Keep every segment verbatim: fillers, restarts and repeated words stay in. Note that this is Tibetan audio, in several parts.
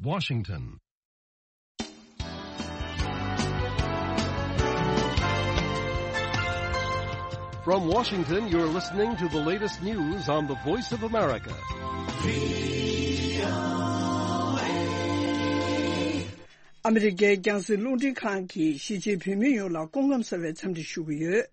Washington. From Washington, you're listening to the latest news on the Voice of America. ཨ་མི་རི་ཀའི་རྒྱང་སྲིང་རླུང་འཕྲིན་ཁང་གིས་གཞིས་བྱེས་བོད་མི་ཡོངས་ལ་སྐུ་ཁམས་བཟང་བའི་འཚམས་འདྲི་ཞུ་གི་ཡོད།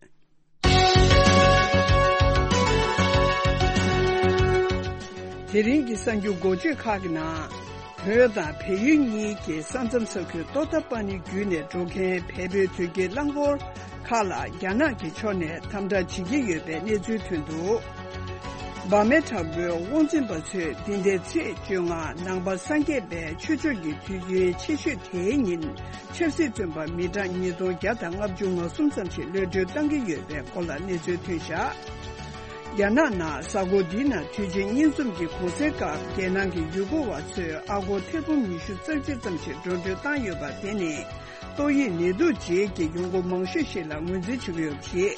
དེ་རིང་གི་གསར་འགྱུར་འགོ་བརྗོད་ཁག་གི་ནང་། བོད་དང་བལ་ཡུལ་གཉིས་ཀྱི་ས་མཚམས་ས་ཁུལ་ཏོ་ཏ་པ་ནི་བརྒྱུད་ནས་འགྲོ་མཁན་བལ་པོའི་དུས་དཀྱིལ་རླངས་འཁོར་ཁག་ལ་རྒྱ་ནག་གི་ཕྱོགས་ནས་དམ་དྲག་བྱེད་ཀྱི་ཡོད་པའི་གནས་ཚུལ་ཐོན་འདུག་འབར་མའི་དྲག་པོའི་དབང་འཛིན་པ་ཚོས་འདི་ཟླའི་ཚེས་བཅོ་ལྔ་ནང་པ་སངས་རྒྱས་པའི་ཆོས་ཕྱོགས་ཀྱི་དུས་ཆེན་ཆེ་ཤོས་དེའི་ཉིན། ཆབ་སྲིད་བཙོན་པ་མི་གྲངས་ཉིས་སྟོང་བརྒྱ་དང་ལྔ་བཅུ་ང་གསུམ་ཙམ་ཞིག་གློད་གྲོལ་བཏང་གི་ཡོད་པའི་སྐོར་ལ་གནས་ཚུལ་ཐོན་བཞག་རྒྱ་ནག་ནང་གཟའ་འཁོར་འདིའི་ནང་དུས་ཆེན་རྙིང་འཛོམས་ཀྱི་གུང་སེང་སྐབས་རྒྱལ་ནང་གི་ཡུལ་སྐོར་བ་ཚོས་ཨ་སྒོར་ཐེར་འབུམ་ཉི་ཤུ་རྩ་གཅིག་ཙམ་ཞིག་འགྲོ་གྲོན་བཏང་ཡོད་པ་དེ་ནི་ཏོག་དབྱིབས་ནད་དུག་རྗེས་ཀྱི་ཡོང་སྒོ་མང་ཤོས་ཤིག་ལ་ངོས་འཛིན་བྱེད་ཀྱི་ཡོད་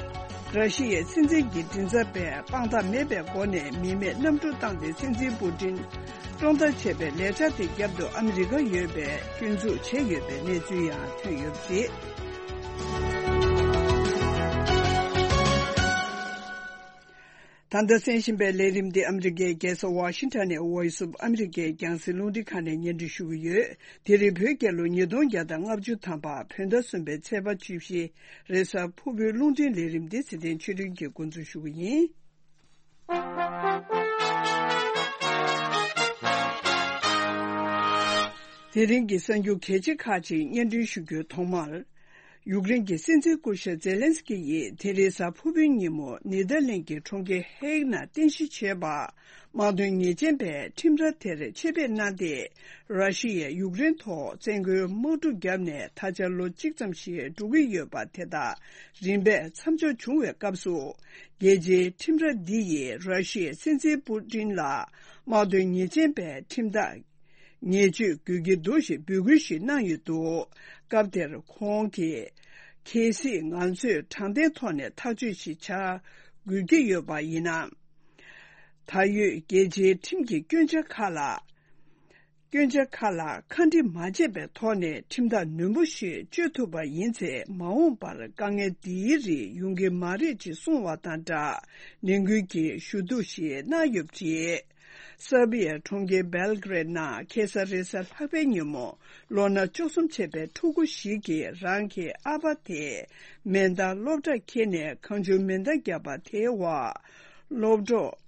པ་རེད། ར་ཤི་ཡའི་སྲིད་འཛིན་གྱི་མགྲིན་ཚབ་པས་དཔང་རྟགས་མེད་པའི་སྒོ་ནས་མི་མེད་གནམ་གྲུ་བཏང་སྟེ་སྲིད་འཛིན་པུ་ཏིན། བཀྲོངས་ཐབས་བྱས་པའི་ལས་འཆར་དེ་རྒྱབ་ཏུ་ཨ་མི་རི་ཀ་ཡོད་པས་སྐྱོན་འཛུགས་བྱས་ཡོད་པའི་གནས་ཚུལ་ཡང་ཐོན་ཡོད་པ་རེད། ད་ལྟ་གསན་བཞིན་པའི་ལས་རིམ་འདི་ཨ་མི་རི་ཀའི་རྒྱལ་ས་ཝ་ཤིང་ཊོན་ནས་Voice of America རྒྱང་སྲིང་རླུང་འཕྲིན་ཁང་ནས་སྙན་སྒྲོན་ཞུ་གི་ཡོད། དེ་རིང་བོད་རྒྱལ་ལོ་ཉིས་སྟོང་བརྒྱ་དང་ལྔ་བཅུ་ཐམ་པ་བོད་ཟླ་གསུམ་པའི་ཚེས་པ་བཅུ་བཞི་རེས་གཟའ་ཕུར་བུའི་རླུང་འཕྲིན་ལས་རིམ་འདི་ཚེ་བརྟན་ཆོས་སྒྲོན་གྱིས་འགོ་འཛུགས་ཞུ་གི་ཡིན། དེ་རིང་གི་གསར་འགྱུར་གལ་ཆེ་ཁག་ཅིག་སྙན་སྒྲོན་ཞུ་རྒྱུའི་ཐོག་མར། ཡུཀ་རེན་གྱི་སྲིད་འཛིན་སྐུ་ཞབས་ཛེ་ལན་སི་ཀི་ཡིས་དེ་རིང་གཟའ་ཕུར་བུའི་ཉིན་མོ་ནེ་དར་ལེན་གྱི་གྲོང་ཁྱེར་ཧེག་ནང་རྟེན་གཞི་བྱས་པ། དམག་དོན་ཉེས་ཅན་པས་ཁྲིམས་ར་དེར་ཆེད་ཕེབས་གནང་སྟེ། ར་ཤི་ཡས་ཡུཀ་རེན་ཐོག་བཙན་རྒོལ་དམག་འཁྲུག་བརྒྱབ་ནས་ད་ཆ་ལོ་གཅིག་ཙམ་ཞིག་འགྲོ་གི་ཡོད་པ་དེ་དག་རིམ་པས་མཚམས་འཇོག་བྱུང་བའི་སྐབས་སུ། རྒྱལ་སྤྱིའི་ཁྲིམས་ར་འདི་ཡིས་ར་ཤི་ཡའི་སྲིད་འཛིན་པུ་ཏིན་ལ་དམག་དོན་ཉེས་ཅན་པའི་ཁྲིམས་ཐག་ཉེས་གཅོད་དགོས་ཀྱི་འདུག་ཞེས་འབོད་སྐུལ་ཞིག་གནང་ཡོད་འདུག་སྐབས་དེར་ཁོང་གིས་གལ་སྲིད་ང་ཚོས་དྲང་བདེན་ཐོག་ནས་ཐག་གཅོད་ཞིག་བྱ་དགོས་ཀྱི་ཡོད་པ་ཡིན་ན། ད་ཡོད་རྒྱལ་སྤྱིའི་ཁྲིམས་ཀྱི་སྐྱོན་ཆ་ཁག་ལ། སྐྱོན་ཆ་ཁག་ལ་ཁ་འདྲི་མ་བྱས་པའི་ཐོག་ནས་ཁྲིམས་ཐག་ནན་པོ་ཞིག་གཅོད་ཐུབ་པ་ཡིན་ཚེ་མ་འོངས་པར་དཀའ་ངལ་འདིའི་རིགས་ཡོང་གི་མ་རེད་ཅེས་གསུངས་བ་དང་སྦྲགས་ནན་སྐུལ་གྱི་ཞུ་གཏུག་ཞིག་གནང་ཡོད་པ་རེད། སར་བྷི་ཡའི་གྲོང་ཁྱེར་སྦེལ་གྷ་རེད་ནང་ཁ་སང་རེས་གཟའ་ལྷག་པའི་ཉིན་མོ་ལོ་ན་བཅུ་གསུམ་བྱས་པའི་ཕྲུ་གུ་ཞིག་གིས་རང་གི་ཨ་ཕ་དེ་མེ་མདའ་སློབ་གྲྭར་འཁྱེར་ནས་གང་བྱུང་མེ་མདའ་བརྒྱབ་པ་དེའི་འོག་སློབ་གྲོགས།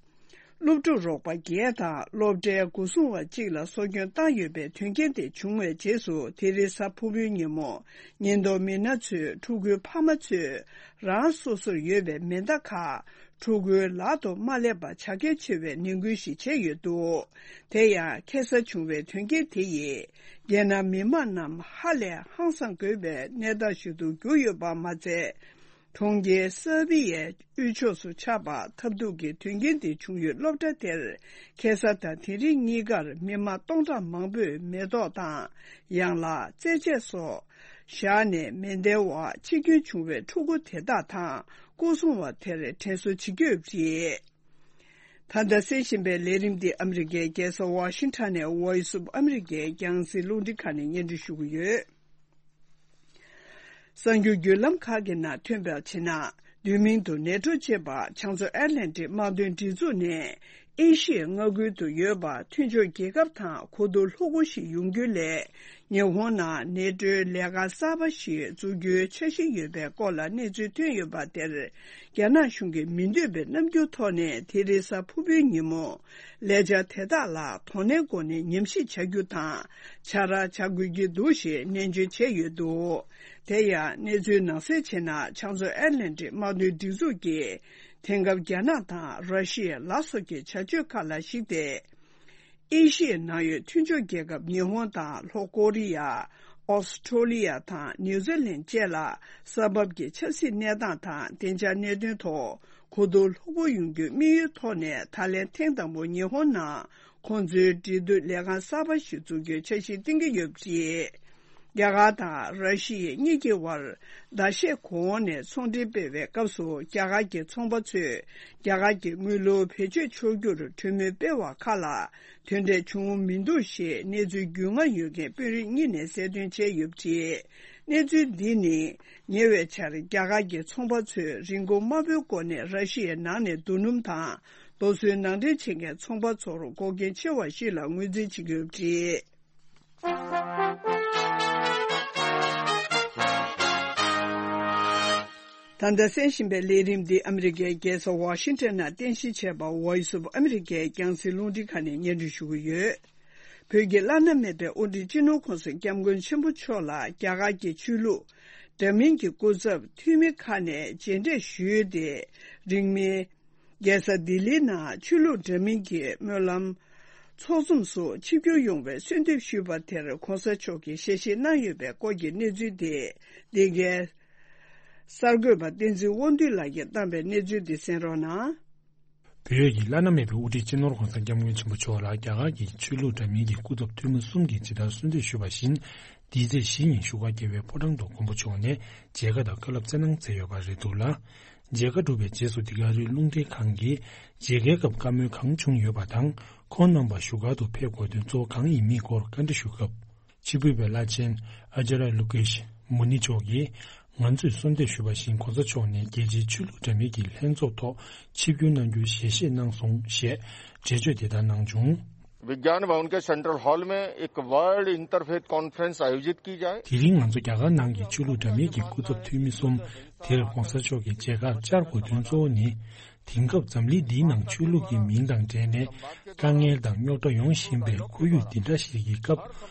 སློབ་ཕྲུག་རོགས་པ་བརྒྱད་དང་སློབ་གྲྭའི་སྒོ་སྲུང་བ་གཅིག་ལ་སྲོག་སྐྱོན་བཏང་ཡོད་པའི་དོན་རྐྱེན་དེ་བྱུང་བའི་རྗེས་སུ་དེ་རིང་གཟའ་ཕུར་བུའི་ཉིན་མོ་ཉེན་རྟོག་མི་སྣ་ཚོས་ཕྲུ་གུའི་ཕ་མ་ཚོས་རང་སོ་སོར་ཡོད་པའི་མེ་མདའ་ཁག་ཕྲུ་གུའི་ལག་ཏུ་མ་སླེབས་པ་བྱ་གལ་ཆེ་བའི་ནན་སྐུལ་ཞིག་བྱས་ཡོད་འདུག་དེ་ཡང་ཁ་སང་བྱུང་བའི་དོན་རྐྱེན་དེ་ཡིས་རྒྱལ་ནང་མི་མང་རྣམས་ཧ་ལས་ཧང་སངས་དགོས་པའི་གནས་སྟངས་ཤིག་ཏུ་གྱུར་ཡོད་པ་མ་ཚད། གྲོང་ཁྱེར་སར་བྷི་ཡའི་དབུས་ཕྱོགས་སུ་ཆགས་པ་ཐབས་སྡུག་གི་དོན་རྐྱེན་དེ་བྱུང་ཡུལ་སློབ་གྲྭ་དེར་ཁ་སང་དང་དེ་རིང་གཉིས་ཀར་མི་མང་སྟོང་ཕྲག་མང་པོས་མེ་ཏོག་དང་ཡང་ལག་རྩེད་ཆས་སོགས་བཞག་ནས་མེ་མདའི་འོག་འཆི་སྐྱོན་བྱུང་བའི་ཕྲུ་གུ་དེ་དག་དང་སྐུ་སྲུང་བ་དེར་དྲན་གསོ་བྱེད་ཀྱི་ཡོད་པ་རེད། ད་ལྟ་གསན་བཞིན་པའི་ལས་རིམ་འདི་ཨ་མི་རི་ཀའི་རྒྱལ་ས་ཝ་ཤིང་ཊོན་ནས་Voice of America རྒྱང་སྲིང་རླུང་འཕྲིན་ཁང་ནས་སྙན་སྒྲོན་ཞུ་གི་ཡོད། གསར་འགྱུར་བརྒྱུད་ལམ་ཁག་གི་ནང་ཐོན་པར་བྱས་ན། བསྡུས་མིང་དུ་ནེ་ཊོ་ཅེས་པ་བྱང་མཚོ་ཨེཊ་ལན་ཊིག་དམག་དོན་སྒྲིག་འཛུགས་ནས་ཨེ་ཤི་ཡའི་མངའ་ཁུལ་དུ་ཡོད་པ་མཐུན་ཕྱོགས་རྒྱལ་ཁབ་དང་གོ་བསྡུར་ལྷུག་པོ་ཞིག་ཡོང་རྒྱུ་ལས། ཉི་ཧོང་ནང་ནེ་ཊོའི་ལས་ཁང་གསར་པ་ཞིག་འཛུགས་རྒྱུའི་འཆར་གཞི་ཡོད་པའི་སྐོར་ལ་གནས་ཚུལ་ཐོན་ཡོད་པ་དེར། རྒྱ་ནག་གཞུང་གིས་མི་འདོད་པའི་རྣམ་འགྱུར་ཐོག་ནས་དེ་རིང་གཟའ་ཕུར་བུའི་ཉིན་མོ། ལས་འཆར་དེ་དག་ལ་དོ་ནན་སྒོ་ནས་ཉམས་ཞིབ་བྱ་རྒྱུ་དང་། བྱ་ར་བྱ་དགོས་ཀྱི་འདུག་ཞེས་ནན་བརྗོད་བྱས་ཡོད་འདུག་དེ་ཡང་གནས་ཚུལ་ནང་གསལ་བྱས་ན་བྱང་མཚོ་ཨེཊ་ལན་ཊིག་དམག་དོན་སྒྲིག་འཛུགས་ཀྱིས་དེང་སྐབས་རྒྱ་ནག་དང་ར་ཤི་ཡའི་ལ་སོགས་ཀྱི་བྱ་སྤྱོད་ཁག་ལ་གཞིགས་ཏེ། ཨེ་ཤི་ཡའི་ནང་ཡོད་མཐུན་ཕྱོགས་རྒྱལ་ཁབ་ཉི་ཧོང་དང་ལྷོ་ཀོ་རི་ཡ། ཨོ་སི་ཀྲོ་ལི་ཡ་དང་ནིའུ་ཛི་ལན་བཅས་ལ་ས་བབ་ཀྱི་ཆབ་སྲིད་གནས་སྟངས་དང་བདེ་འཇགས་གནད་དོན་ཐོག་གོ་བསྡུར་ལྷུག་པོ་ཡོང་རྒྱུའི་དམིགས་ཡུལ་ཐོག་ནས་ད་ལན་ཐེངས་དང་པོ་ཉི་ཧོང་ནང་ཁོང་ཚོའི་འབྲེལ་མཐུད་ལས་ཁང་གསར་པ་ཞིག་འཛུགས་རྒྱུའི་འཆར་གཞི་བཏིང་གི་ཡོད་པ་རེད། རྒྱ་གར་དང་ར་ཤི་ཡ་གཉིས་ཀྱི་དབར་ཟླ་ཤས་གོང་ནས་ཚོང་འབྲེལ་སྤེལ་བའི་སྐབས་སུ། རྒྱ་གར་གྱི་ཚོང་པ་ཚོས་རྒྱ་གར་གྱི་དངུལ་ལོར་བེད་སྤྱོད་ཆོག་རྒྱུར་གྲོས་མོལ་སྤེལ་བ་ཁག་ལ་དོན་འབྲས་བྱུང་མི་འདུག་ཞེས་གནས་ཚུལ་རྒྱུས་མངའ་ཡོད་མཁན་དཔོན་རིགས་གཉིས་ནས་གསལ་སྟོན་བྱས་ཡོད་པ་རེད། གནས་ཚུལ་འདི་ནི་ཉེ་བའི་ཆར་རྒྱ་གར་གྱི་ཚོང་པ་ཚོས་རིན་གོང་དམའ་པོའི་སྒོ་ནས་ར་ཤི་ཡའི་ནང་ནས་རྡོ་སྣུམ་དང་རྡོ་སོལ་ནང་འདྲེན་བྱེད་མཁན་ཚོང་པ་ཚོར་འགོག་རྐྱེན་ཆེ་བ་ཞིག་ལ་ངོས་འཛིན་བྱེད་ཀྱི་ཡོད་པ་རེད། ད་ལྟ་གསན་བཞིན་པའི་ལས་རིམ་འདི་ཨ་མི་རི་ཀའི་རྒྱལ་ས་ཝ་ཤིང་ཊོན་ནང་རྟེན་གཞི་བྱས་པ་Voice of America་ཡི་རྒྱང་སྲིང་རླུང་འཕྲིན་ཁང་ནས་སྙན་སྒྲོན་ཞུ་གི་ཡོད། བོད་ཀྱི་བླ་ན་མེད་པའི་དབུ་ཁྲིད་སྤྱི་ནོར་༧གོང་ས་༧སྐྱབས་མགོན་ཆེན་པོ་མཆོག་ལ་རྒྱ་གར་གྱི་ཆོས་ལུགས་འདྲ་མིན་གྱི་སྐུ་ཚབ་འཐུས་མི་ཁག་ནས་མཇལ་འཕྲད་ཞུས་ཏེ། རིང་མིན། རྒྱལ་ས་ལྡི་ལིའི་ནང་ཆོས་ལུགས་འདྲ་མིན་གྱི་སྨོན་ལམ་ཚོགས་འཛོམས་སུ་ཆིབས་བསྒྱུར་ཡོང་བའི་གསོལ་འདེབས་ཞུས་པ་དེར་༧གོང་ས་མཆོག་གིས་ཞལ་བཞེས་གནང་ཡོད་པའི་སྐོར་གྱི་གནས་ཚུལ་དེ། འདི་གའི་གསར་འགོད་པ་བསྟན་འཛིན་དབང་འདུས་ལགས་ཀྱིས་བཏང་པའི་གནས་ཚུལ་འདི་གསན་རོགས་གནང་། བོད་ཀྱི་བླ་ན་མེད་པའི་དབུ་ཁྲིད་སྤྱི་ནོར་༧གོང་ས་༧སྐྱབས་མགོན་ཆེན་པོ་མཆོག་ལ་རྒྱ་གར་གྱི་ཆོས་ལུགས་འདྲ་མིན་གྱི་སྐུ་ཚབ་འཐུས་མི་གསུམ་གྱིས་ཇི་ལྟར་གསོལ་འདེབས་ཞུས་པ་བཞིན། འདིའི་ཚེས་བཞི་ཉིན་བཞུགས་སྒར་རྒྱལ་བའི་ཕོ་བྲང་དུ་མགོན་པོ་མཆོག་ནས་མཇལ་ཁ་དང་བཀའ་སློབ་སྩལ་གནང་མཛད་ཡོད་པ་རེད་འདུག་ལ། མཇལ་ཁ་གྲུབ་པའི་རྗེས་སུ་འདི་ག་རི་རླུང་འཕྲིན་ཁང་གིས་མཇལ་ཁའི་སྐབས་བཀའ་མོལ་གང་བྱུང་ཡོད་པ་དང་། ཁོང་རྣམ་པ་བཞུགས་སྒར་དུ་ཕེབས་དགོས་དོན་གཙོ་བོ་གང་ཡིན་མིན་སྐོར་བཀའ་འདྲི་ཞུས་སྐབས། ཕྱི་དྲིལ་བའི་བླ་ཆེན་ཨ་ཅཱརྱ་ལོ་ཀེཤ་མུ་ནི་མཆོག་གིས། ང་ཚོས་གསོལ་འདེབས་ཞུས་པ་བཞིན་༧གོང་ས་མཆོག་ནས་རྒྱལ་སྤྱིའི་ཆོས་ལུགས་འདྲ་མིན་གྱི་ལྷན་ཚོགས་ཐོག་ཆིབས་བསྒྱུར་གནང་རྒྱུའི་ཞལ་བཞེས་གནང་སོང་ཞེས་འགྲེལ་བརྗོད་དེ་ལྟར་གནང་བྱུང་། विज्ञान भवन के central hall में एक world interfaith conference आयोजित की जाए। དེ་རིང་ང་ཚོ་རྒྱ་གར་ནང་གི་ཆོས་ལུགས་འདྲ་མིན་གྱི་སྐུ་ཚབ་འཐུས་མི་གསུམ་དེར་༧གོང་ས་མཆོག་གི་མཇལ་ཁར་བཅར་དགོས་དོན་གཙོ་བོ་ནི། དེང་སྐབས་འཛམ་གླིང་འདིའི་ནང་ཆོས་ལུགས་ཀྱི་མིང་དང་འབྲེལ་ནས་དཀའ་ངལ་དང་རྙོག་དྲ་ཡོང་བཞིན་པའི་ཁོར་ཡུག་འདི་འདྲ་ཞིག་གི་སྐབས།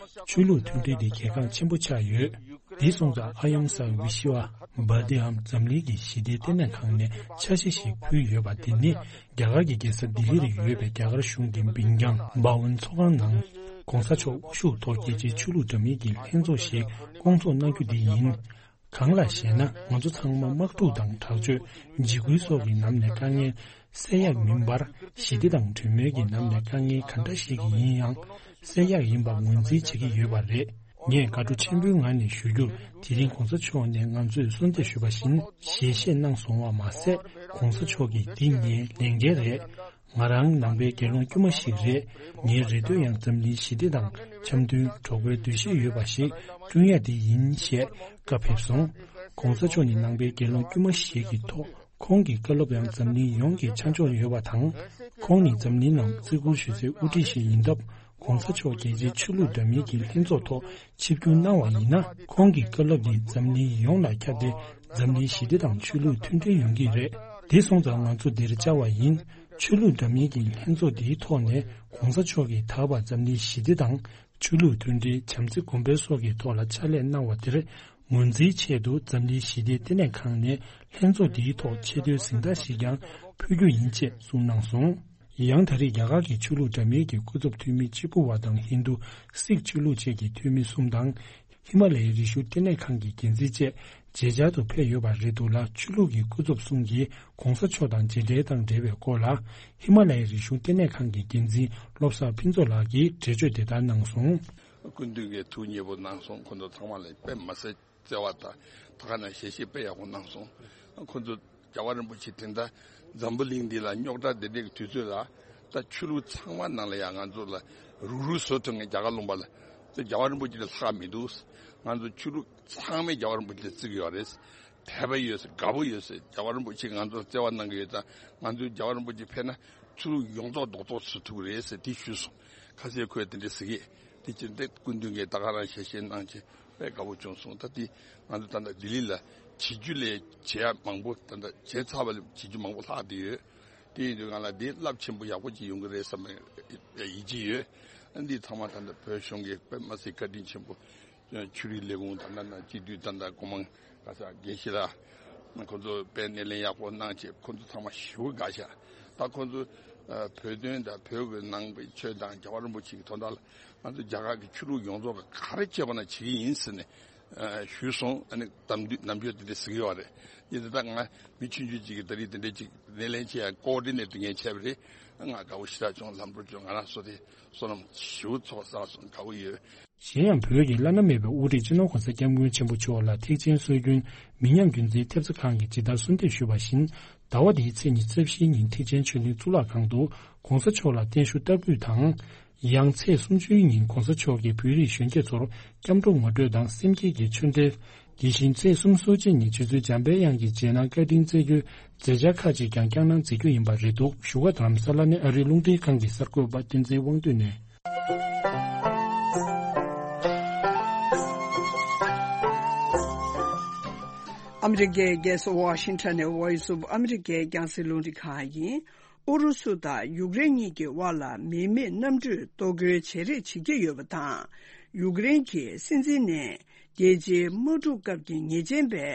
ཆོས་ལུགས་མཐུན་སྒྲིལ་འདི་གལ་འགངས་ཆེན་པོ་ཆགས་ཡོད། འདི་སོང་ཙང་ཨ་ཡང་སཱ་བི་ཤི་ཝ་བྷ་ཏི་འམ་འཛམ་གླིང་གི་ཞི་བདེའི་ལྟེ་གནས་ཁང་ནས་འཆར་གཞི་ཞིག་ཕུལ་ཡོད་པ་འདི་ནི། རྒྱ་གར་གྱི་རྒྱལ་ས་ལྡི་ལི་རུ་ཡོད་པའི་རྒྱ་གར་གཞུང་གི་འབིང་རྐྱང་འབའ་ཝན་ཚོགས་ཁང་ནང་༧གོང་ས་མཆོག་དབུ་བཞུགས་ཐོག་རྒྱལ་སྤྱིའི་ཆོས་ལུགས་འདྲ་མིན་གྱི་ལྷན་ཚོགས་ཤིག་བསྐོང་ཚོགས་གནང་རྒྱུ་འདི་ཡིན། གང་ལགས་ཤེ་ན། ང་ཚོ་ཚང་མ་དམག་འཁྲུག་དང་དྲག་སྤྱོད། འཇིགས་སྐུལ་སོགས་ཀྱི་ནང་ནས་དཀའ་ངལ་སེལ་ཡག་མིན་པར། ཞི་བདེ་དང་གྲོས་མོལ་གྱི་ནང་ནས་དཀའ་ངལ་ག་འདྲ་ཞིག་ཡིན་ཡང་སེལ་ཡག་ཡིན་པ་ངོས་འཛིན་བྱེད་ཀྱི་ཡོད་པ་རེད། ངས་དགའ་སྤྲོ་ཆེན་པོའི་ངང་ནས་ཞུ་རྒྱུར། དེ་རིང་༧གོང་ས་མཆོག་ནས་ང་ཚོས་གསོལ་འདེབས་ཞུས་པ་བཞིན་ཞལ་བཞེས་གནང་སོང་བ་མ་ཟད། ༧གོང་ས་མཆོག་གིས་འདི་ངའི་ལས་འགན་རེད། ང་རང་ནང་པའི་དགེ་སློང་དཀྱུས་མ་ཞིག་རེད། ངའི་རེ་འདོད་ཡང་འཛམ་གླིང་ཞི་བདེ་དང་འཆམ་མཐུན་གྲོགས་པོའི་འདུ་ཤེས་ཡོད་པ་ཞིག་བསྐྲུན་ཡ་དེ་ཡིན་ཞེས་བཀའ་ཕེབས་སོང་། ༧གོང་ས་མཆོག་ནི་ནང་པའི་དགེ་སློང་དཀྱུས་མ་ཞིག་གི་ཐོག་ཁོང་གི་བཀའ་སློབ་ཡང་འཛམ་གླིང་ཡོངས་ཀྱི་ཆ་འཇོག་ཡོད་པ་དང་། ཁོང་ནི་འཛམ་གླིང་ནང་བརྩི་བཀུར་ཞུ་སའི་དབུ་ཁྲིད་ཞིག་ཡིན་སྟབས། ༧གོང་ས་མཆོག་རྒྱལ་སྤྱིའི་ཆོས་ལུགས་འདྲ་མིན་གྱི་ལྷན་ཚོགས་ཐོག་ཆིབས་བསྒྱུར་གནང་བ་ཡིན་ན། ཁོང་གི་བཀའ་སློབ་འདི་འཛམ་གླིང་ཡོངས་ལ་ཁྱབ་སྟེ། འཛམ་གླིང་ཞི་བདེ་དང་ཆོས་ལུགས་མཐུན་སྒྲིལ་ཡོང་གི་རེད། དེ་སོང་ཙང་ང་ཚོ་འདིར་བཅར་བ་ཡིན། ཆོས་ལུགས་འདྲ་མིན་གྱི་ལྷན་ཚོགས་འདིའི་ཐོག་ནས་༧གོང་ས་མཆོག་གིས་ད་བར་འཛམ་གླིང་ཞི་བདེ་དང་། ཆོས་ལུགས་མཐུན་སྒྲིལ། བྱམས་བརྩེ་གོང་འཕེལ་སོགས་ཀྱི་ཐོག་ལ་ཕྱག་ལས་གནང་བ་དེར་ངོས་འཛིན་ཆེད་དུ། འཛམ་གླིང་ཞི་བདེའི་ལྟེ་གནས་ཁང་ནས་ལྷན་ཚོགས་འདིའི་ཐོག་ཆེ་བསྟོད་གཟེངས་རྟགས་ཤིག་ཀྱང་ཕུལ་རྒྱུ་ཡིན་ཅེས་གསུངས་གནང་སོང་། ཡང་ད་རེས་རྒྱ་གར་གྱི་ཆོས་ལུགས་འདྲ་མིན་གྱི་སྐུ་ཚབ་འཐུས་མི་གཅིག་པུ་བ་དང་། ཧིན་རྡུ་སིག་ཆོས་ལུགས་བཅས་ཀྱི་འཐུས་མི་གསུམ་དང་། ཧི་མ་ལ་ཡའི་རིག་གཞུང་ལྟེ་གནས་ཁང་གི་འགན་འཛིན་བཅས་མཇལ་བཅར་དུ་ཕེབས་ཡོད་པ་རེད་འདུག་ལ། ཆོས་ལུགས་ཀྱི་སྐུ་ཚབ་གསུམ་གྱིས་༧གོང་ས་མཆོག་དང་མཇལ་འཕྲད་དང་འབྲེལ་བའི་སྐོར་ལ། ཧི་མ་ལ་ཡའི་རིག་གཞུང་ལྟེ་གནས་ཁང་གི་འགན་འཛིན་བློ་བཟང་ཕུན་ཚོགས་ལགས་ཀྱིས་འགྲེལ་བརྗོད་དེ་ལྟར་གནང་སོང་། སྐུ་མདུན་གྱིས་ཐུགས་མཉེས་པོ་གནང་སོང་། ཁོང་ཚོ་ཚང་མ་ལ་དཔེ་མ་སྲིད་བརྩེ་བ་དང་། ད་ག་ནང་ཞལ་བཞེས་དཔེ་ཡག་པོ་གནང་སོང་། ཁོང་ཚོ་རྒྱལ་བ་རིན་པོ་ཆེ་དེ་འདྲ་འཛམ་བུ་གླིང་འདི་ལ་རྙོག་དྲ་འདི་འདྲའི་དུས་ཚོད་ལ། ད་ཆོས་ལུགས་ཚང་མ་ནང་ལ་ཡང་ང་ཚོ་ལ་རུག་རུག་བཟོ་ཐུབ་མཁན། རྒྱ་གར་ལུང་པ་ལ་ད་རྒྱལ་བ་རིན་པོ་ཆེ་ལས་ལྷག་མི་འདུག། ང་ཚོ་ཆོས་ལུགས་ཚང་མས་རྒྱལ་བ་རིན་པོ་ཆེ་ལ་བརྩི་གི་ཡོད་རེད། དད་པ་ཡོད་ཟེར། དགའ་པོ་ཡོད་ཟེར། རྒྱལ་བ་རིན་པོ་ཆེས་ང་ཚོར་བརྩེ་བ་གནང་གི་ཡོད་ཙང་། ང་ཚོས་རྒྱལ་བ་རིན་པོ་ཆེ་ཕེབས་ན་ཆོས་ལུགས་ཡོངས་རྫོགས་རྡོག་རྫོགས་བཟོ་ཐུབ་ཀྱི་རེད་ཟེར་དེ་ཞུས་སོང་། ཁ་སང་ཁོས་དེ་འདྲ་ཟེར་གི། དེ་ཕྱིར་ཏེ་སྐུ་མདུན་གྱིས་ད་ག་རང་ཞལ་བཞེས་གནང་བྱས་དཔེ་དགའ་པོ་བྱུང་སོང་། ད་དེ་ང་ཚོ་ད་ལྟ་ལྡི་ལི་ལ་བྱེད་རྒྱུ་ལས་བྱེད་ཡ་མང་པོ། ད་ལྟ་བྱས་ཚར་བ་ལས་བྱེད་རྒྱུ་མང་པོ་ལྷག་བསྡད་ཡོད། དེ་ཡིན་དུས་ང་ལ་དེ་རླབས་ཆེན་པོ་ཡག་པོ་ཅིག་ཡོང་གི་རེད་བསམ་པའི་ཡིད་ཆེས་ཡོད། འདི་ཚང་མ་ད་ལྟ་བོད་གཞུང་གིས་དཔེ་མ་སྲིད་བཀའ་དྲིན་ཆེན་པོ། ཆོས་རིག་ལས་ཁུངས་དང་། ད་ལྟ་སྤྱི་འཐུས་ད་ལྟ་སྐུ་མང་ག་ས་དགེ་བཤེས་ལགས། ཁོང་ཚོ་དཔེ་སྣེ་ལེན་ཡག་པོ་གནང་བྱས། ཁོང་ཚོ་ཚང་མ་ཞེ་པོ་དགའ་ཤག། ད་ཁོང་ཚོ་ཨ་བོད་དོན་དང་བོད་ཀྱི་ནང་པའི་ཆོས་དང་རྒྱལ་བ་རིན་པོ་ཆེ་གི་དོན་དག་ལ། ང་ཚོ་རྒྱ་གར་གྱི་ཆོས་ལུགས་ཡོངས་རྫོགས་ཀྱིས་ག་རེ་བྱེད་དགོས་ན་བྱེད་ཀྱི་ཡིན་ཟེར་ནས་ཨ་ཞུས་སོང་། ཨ་ནི་དམ་དུས་ནམ་རྒྱུན་དེ་འདྲ་ཟེར་གྱི་ཡོད་རེད། ཡིན་ད་ལྟ་ང་མི་ཆུང་ཆུང་ཅིག་གིས་ད་རེས་དེ་འདྲ་ཅིག་སྣེ་ལེན་བྱེད་ཡ་ཀོ་ཨོ་ཌི་ནེ་ཊར་ངས་བྱས་པ་རེད། ང་དགའ་པོ་ཞེ་དྲག་བྱུང་། ལམ་འགྲོ་བྱུང་། ང་རང་ཚོ་དེ་བསོད་ནམས་ཞེ་པོ་ཚོགས་བསགས་སོང་། དགའ་པོ་ཡོད། གཞན་ཡང་བོད་ཀྱི་བླ་ན་མེད་པའི་དབུ་ཁྲིད་སྤྱི་ནོར་༧གོང་ས་༧སྐྱབས་མགོན་ཆེན་པོ་མཆོག་ལ་ཐེག་ཆེན་སྲོལ་རྒྱུན་མི་ཉམས་རྒྱུན་འཛིན་ཐེབས་རྩ་ཁང་གིས་ཇི་ལྟར་གསོལ་འདེབས་ཞུས་པ་བཞིན། ཟླ་བ་འདིའི་ཚེས་ཉི་ཤུ་རྩ་བཞིའི་ཉིན་ཐེག་ཆེན་ཆོས་གླིང་གཙུག་ལག་ཁང་དུ་༧གོང་ས་མཆོག་ལ་བརྟན་བཞུགས་བསྟར་འབུལ་དང་། ཡང་ཚེས་སུམ་ཅུའི་ཉིན་༧གོང་ས་མཆོག་གིས་བོད་རིགས་གཞོན་སྐྱེས་ཚོར་སྐྱབས་འགྲོ་ངོ་སྤྲོད་དང་སེམས་བསྐྱེད་ཀྱི་ཆོས་འབྲེལ། དེ་བཞིན་ཚེས་སུམ་ཅུ་སོ་གཅིག་ཉིན་རྗེ་བཙུན་འཇམ་དཔལ་དབྱངས་ཀྱི་རྗེས་གནང་བཀའ་དྲིན་སྩལ་རྒྱུའི་མཛད་འཆར་ཁག་ཅིག་ཀྱང་བསྐྱངས་གནང་མཛད་རྒྱུ་ཡིན་པ་རེད་འདུག་བཞུགས་སྒར་རྡ་རམ་ས་ལ་ནས་ཨ་རིའི་རླུང་འཕྲིན་ཁང་གི་གསར་འགོད་པ་བསྟན་འཛིན་དབང་འདུས་ནས། ཨ་མི་རི་ཀའི་རྒྱལ་ས་ཝ་ཤིང་ཊོན་ནས་Voice of America རྒྱང་སྲིང་རླུང་འཕྲིན་ཁང་ཡིན། ཨུ་རུ་སུ་དང་ཡུཀ་རེན་གཉིས་ཀྱི་དབར་ལ་མི་མེད་གནམ་གྲུས་གཏོར་རྒོལ་བྱེད་རེས་བྱེད་ཀྱི་ཡོད་པ་དང་། ཡུཀ་རེན་གྱི་སྲིད་འཛིན་ནས་རྒྱལ་སྤྱིའི་དམག་འཁྲུག་སྐབས་ཀྱི་ཉེས་ཅན་པའི་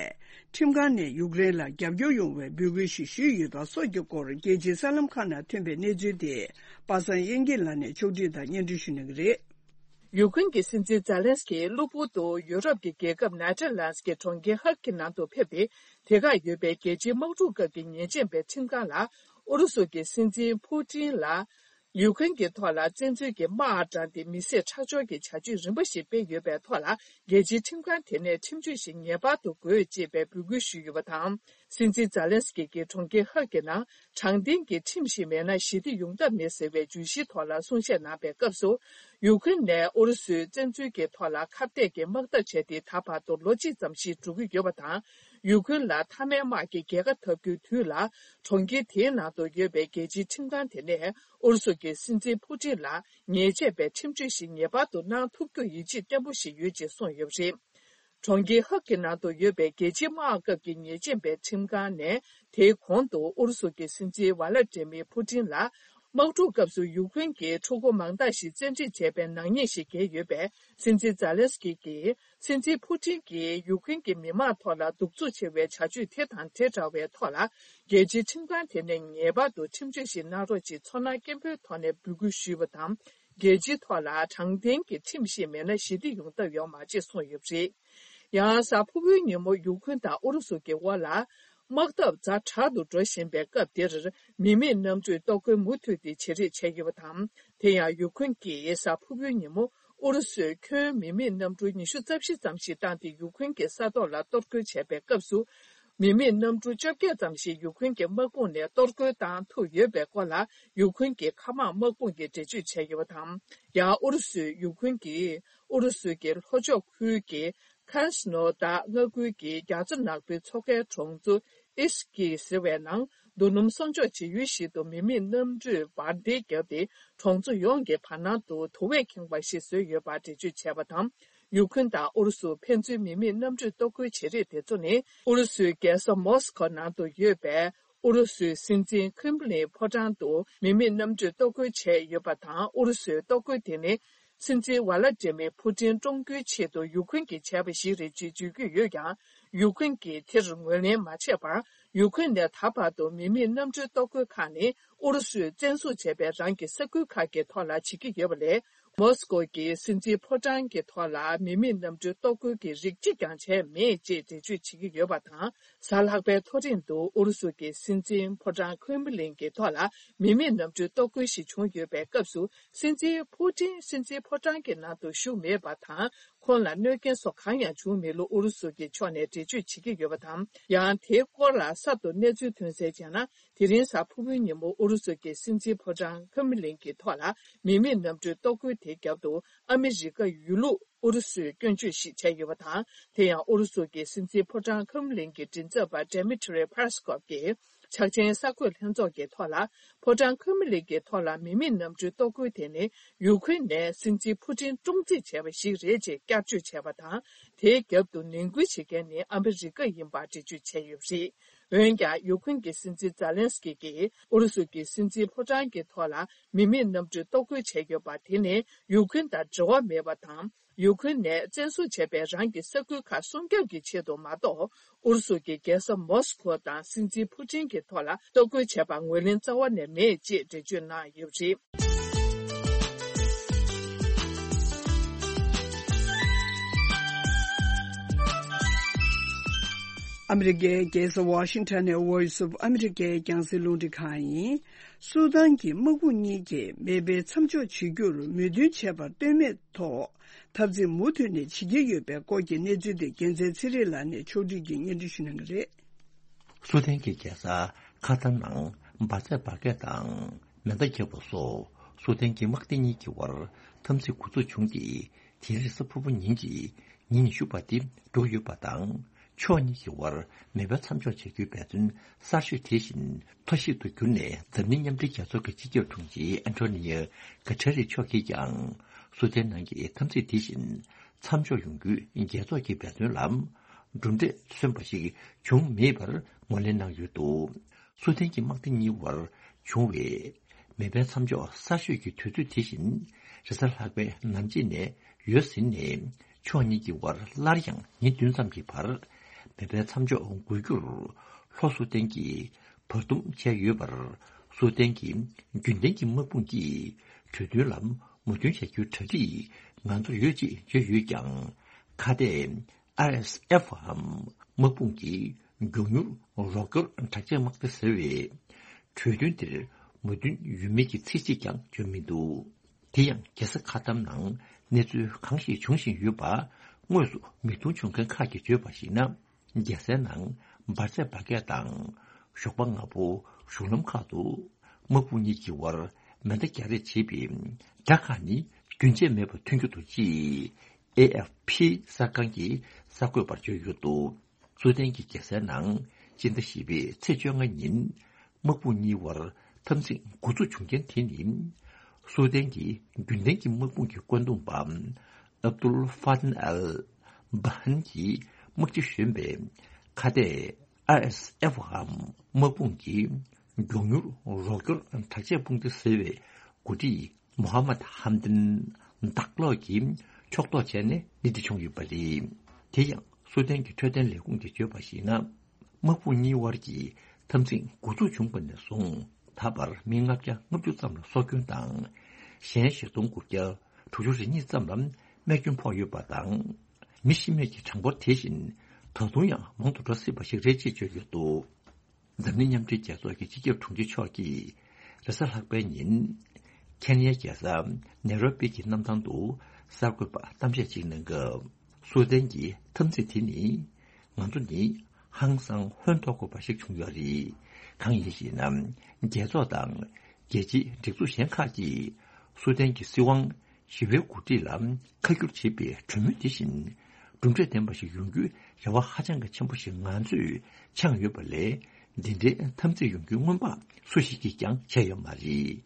ཁྲིམས་ཁང་ནས་ཡུཀ་རེན་ལ་རྒྱབ་སྐྱོར་ཡོང་བའི་འབོད་སྐུལ་ཞིག་ཞུས་ཡོད་པ་སོགས་ཀྱི་སྐོར། རྒྱལ་སྤྱིའི་གསར་ལམ་ཁག་ནང་ཐོན་པའི་གནས་ཚུལ་དེ་པ་སངས་དབྱངས་སྐྱིད་ལགས་ནས་ཕྱོགས་བསྒྲིགས་དང་སྙན་སྒྲོན་ཞུ་གནང་གི་རེད། ཡུ་ཁུན་གྱི་སྲིད་འཛིན་ཛེ་ལན་སི་ཀི་གློ་བུར་དུ་ཡུ་རོབ་ཀྱི་རྒྱལ་ཁབ་ནེ་ཐར་ལན་སི་གི་གྲོང་ཁྱེར་ཧག་གི་ནང་དུ་ཕེབས་ཏེ། དེ་གར་ཡོད་པའི་རྒྱལ་སྤྱིའི་དམག་འཁྲུག་སྐབས་ཀྱི་ཉེས་ཅན་པའི་ཁྲིམས་ཁང་ལ་ཨུ་རུ་སུ་གི་སྲིད་འཛིན་ཕུ་ཏིན་ལ། ཡུ་ཁུན་གྱི་ཐོག་ལ་བཙན་འཛུལ་གྱི་དམག་དྲངས་ཏེ་མི་བསད་ཁྲག་སྦྱོར་གྱི་བྱ་སྤྱོད་རིམ་པ་ཞིག་སྤེལ་ཡོད་པའི་ཐོག་ལ། རྒྱལ་སྤྱིའི་ཁྲིམས་ཁང་དེ་ནས་ཁྲིམས་གཅོད་ཞིག་ངེས་པར་དུ་དགོས་ཅེས་པའི་འབོད་སྐུལ་ཞུས་ཡོད་པ་དང་། སྲིད་འཛིན་ཛེ་ལན་སི་ཀི་གིས་གྲོང་ཁྱེར་ཧག་གི་ནང་དྲང་བདེན་གྱི་ཁྲིམས་ཤིག་མེད་ན་ཞི་བདེ་ཡོང་ཐབས་མེད་ཟེར་བའི་བརྗོད་གཞིའི་ཐོག་ལ་གསུང་བཤད་གནང་པའི་སྐབས་སུ། ཡུ་ཁུན་ནས་ཨུ་རུ་སུའི་བཙན་འཛུལ་གྱི་ཐོག་ལ་ཁ་གཏད་ཀྱི་དམག་འཐབ་བྱས་ཏེ་ད་བར་དུ་ལོ་གཅིག་ཙམ་ཞིག་འགྲོ་གི་ཡོད་པ་དང་། ཡུ་ཁུན་ལ་མཐའ་མའི་དམག་གི་རྒྱལ་ཁ་འཐབ་རྒྱུའི་དུས་ལ། གྲོང་ཁྱེར་དེའི་ནང་དུ་ཡོད་པའི་རྒྱལ་སྤྱིའི་ཁྲིམས་ཁང་དེ་ནས་ཨུ་རུ་སུ་གི་སྲིད་འཛིན་ཕུ་ཏིན་ལ་ཉེས་ཆད་པའི་ཁྲིམས་གཅོད་ཞིག་ངེས་པར་དུ་གནང་ཐུབ་རྒྱུར་ཡིད་ཆེས་བརྟན་པོ་ཞིག་ཡོད་ཅེས་གསུངས་ཡོད་པ་རེད། གྲོང་ཁྱེར་ཧག་གི་ནང་དུ་ཡོད་པའི་རྒྱལ་སྤྱིའི་དམག་སྐབས་ཀྱི་ཉེས་ཅན་པའི་ཁྲིམས་ཁང་ནས། དེའི་གོང་དུ་ཨུ་རུ་སུ་གི་སྲིད་འཛིན་ཝ་ལ་ཏྲེ་མི་ཕུ་ཏིན་ལ། དམག་འཁྲུག་སྐབས་སུ་ཡུ་ཁུན་གྱི་ཕྲུ་གུ་མང་དག་ཞིག་བཙན་ཁྲིད་བྱས་པའི་ནག་ཉེས་ཤིག་འགེལ་ཡོད་པས། སྲིད་འཛིན་ཛེ་ལན་སི་ཀི་གིས། སྲིད་འཛིན་ཕུ་ཏིན་གྱིས་ཡུ་ཁུན་གྱི་མི་དམངས་ཐོག་ལ་གདུག་རྩུབ་ཆེ་བའི་བྱ་སྤྱོད་དེ་དང་དེ་འདྲ་བའི་ཐོག་ལ། རྒྱལ་སྤྱིའི་ཁྲིམས་ཁང་དེ་ནས་ངེས་པར་དུ་ཁྲིམས་གཅོད་ཞིག་གནང་རོགས་ཅེས་ཚོར་སྣང་སྐྱེན་པོའི་ཐོག་ནས་འབོད་སྐུལ་ཞུས་པ་དང་། རྒྱལ་སྤྱིའི་ཐོག་ལ་དྲང་བདེན་གྱི་ཁྲིམས་ཤིག་མེད་ན་ཞི་བདེ་ཡོང་ཐབས་ཡོད་མ་རེད་གསུངས་ཡོད་པ་རེད། ཡང་གཟའ་ཕུར་བུའི་ཉིན་མོ་ཡུ་ཁུན་དང་ཨུ་རུ་སུ་གྱི་དབར་ལ། དམག་འཐབ་ཛ་དྲག་ཏུ་འགྲོ་བཞིན་པའི་སྐབས་འདིར། མི་མེད་གནམ་གྲུས་གཏོར་རྒོལ་མུ་མཐུད་དེ་བྱེད་རེས་བྱས་ཡོད་པ་དང་། དེ་ཡང་ཡུ་ཁུན་གྱིས་གཟའ་ཕུར་བུའི་ཉིན་མོ། ཨུ་རུ་སུས་ཁྱོན་མི་མེད་གནམ་གྲུ་ཉི་ཤུ་རྩ་བཞི་ཙམ་ཞིག་བཏང་སྟེ་ཡུ་ཁུན་གྱི་ས་ཐོག་ལ་གཏོར་རྒོལ་བྱས་པའི་སྐབས་སུ། མི་མེད་གནམ་གྲུ་བཅོ་བརྒྱད་ཙམ་ཞིག་ཡུ་ཁུན་གྱི་དམག་དཔུང་ནས་གཏོར་རྒོལ་བཏང་ཐུབ་ཡོད་པའི་སྐོར་ལ། ཡུ་ཁུན་གྱི་མཁའ་དམག་དམག་དཔུང་གིས་འགྲེལ་བརྗོད་བྱས་ཡོད་པ་དང་། ཡང་ཨུ་རུ་སུས་ཡུ་ཁུན་གྱིས་ཨུ་རུ་སུ་གྱི་ལྷོ་ཕྱོགས་ཁུལ་གྱི་ཁན་སི་ནོ་ད་མངའ་ཁུལ་གྱི་རྒྱ་མཚོ་ནག་པོའི་མཚོ་ཁའི་གྲོང་ཚོ་ཨིས་ཀི་ཟེར་བའི་ནང་། རྡོ་སྣུམ་གསོག་འཇོག་བྱེད་ཡུལ་ཞིག་ཏུ་མི་མེད་གནམ་གྲུས་འབར་མདེལ་བརྒྱབ་སྟེ། གྲོང་ཚོ་ཡོངས་ཀྱི་བར་སྣང་དུ་དུ་བས་ཁེངས་པ་ཞིག་བཟོས་ཡོད་པར་འགྲེལ་བརྗོད་བྱས་པ་དང་། ཡུ་ཁུན་དང་ཨུ་རུ་སུ་ཕན་ཚུན་མི་མེད་གནམ་གྲུས་གཏོར་རྒོལ་བྱེད་རེས་དེ་ཚོ་ནི། ཨུ་རུ་སུའི་རྒྱལ་ས་མོ་སི་ཁོ་ནང་དུ་ཡོད་པའི་ཨུ་རུ་སུའི་སྲིད་འཛིན་ཁྲེམ་ལིན་ཕོ་བྲང་དུ་མི་མེད་གནམ་གྲུས་གཏོར་རྒོལ་བྱས་ཡོད་པ་དང་། ཨུ་རུ་སུའི་གཏོར་རྒོལ་དེ་ནི། སྲིད་འཛིན་ཝ་ལ་ཏྲེ་མི་ཕུ་ཏིན་བཀྲོངས་རྒྱུའི་ཆེད་དུ་ཡུ་ཁུན་གྱིས་བྱས་པ་ཞིག་རེད་ཅེས་བརྗོད་ཀྱི་ཡོད་ཀྱང་། ཡུ་ཁུན་གྱིས་དེར་ངོས་ལེན་མ་བྱས་པར། ཡུ་ཁུན་ནས་ད་བར་དུ་མི་མེད་གནམ་གྲུའི་གཏོར་རྒོལ་ཁག་ནི་ཨུ་རུ་སུས་བཙན་བཟུང་བྱས་པའི་རང་གི་ས་ཁུལ་ཁག་གི་ཐོག་ལ་བྱེད་ཀྱི་ཡོད་པ་ལས། མོ་སི་ཀོ་གི་སྲིད་འཛིན་ཕོ་བྲང་གི་ཐོག་ལ་མི་མེད་གནམ་གྲུའི་གཏོར་རྒོལ་གྱི་རིགས་གཅིག་ཀྱང་བྱས་མེད་ཅེས་འགྲེལ་བརྗོད་བྱེད་ཀྱི་ཡོད་པ་དང་། གཟའ་ལྷག་པའི་ཐོ་རེངས་དུ་ཨུ་རུ་སུ་གི་སྲིད་འཛིན་ཕོ་བྲང་ཁྲེམ་ལིན་གྱི་ཐོག་ལ་མི་མེད་གནམ་གྲུའི་གཏོར་རྒོལ་ཞིག་བྱུང་ཡོད་པའི་སྐབས་སུ། སྲིད་འཛིན་ཕུ་ཏིན་སྲིད་འཛིན་ཕོ་བྲང་གི་ནང་དུ་བཞུགས་མེད་པ་དང་། ཁོང་ལ་གནོད་སྐྱོན་སོགས་གང་ཡང་བྱུང་མེད་ལུགས་ཨུ་རུ་སུ་གི་ཕྱོགས་ནས་འགྲེལ་བརྗོད་བྱེད་ཀྱི་ཡོད་པ་དང་། ཡང་དེའི་སྐོར་ལ་གསར་དུ་གནས་ཚུལ་ཐོན་གསལ་བྱས་ན། དེ་རིང་གཟའ་ཕུར་བུའི་ཉིན་མོ་ཨུ་རུ་སུ་གི་སྲིད་འཛིན་ཕོ་བྲང་ཁྲེམ་ལིན་གྱི་ཐོག་ལ་མི་མེད་གནམ་གྲུའི་གཏོར་རྒོལ་དེའི་རྒྱབ་ཏུ་ཨ་མི་རི་ཀ་ཡོད་ལུགས་ཨུ་རུ་སུས་སྐྱོན་བརྗོད་ཞིག་བྱས་ཡོད་པ་དང་། དེ་ཡང་ཨུ་རུ་སུ་གི་སྲིད་འཛིན་ཕོ་བྲང་ཁྲེམ་ལིན་གྱི་མགྲིན་ཚབ་པ་Dmitry Peskov གིས་ཕྱག་ཆེན་གསར་འགོད་ལྷན་ཚོགས་ཀྱི་ཐོག་ལ། ཕོ་བྲང་ཁྲེམ་ལིན་གྱི་ཐོག་ལ་མི་མེད་གནམ་གྲུའི་གཏོར་རྒོལ་དེ་ནི་ཡུ་ཁུན་ནས་སྲིད་འཛིན་ཕུ་ཏིན་བཀྲོངས་རྩིས་བྱས་པ་ཞིག་རེད་ཅེས་བསྐྱར་བརྗོད་བྱས་པ་དང་། དེའི་རྒྱབ་ཏུ་ནན་སྐུལ་བྱེད་མཁན་ནི་ཨ་མི་རི་ཀ་ཡིན་པར་འགྲེལ་བརྗོད་བྱས་ཡོད་པ་རེད། འོན་ཀྱང་། ཡུ་ཁུན་གྱི་སྲིད་འཛིན་ཛཱ་ལན་སི་ཀི་གིས་ཨུ་རུ་སུ་གྱི་སྲིད་འཛིན་ཕོ་བྲང་གི་ཐོག་ལ་མི་མེད་གནམ་གྲུ་གཏོར་རྒོལ་བྱས་ཡོད་པ་དེ་ནི་ཡུ་ཁུན་དང་འབྲེལ་བ་མེད་པ་དང་། ཡུ་ཁུན་ནས་བཙན་བཟུང་བྱས་པའི་རང་གི་ས་ཁུལ་ཁག་སྲུང་སྐྱོབ་ཀྱི་ཆེད་དུ་མ་གཏོགས། ཨུ་རུ་སུ་གྱི་རྒྱལ་ས་མོ་སི་ཁོ་དང་སྲིད་འཛིན་ཕུ་ཏིན་གྱི་ཐོག་ལ་གཏོར་རྒོལ་བྱས་པར་ངོས་ལེན་རྩ་བ་ནས་མེད་ཅེས་འགྲེལ་བརྗོད་གནང་ཡོད་པ་རེད། ཨ་མི་རི་ཀའི་རྒྱལ་ས་ཝ་ཤིང་ཊོན་ནས་Voice of America་རྒྱང་སྲིང་རླུང་འཕྲིན་ཁང་ཡིན། སུ་དཱན་གྱི་དམག་དཔུང་གཉིས་ཀྱིས་མེ་འཕེན་མཚམས་འཇོག་བྱེད་རྒྱུར་མོས་མཐུན་བྱས་པར་ལྟོས་མེད་ཐོག་འཐབ་འཛིང་མུ་མཐུད་ནས་བྱེད་ཀྱི་ཡོད་པའི་སྐོར་གྱི་གནས་ཚུལ་དེ་རྒྱལ་མཚན་ཚེ་རིང་ལགས་ནས་ཕྱོགས་བསྒྲིགས་ཀྱིས་སྙན་སྒྲོན་ཞུ་གནང་གི་རེད། སུ་དཱན་གྱི་རྒྱལ་ས་ཁ་ཐར་ནང་འབར་རྫས་འབར་གས་དང་མེ་མདའ་བརྒྱབ་པ་སོགས་སུ་དཱན་གྱི་དམག་སྡེ་གཉིས་ཀྱི་དབར་འཐབ་འཛིང་འགོ་འཛུགས་བྱུང་སྟེ། དེ་རིང་གཟའ་ཕུར་བུ་ཉིན་གྱི་ཉིན་ཉི་ཤུ་པ་དེ་འགྲོ་ཡོད་པ་དང་། ཕྱོགས་གཉིས་ཀྱི་དབར་མེ་འཕེན་མཚམས་འཇོག་བྱ་རྒྱུའི་འབད་བརྩོན་གསར་ཤོས་དེ་བཞིན་མཐའ་གཞིག་ཏུ་གྱུར་ནས། འཛམ་གླིང་མཉམ་འབྲེལ་རྒྱལ་ཚོགས་ཀྱི་སྤྱི་ཁྱབ་དྲུང་ཆེ་ཨན་ཐོ་ནི་ཡ་གྷ་ཊེ་རེ་མཆོག་གིས་ཀྱང་སུ་དཱན་ནང་གི་འཐབ་འཛིང་དེ་བཞིན་མཚམས་འཇོག་ཡོང་རྒྱུའི་རྒྱལ་ཚོགས་ཀྱི་འབད་བརྩོན་ལ་གྲུབ་འབྲས་སོན་པ་ཞིག་བྱུང་མེད་པར་ངོས་ལེན་གནང་ཡོད་འདུག་སུ་དཱན་གྱི་དམག་སྡེ་གཉིས་དབར་བྱུང་བའི་མེ་འཕེན་མཚམས་འཇོག་གསར་ཤོས་ཀྱི་དུས་ཚོད་དེ་བཞིན་རེས་གཟའ་ལྷག་པའི་ནམ་གཅིག་ནས་ཡོལ་ཟིན་ནས། ཕྱོགས་གཉིས་ཀྱི་དབར་སླར་ཡང་ཉིན་བདུན་ཙམ་གྱི་བར་མེ་འཕེན་མཚམས་འཇོག་དགོས་རྒྱུར་ལྷོ་སུ་དཱན་གྱིས་བར་འདུམ་བྱས་ཡོད་པར། སུ་དཱན་གྱི་རྒྱུན་ལྡན་གྱི་དམག་དཔུང་གིས་གྲོས་མཐུན་ལ་མོས་མཐུན་བྱ་རྒྱུའི་གྲ་སྒྲིག་ང་ཚོར་ཡོད་ཅེས་བརྗོད་ཡོད་ཀྱང་། ཁ་གཏད་ཨར་ཨེས་ཨེཕ་འམ་དམག་དཔུང་གི་མགྱོགས་མྱུར་རོགས་སྐྱོར་དྲག་ཆས་དམག་སྡེ་ཟེར་བའི་གྲོས་མཐུན་དེར་མོས་མཐུན་ཡོད་མེད་ཀྱི་ཚིག་གཅིག་ཀྱང་བརྗོད་མི་འདུག་དེ་ཡང་རྒྱལ་ས་ཁ་ཐར་ནང་གནས་ཚུལ་གང་ཞིག་འབྱུང་བཞིན་ཡོད་པ་དངོས་སུ་མིག་མཐོང་བྱུང་མཁན་ཁག་གིས་བརྗོད་པར་གཞིགས་ན། རྒྱལ་སའི་ནང་འབར་རྫས་འབར་གས་དང་ཞོགས་པ་སྔ་པོ་གཞུང་ལམ་ཁག་ཏུ་དམག་དཔུང་གཉིས་ཀྱི་དབར་མེ་མདའ་རྒྱག་རེས་བྱེད་པའི་སྒྲ་ཁག་ནི་རྒྱུན་ཆད་མེད་པར་ཐོན་གྱི་འདུག་ཅེས་ཨེ་ཨེཕ་ཕི་གསར་ཁང་གི་གསར་འགོད་པར་བརྗོད་ཡོད་འདུག་སུ་དན་གྱི་རྒྱལ་སའི་ནང་སྤྱི་ཟླ་བཞི་པའི་ཚེས་བཅོ་ལྔ་ཉིན་དམག་དཔུང་གཉིས་དབར་འཐབ་འཛིང་འགོ་འཛུགས་བྱུང་རྐྱེན་དེ་ནི། སུ་དན་གྱི་རྒྱུན་ལྡན་གྱི་དམག་དཔུང་གི་བཀོད་འདོམས་པ་ཨབ་དུལ་ཧྥ་ཏན་ཨལ་བྷ་ཧན་གྱིས་དམག་སྤྱི་གཞོན་པའི་ཁ་གཏད་ཨར་ཨེས་ཨེཕ་འམ་དམག་དཔུང་གི་མགྱོགས་མྱུར་རོགས་སྐྱོར་དྲག་ཆས་དཔུང་སྡེ་ཟེར་བའི་འགོ་ཁྲིད་མོ་ཧ་མད་ཧམ་དིན་དག་ལོག་གིས་ཕྱོགས་གཏོགས་བྱས་ནས་གནས་འདི་བྱུང་ཡོད་པ་རེད། དེ་ཡང་སུ་དན་གྱི་འཕྲོད་བསྟེན་ལས་ཁུངས་ཀྱིས་བརྗོད་པར་གཞིགས་ན། དམག་དཔུང་གཉིས་དབར་གྱི་འཐབ་འཛིང་འགོ་འཛུགས་བྱུང་བ་ནས་བཟུང་ད་བར་མི་ལྔ་བརྒྱ་ལྔ་བཅུ་ཙམ་ལ་སྲོག་སྐྱོན་དང་། གཞན་ཆིག་སྟོང་དགུ་བརྒྱ་དྲུག་ཅུ་རེ་གཉིས་ཙམ་ལ་རྨས་སྐྱོན་ཕོག་ཡོད་པ་དང་། མི་ཤི་རྨས་ཀྱི་གྲངས་འབོར་དེ་བཞིན་ད་དུང་ཡང་མང་དུ་འགྲོ་སྲིད་པ་ཞིག་རེད་ཅེས་བརྗོད་ཡོད་འདུག་འཛམ་གླིང་མཉམ་འབྲེལ་རྒྱལ་ཚོགས་ཀྱི་སྤྱི་ཁྱབ་དྲུང་ཆེ་མཆོག་གིས་རེས་གཟའ་ལྷག་པའི་ཉིན་ཁེན་ཡའི་རྒྱལ་ས་ནེ་རོ་པི་གི་གནམ་ཐང་དུ་གསར་འགོད་པར་གཏམ་བཤད་ཅིག་གནང་སྐབས། སུ་དན་གྱི་འཐབ་འཛིང་དེ་ནི་ང་ཚོ་ནི་ཧང་སང་ཧོན་ཐོར་དགོས་པ་ཞིག་བྱུང་ཡོད་རེད། གང་ཡིན་ཞེ་ན། རྒྱལ་ཚོགས་དང་རྒྱལ་སྤྱིའི་སྒྲིག་འཛུགས་གཞན་ཁག་གིས་སུ་དན་གྱི་སྲིད་དབང་ཞི་བའི་འགོ་ཁྲིད་ལ་ཁ་བསྒྱུར་བྱེད་པའི་གྲོས་མོལ་དེ་བཞིན་གྲུབ་འབྲས་ལྡན་པ་ཞིག་ཡོང་རྒྱུའི་རེ་བ་ཧ་ཅང་གི་ཆེན་པོ་ཞིག་ང་ཚོས་འཆང་ཡོད་པ་ལས། འདི་འདྲའི་འཐབ་འཛིང་ཡོང་རྒྱུའི་སྔོན་དཔག་སུ་ཞིག་གིས་ཀྱང་བྱས་ཡོད་མ་རེད།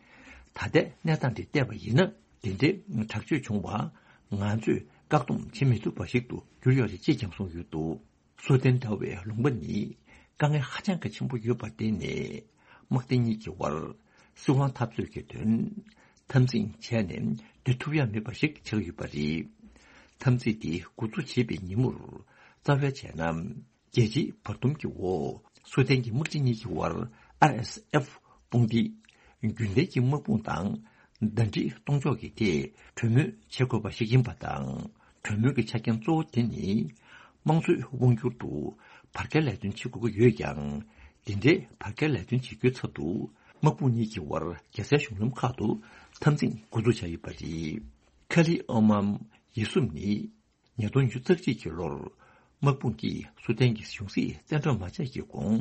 ད་ལྟའི་གནས་སྟངས་འདི་བལྟས་པ་ཡིན་ན། འདི་འདྲའི་དྲག་སྤྱོད་བྱུང་བ་ང་ཚོས་བཀག་སྡོམ་བྱེད་མི་ཐུབ་པ་ཞིག་ཏུ་གྱུར་ཡོད་རེད་ཅེས་ཀྱང་གསུངས་ཡོད་འདུག་སུ་དན་འདྲ་བའི་ལུང་པ་ནི་དཀའ་ངལ་ཧ་ཅང་གི་ཆེན་པོ་ཡོད་པར་བརྟེན་ནས། དམག་སྡེ་གཉིས་ཀྱི་དབར་སྲིད་དབང་འཐབ་རྩོད་ཀྱི་དོན་འཐབ་འཛིང་བྱས་ནས་སྡོད་ཐུབ་ཡ་མེད་པ་ཞིག་ཆགས་ཡོད་པ་རེད། འཐབ་འཛིང་འདི་འགོ་འཛུགས་བྱེད་པའི་ཉིན་མོར་རྩ་བའི་བྱས་ན། རྒྱལ་སྤྱིའི་བར་འདུམ་གྱི་འོག་སུ་དན་གྱི་དམག་སྤྱི་གཉིས་ཀྱི་དབར་ཨར་ཨེས་ཨེཕ་དཔུང་སྡེ་རྒྱུན་ལྡན་གྱི་དམག་དཔུང་དང་ཟླ་སྒྲིལ་གཏོང་ཕྱོགས་ཀྱི་ཐད་གྲོས་མོལ་བྱེད་དགོས་པ་ཞིག་ཡིན་པ་དང་། གྲོས་མོལ་གྱི་ཆ་རྐྱེན་གཙོ་བོ་དེ་ནི། དམངས་གཙོའི་དབང་སྒྱུར་དུ་བར་བརྒལ་ལས་དོན་བྱེད་དགོས་ཀྱི་ཡོད་ཀྱང་། དེ་འདྲའི་བར་བརྒལ་ལས་དོན་བྱེད་རྒྱུའི་ཚབ་ཏུ་དམག་དཔུང་གཉིས་ཀྱི་དབར་རྒྱལ་སའི་གཞུང་ལམ་ཁག་ཏུ་འཐབ་འཛིང་འགོ་འཛུགས་བྱས་ཡོད་པ་རེད། ཁ་ལི་ཨོ་མམ་ཡེ་སུམ་ནི། ཉིས་སྟོང་ཉི་ཤུ་རྩ་གཅིག་གི་ལོར་དམག་དཔུང་གིས་སུ་དན་གྱི་གཞུང་སྲིད་བཙན་འཕྲོག་མ་བྱས་ཀྱི་གོང་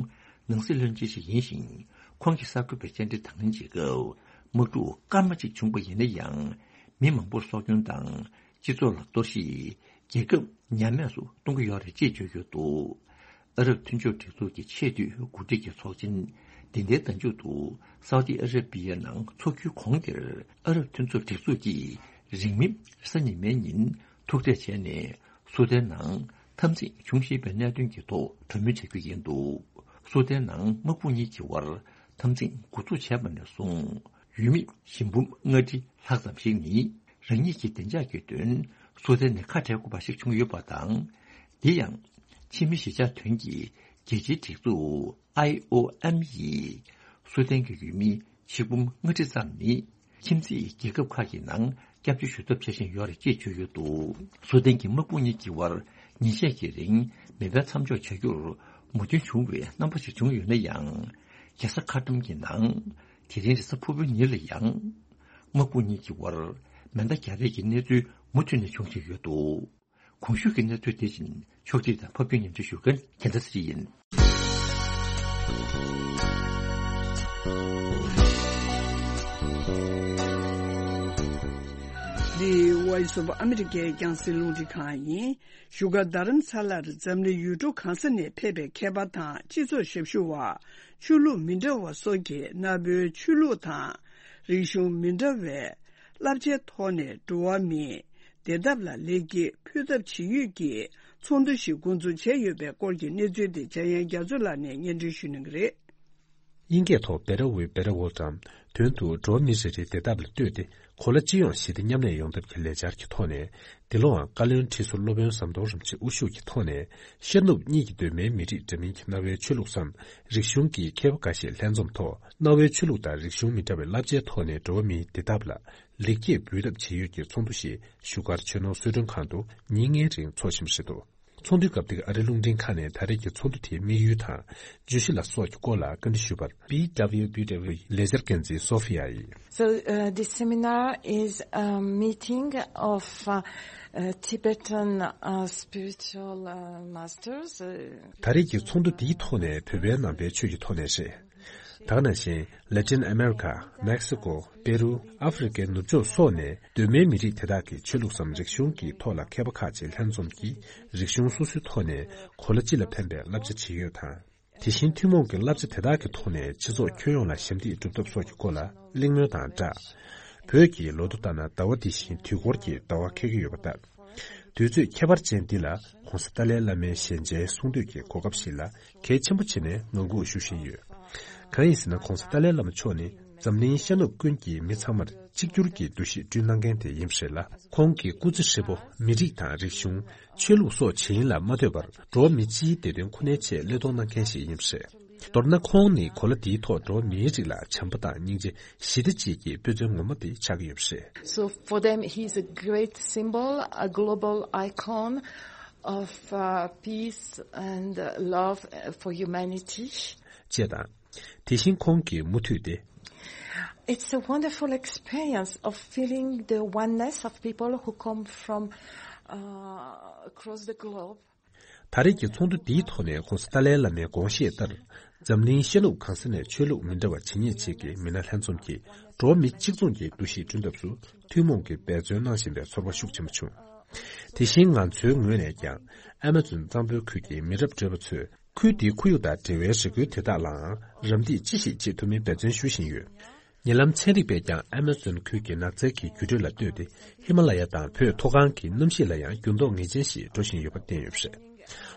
ནང་སྲིད་བློན་ཆེན་ཞིག་ཡིན་ཞིང་། ཁོང་གིས་གསར་འགོད་པའི་བཅར་འདྲི་དང་ལེན་བྱེད་སྐབས། དམག་འཁྲུག་སྐར་མ་གཅིག་བྱུང་པ་ཡིན་ན་ཡང་། མི་མང་པོར་སྲོག་སྐྱོན་དང་སྤྱི་ཚོགས་ལ་གཏོར་བཤིག་རྒྱལ་ཁབ་ཉམས་དམས་སུ་གཏོང་གི་ཡོད་རེད་ཅེས་བརྗོད་ཡོད་འདུག་ཨ་རབ་མཐུན་ཕྱོགས་སྒྲིག་འཛུགས་ཀྱི་ཆེས་མཐོའི་འགོ་ཁྲིད་ཀྱི་ཚོགས་ཆེན་འདི་ཟླའི་ཟླ་མཇུག་ཏུ་སའུ་ཏི་ཨ་ར་པི་ཡའི་ནང་འཚོགས་རྒྱུའི་གོང་དེར་ཨ་རབ་མཐུན་ཚོགས་སྒྲིག་འཛུགས་ཀྱིས་རིང་མིན་རེས་གཟའ་ཉི་མའི་ཉིན་ཐུག་འཕྲད་བྱས་ནས། སུ་དན་ནང་འཐབ་འཛིང་འབྱུང་བཞིན་པའི་གནད་དོན་གྱི་ཐོག་གྲོས་མོལ་བྱ་རྒྱུ་ཡིན་འདུག་སུ་དན་ནང་དམག་དཔུང་གཉིས་ཀྱི་དབར་འཐབ་འཛིང་འགོ་འཛུགས་བྱས་པ་ནས་བཟུང་། ཡུལ་མི་ཞི་འབུམ་ལྔ་ཁྲི་ལྷག་ཙམ་ཞིག་ནི་རང་ཉིད་ཀྱི་བདེ་འཇགས་ཀྱི་དོན་སུ་དན་ནས་ཁ་བྲལ་དགོས་པ་ཞིག་བྱུང་ཡོད་པ་དང་། དེ་ཡང་ཕྱི་མི་གཞིས་ཆགས་དོན་གྱི་རྒྱལ་སྤྱིའི་སྒྲིག་འཛུགས་ཨའི་ཨོ་ཨེམ་ཡིས་སུ་དན་གྱི་ཡུལ་མི་ཆིག་འབུམ་ལྔ་ཁྲི་ཙམ་ནི། ཁྱིམ་མཚེས་རྒྱལ་ཁབ་ཁག་གི་ནང་སྐྱབས་བཅོལ་ཞུ་ཐབས་བྱེད་བཞིན་ཡོད་རེད་ཅེས་བརྗོད་ཡོད་འདུག་སུ་དན་གྱི་དམག་དཔུང་གཉིས་ཀྱི་དབར་ཉིན་ཤས་ཀྱི་རིང་མེ་འཕེན་མཚམས་འཇོག་བྱ་རྒྱུར་ མོས་མཐུན་བྱུང་བའི་རྣམ་པ་ཞིག་བྱུང་ཡོད་ན་ཡང་། རྒྱལ་ས་ཁ་ཏུམ་གྱི་ནང་དེ་རིང་རེས་གཟའ་ཕུར་བུའི་ཉིན་ལ་ཡང་། དམག་དཔུང་གཉིས་ཀྱི་དབར་མེ་མདའ་རྒྱག་རེས་ཀྱི་གནས་ཚུལ་མུ་མཐུད་ནས་བྱུང་བཞིན་ཡོད་འདུག་གོང་ཞུས་ཀྱི་གནས་ཚུལ་དེ་བཞིན་ཕྱོགས་སྒྲིག་དང་ཕབ་སྒྱུར་སྙན་སྒྲོན་ཞུ་མཁན་རྒྱལ་མཚན་ཚེ་རིང་ཡིན། འདི་Voice of America་རྒྱང་སྲིང་རླུང་འཕྲིན་ཁང་ཡིན། བཞུགས་སྒར་རྡ་རམ་ས་ལར་འཛམ་གླིང་ཡུལ་གྲུ་གང་ས་ནས་ཕེབས་པའི་མཁས་པ་དང་སྤྱི་ཚོགས་ཞབས་ཞུ་བ། ཆོས་ལུགས་མི་འདྲ་བ་སོགས་ཀྱིས་གནའ་བོའི་ཆོས་ལུགས་དང་རིག་གཞུང་མི་འདྲ་བའི་བསླབ་བྱའི་ཐོག་ནས་འགྲོ་བ་མིའི་བདེ་ཐབས་ལ་ལེགས་སྐྱེས་ཕུལ་ཐབས་བྱེད་ཡུལ་གྱི་ཚོགས་འདུ་ཞིག་འགོ་འཛུགས་བྱས་ཡོད་པའི་སྐོར་གྱི་གནས་ཚུལ་དེ་འཇམ་དབྱངས་རྒྱ་མཚོ་ལགས་ནས་སྙན་སྒྲོན་ཞུ་གནང་གི་རེད། དབྱིན་སྐད་ཐོག་Better Way, Better World་དམ། དོན་དུ་འགྲོ་བ་མི་རེ་རེའི་བདེ་ཐབས་ལ་ལྟོས་ཏེ་གོ་ལ་སྤྱི་ཡོངས་ཞི་བདེ་མཉམ་གནས་ཡོང་ཐབས་ཀྱི་ལས་འཆར་གྱི་ཐོག་ནས། འདི་ལོའང་བཀའ་བློན་ཁྲི་ཟུར་སློབ་དཔོན་ཟམ་གདོང་རིན་པོ་ཆེ་དབུ་བཞུགས་ཀྱི་ཐོག་ནས་ཤར་ནུབ་གཉིས་ཀྱི་གདོད་མའི་མི་རིགས་འདྲ་མིན་གྱི་གནའ་བོའི་ཆོས་ལུགས་སམ་རིག་གཞུང་གི་མཁས་པ་འགའ་ཤས་ལྷན་འཛོམས་ཐོག་གནའ་བོའི་ཆོས་ལུགས་དང་རིག་གཞུང་མི་འདྲ་བའི་བསླབ་བྱའི་ཐོག་ནས་འགྲོ་བ་མིའི་བདེ་ཐབས་ལ་ལེགས་སྐྱེས་འབུལ་ཐབས་བྱེད་ཡུལ་གྱི་ཚོགས་འདུ་ཞིག་བཞུགས་སྒར་ཆོས་ནོར་གསོལ་མགྲོན་ཁང་དུ་ཉིན་ལྔའི་རིང་འཚོགས་བཞིན་པ་རེད་འདུག་ཚོགས་འདུའི་སྐབས་དེར་ཨ་རིའི་རླུང་འཕྲིན་ཁང་ནས་ད་རེས་ཀྱི་ཚོགས་འདུ་དེའི་དམིགས་ཡུལ་དང་བརྗོད་གཞི་ལ་སོགས་ཀྱི་སྐོར་ལ་བཀའ་འདྲི་ཞུས་པར། B W B W ལས་འཆར་འགན་འཛིན་སོ་ཧྥི་ཡ་ཡིས། So, uh, this seminar is a meeting of, uh, uh, Tibetan, uh, spiritual, uh, masters. Uh, ད་རེས་ཀྱི་ཚོགས་འདུ་འདིའི་ཐོག་ནས་བོད་པའི་ནང་པའི་ཆོས་ཀྱི་ཐོག་ནས་རེད། ད་ག་ནང་བཞིན་ལེ་ཏིན་ཨ་མེ་རི་ཁ། མེག་སི་ཀོ། པེ་རུ། ཨ་ཧྥེ་རི་ཁའི་ནུབ་ཕྱོགས་སོགས་ནས་གདོད་མའི་མི་རིགས་དེ་དག་གི་ཆོས་ལུགས་སམ་རིག་གཞུང་གི་ཐོག་ལ་མཁས་པ་ཁག་ཅིག་ལྷན་འཛོམས་ཀྱིས་རིག་གཞུང་སོ་སོའི་ཐོག་ནས་གོ་ལ་སྤྱི་ལ་ཕན་པའི་བསླབ་བྱ་བྱེད་ཡུལ་དང་། དེ་བཞིན་ཐུན་མོང་གི་བསླབ་བྱ་དེ་དག་གི་ཐོག་ནས་སྤྱི་ཚོགས་ཁྱོན་ཡོངས་ལ་ཞབས་འདེགས་སྒྲུབ་ཐབས་སོགས་ཀྱི་སྐོར་ལ་གླེང་མོལ་དང་སྦྲགས། བོད་ཀྱི་ལོ་ཐོ་ལྟར་ན་ཟླ་བ་འདི་བཞིན་དུས་འཁོར་གྱི་ཟླ་བ་འཁེལ་གྱི་ཡོད་པ་ལྟར། དུས་ཚོད་ཁྱད་པར་ཅན་འདི་ལ་༧གོང་ས་ཏཱ་ལའི་བླ་མའི་ཞལ་མཇལ་གསུང་བསྟོད་ཀྱི་གོ་སྐབས་ཤིག་ལ་གལ་ཆེན་པོ་བྱས་ནས་ངང་སྒུག་ཞུ་བཞིན་ཡོད། གང་ཡིན་ཟེར་ན། ༸གོང་ས་ཏཱ་ལའི་བླ་མ་མཆོག་ནི་འཛམ་གླིང་ཤར་ནུབ་ཀུན་གྱི་མི་ཚང་མར་གཅིག་གྱུར་གྱི་འདུ་ཤེས་བསྐྲུན་གནང་མཁན་དེ་ཡིན་པ་རེད་ལ། ཁོང་གི་སྐུ་ཚེ་ཧྲིལ་པོ་མི་རིགས་དང་རིག་གཞུང་། ཆོས་ལུགས་སོགས་ཇི་ཡིན་ལ་མ་ལྟོས་པར་འགྲོ་བ་མི་སྤྱིའི་བདེ་དོན་ཁོ་ནའི་ཆེད་བློས་གཏོང་གནང་མཁན་ཞིག་ཡིན་པ་རེད། མདོར་ན་ཁོང་ནི་གོ་ལ་འདིའི་ཐོག་འགྲོ་བ་མིའི་རིགས་ལ་བྱམས་པ་དང་སྙིང་རྗེ། ཞི་བདེ་བཅས་ཀྱི་དཔེ་མཚོན་ངོ་མ་དེ་ཆགས་ཀྱི་ཡོད་པ་རེད། So for them, he is a great symbol, a global icon of, uh, peace and, uh, love, uh, for humanity. ཅེས་དང་། དེ་བཞིན་ཁོང་གིས་མུ་མཐུད་དེ། It's a wonderful experience of feeling the oneness of people who come from, uh, across the globe. ད་རེས་ཀྱི་ཚོགས་འདུ་འདིའི་ཐོག་ནས་༸གོང་ས་ཏཱ་ལའི་བླ་མའི་དགོངས་བཞེད་ལྟར། འཛམ་གླིང་ཤར་ནུབ་གང་ས་ནས་ཆོས་ལུགས་མི་འདྲ་བ་ཇི་སྙེད་ཅིག་གི་མི་སྣ་ལྷན་འཛོམས་ཀྱིས་འགྲོ་བ་མི་གཅིག་མཚུངས་ཀྱི་འདུ་ཤེས་བསྐྲུན་ཐབས་སུ་ཐུན་མོང་གི་འབད་བརྩོན་གནང་བཞིན་པའི་ཚོར་བ་ཤུགས་ཆེན་པོ་བྱུང་། དེ་བཞིན་ང་ཚོའི་ངོས་ནས་ཀྱང་ཨ་མ་ཛོན་གཙང་པོའི་ཁུལ་གྱི་མི་རབས་བགྲེས་པོ་ཚོས་ཁུལ་དེའི་ཁོར་ཡུག་དང་འབྲེལ་བའི་རེ་སྐུལ་དེ་དག་ལའང་རམ་འདེགས་ཅི་ཞིག་བྱེད་ཐུབ་མིན་འབད་བརྩོན་ཞུ་བཞིན་ཡོད། ཉེ་ལམ་ཚན་རིག་པས་ཀྱང་ཨ་མ་ཛོན་ཁུལ་གྱི་ནགས་ཚལ་གྱི་འགྱུར་འགྲོས་ལ་ལྟོས་ཏེ་ཧི་མ་ལ་ཡ་དང་བོད་མཐོ་སྒང་གི་གནམ་གཤིས་ལ་ཡང་འགྱུར་ལྡོག་ངེས་ཅན་ཞིག་འགྲོ་བཞིན་ཡོད་པ་བསྟན་ཡོད་པ་རེད།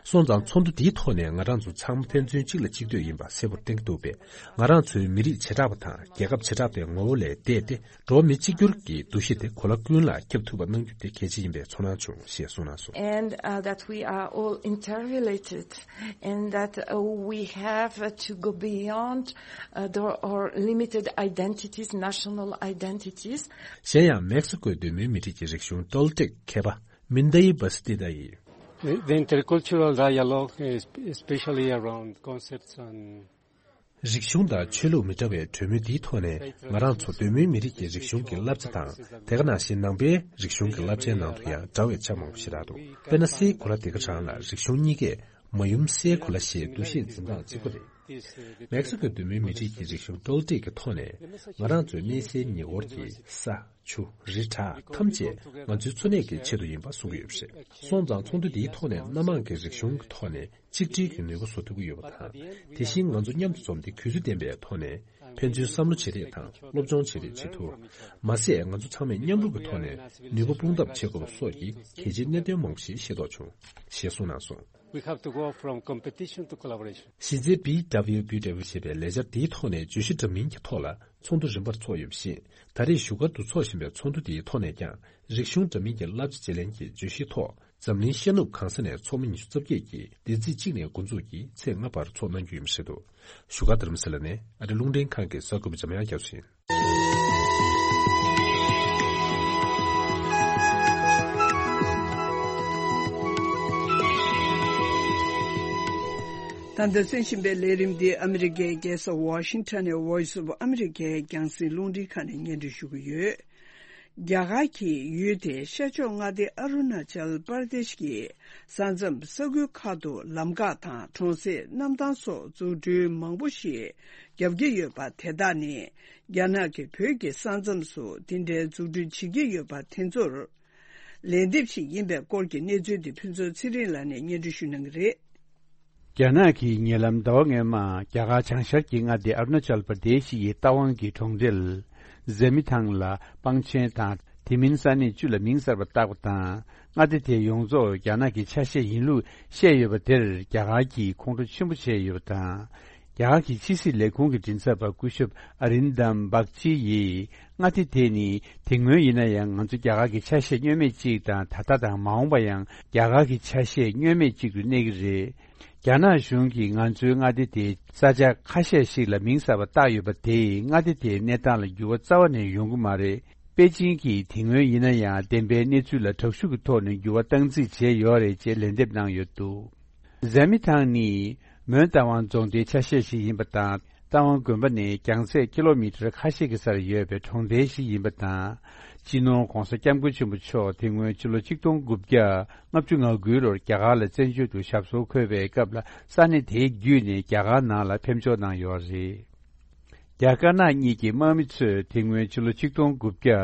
སོང་ཙང་ཚོགས་འདུ་འདིའི་ཐོག་ནས་ང་རང་ཚོ་ཚང་མ་ཕན་ཚུན་གཅིག་ལ་གཅིག་ལྟོས་ཡིན་པ་གསལ་པོར་བསྟན་གྱི་འདུག་པས། ང་རང་ཚོའི་མི་རིགས་བྱེ་བྲག་པ་དང་རྒྱལ་ཁབ་བྱེ་བྲག་པའི་ངོ་བོ་ལས་འདས་ཏེ། འགྲོ་བ་མི་གཅིག་གྱུར་གྱི་འདུ་ཤེས་དེ་གོ་ལ་ཀུན་ལ་ཁྱབ་ཐུབ་པ་གནང་རྒྱུ་དེ་གལ་ཆེ་ཡིན་པའི་ཚོར་སྣང་བྱུང་ཞེས་གསུངས་གནང་སོང་། And, uh, that we are all interrelated, and that, uh, we have to go beyond, uh, the, our limited identities, national identities. གཞན་ཡང་མེག་སི་ཀོའི་གདོད་མའི་མི་རིགས་ཀྱི་རིག་གཞུང་ཏོལ་ཏེག་མཁས་པ་མིན་དའི་བ་སི་ཏི་ད་ཡིས། The, the intercultural dialogue, es- especially around concepts and རིག་གཞུང་དང་ཆོས་ལུགས་མི་འདྲ་བའི་གྲོས་མོལ་འདིའི་ཐོག་ནས་ང་རང་ཚོ་གདོད་མའི་མི་རིགས་ཀྱི་རིག་གཞུང་གི་བསླབ་བྱ་དང་། དེ་ག་ནང་བཞིན་ནང་པའི་རིག་གཞུང་གི་བསླབ་བྱའི་ནང་དུ་ཡང་འདྲ་བའི་ཆ་མང་པོ་ཞེ་དྲག་འདུག་དཔེར་ན་སའི་གོ་ལ་དེ་ག་རང་ལ་རིག་གཞུང་གཉིས་ཀས་མ་ཡུམ་སའི་གོ་ལ་ཞེས་འདུ་ཤེས་འཛིན་སྟངས་གཅིག་པ་རེད། མེག་སི་ཀོའི་གདོད་མའི་མི་རིགས་ཀྱི་རིག་གཞུང་ཏོལ་ཏེག་གི་ཐོག་ནས་ང་རང་ཚོའི་གནས་སའི་ཉེ་འཁོར་གྱི་ས། ཆུ། རི། བྲག་ཐམས་ཅད་ང་ཚོའི་འཚོ་གནས་ཀྱི་ཆེད་དུ་ཡིན་པ་གསུང་གི་ཡོད་པ་རེད། སོང་ཙང་ཚོགས་འདུ་འདིའི་ཐོག་ནས་སྣ་མང་གི་རིག་གཞུང་གི་ཐོག་ནས་གཅིག་སྒྲིལ་གྱི་ནུས་པ་བཟོ་ཐུབ་ཀྱི་ཡོད་པ་དང་། དེ་བཞིན་ང་ཚོ་མཉམ་དུ་འཛོམས་ཏེ་གུས་བརྩི་ལྡན་པའི་ཐོག་ནས་ཕན་ཚུན་བསམ་བློ་བརྗེ་རེས་དང་སློབ་སྦྱོང་བརྗེ་རེས་བྱེད་ཐུབ། མ་ཟད་ང་ཚོ་ཚང་མས་མཉམ་རུབ་ཀྱི་ཐོག་ནས་ནུས་པ་སྤུངས་ཐབས་བྱེད་དགོས་པ་སོགས་ཀྱི་གལ་ཆེའི་གནད་དོན་མང་པོ་ཞིག་ཤེས་རྟོགས་བྱུང་ཞེས་གསུངས་གནང་སོང་། We have to go from competition to collaboration. གཞི་རྩའི་B W B W ཞེས་པའི་ལས་འཆར་འདིའི་ཐོག་ནས་བརྗོད་གཞི་འདྲ་མིན་གྱི་ཐོག་ལ་ཚོགས་འདུ་རིམ་པར་འཚོགས་ཡོད་པ་བཞིན། ད་རེས་བཞུགས་སྒར་དུ་འཚོགས་བཞིན་པའི་ཚོགས་འདུ་འདིའི་ཐོག་ནས་ཀྱང་རིག་གཞུང་འདྲ་མིན་གྱི་བསླབ་བྱ་བརྗེ་ལེན་གྱི་བརྗོད་གཞིའི་ཐོག་འཛམ་གླིང་ཤར་ནུབ་གང་ས་ནས་ཚོགས་མི་ཉི་ཤུ་རྩ་བརྒྱད་ཀྱིས་འདི་ཚེས་གཅིག་ནས་འགོ་འཛུགས་ཀྱིས་ཚེས་ལྔ་བར་འཚོགས་གནང་རྒྱུ་ཡིན་པ་རེད་འདུག་བཞུགས་སྒར་རྡ་རམ་ས་ལ་ནས་ཨ་རི་རླུང་འཕྲིན་ཁང་གི་གསར་འགོད་པ་འཇམ་དབྱངས་རྒྱ་མཚོ་ཡིན། ད་ལྟ་གསན་བཞིན་པའི་ལས་རིམ་འདི་ཨ་མི་རི་ཀའི་རྒྱལ་ས་ཝ་ཤིང་ཊོན་ནས་Voice of America རྒྱང་སྲིང་རླུང་འཕྲིན་ཁང་ནས་སྙན་སྒྲོན་ཞུ་གི་ཡོད། རྒྱ་གར་གྱི་ཡུལ་དེའི་ཤར་ཕྱོགས་མངའ་སྡེ་ཨ་རུ་ན་ཅལ་པར་དེཤ་གི་ས་མཚམས་ས་ཁུལ་ཁག་ཏུ་ལམ་འགག་དང་གྲོང་གསེབ་གནམ་ཐང་སོགས་འཛུགས་སྐྲུན་མང་པོ་ཞིག་བརྒྱབ་ཀྱི་ཡོད་པ་དེ་དག་ནི་རྒྱ་ནག་གིས་བོད་ཀྱི་ས་མཚམས་སུ་དེ་འདྲའི་འཛུགས་སྐྲུན་བྱེད་ཀྱི་ཡོད་པ་དེ་ཚོར་ལན་འདེབས་ཤིག་ཡིན་པའི་སྐོར་གྱི་གནས་ཚུལ་དེ་ཕུན་ཚོགས་ཚེ་རིང་ལགས་ནས་སྙན་སྒྲོན་ཞུ་གནང་གི་རེད། རྒྱ་ནག་གིས་ཉེ་ལམ་ཟླ་བ་སྔོན་མ་རྒྱ་གར་བྱང་ཤར་གྱི་མངའ་སྡེ་ཨ་རུ་ན་ཅལ་པར་དེ་ཤི་ཡི་རྟ་དབང་གི་གྲོང་རྡལ་ཟེ་མི་ཐང་ལ་སྤང་ཆེན་དང་དེ་མིན་ས་གནས་བཅུ་ལ་མིང་གསར་པ་བཏགས་པ་དང་། མངའ་སྡེ་དེ་ཡོངས་རྫོགས་རྒྱ་ནག་གི་ཆ་ཤས་ཡིན་ལུགས་བཤད་ཡོད་པ་དེར་རྒྱ་གར་གྱིས་ཁོང་ཁྲོ་ཆེན་པོ་བྱས་ཡོད་པ་དང་། རྒྱ་གར་གྱི་ཕྱི་སྲིད་ལས་ཁུངས་ཀྱི་མགྲིན་ཚབ་པ་སྐུ་ཞབས་ཨ་རིན་དམ་བག་ཅི་ཡིས། མངའ་སྡེ་དེ་ནི་དེ་སྔོན་ཡིན་ན་ཡང་ང་ཚོ་རྒྱ་གར་གྱི་ཆ་ཤས་བསྙོན་མེད་ཅིག་དང་། ད་ལྟ་དང་མ་འོངས་པ་ཡང་རྒྱ་གར་གྱི་ཆ་ཤས་བསྙོན་མེད་ཅིག་ཏུ་གནས་ཀྱི་རེད། རྒྱ་ནག་གཞུང་གིས་ང་ཚོའི་མངའ་སྡེ་དེའི་ས་ཆ་ཁ་ཤས་ཤིག་ལ་མིང་གསར་པ་བཏགས་ཡོད་པ་དེས་མངའ་སྡེ་དེའི་གནས་སྟངས་ལ་འགྱུར་བ་རྩ་བ་ནས་ཡོང་གི་མ་རེད། པེ་ཅིང་གིས་དེ་སྔོན་ཡིན་ན་ཡང་བདེན་པའི་གནས་ཚུལ་ལ་དྲག་ཤུགས་ཀྱི་ཐོག་ནས་འགྱུར་བ་བཏང་རྩིས་བྱས་ཡོད་རེད་ཅེས་ལན་འདེབས་གནང་ཡོད་འདུག་ཟེ་མི་ཐང་ནི་མོན་རྟ་དབང་རྫོང་སྡེའི་ཆ་ཤས་ཤིག་ཡིན་པ་དང་། རྟ་དབང་དགོན་པ་ནས་རྒྱང་ཚད་ཀི་ལོ་མི་ཊར་ཁ་ཤས་ཀྱི་སར་ཡོད་པའི་གྲོང་རྡལ་ཞིག་ཡིན་པ་དང་། སྤྱི་ནོར་༧གོང་ས་༧སྐྱབས་མགོན་ཆེན་པོ་མཆོག་དེ་སྔོན་ཕྱི་ལོ་ཆིག་སྟོང་དགུ་བརྒྱ་ལྔ་བཅུ་ང་དགུའི་ལོར་རྒྱ་གར་ལ་བཙན་བྱོལ་དུ་ཞབས་སོར་འཁོད་པའི་སྐབས་ལ་ས་གནས་དེའི་བརྒྱུད་ནས་རྒྱ་གར་ནང་ལ་ཕེབས་འབྱོར་གནང་ཡོད་རེད། རྒྱ་དཀར་ནག་གཉིས་ཀྱི་དམག་མི་ཚོས་དེ་སྔོན་ཕྱི་ལོ་ཆིག་སྟོང་དགུ་བརྒྱ་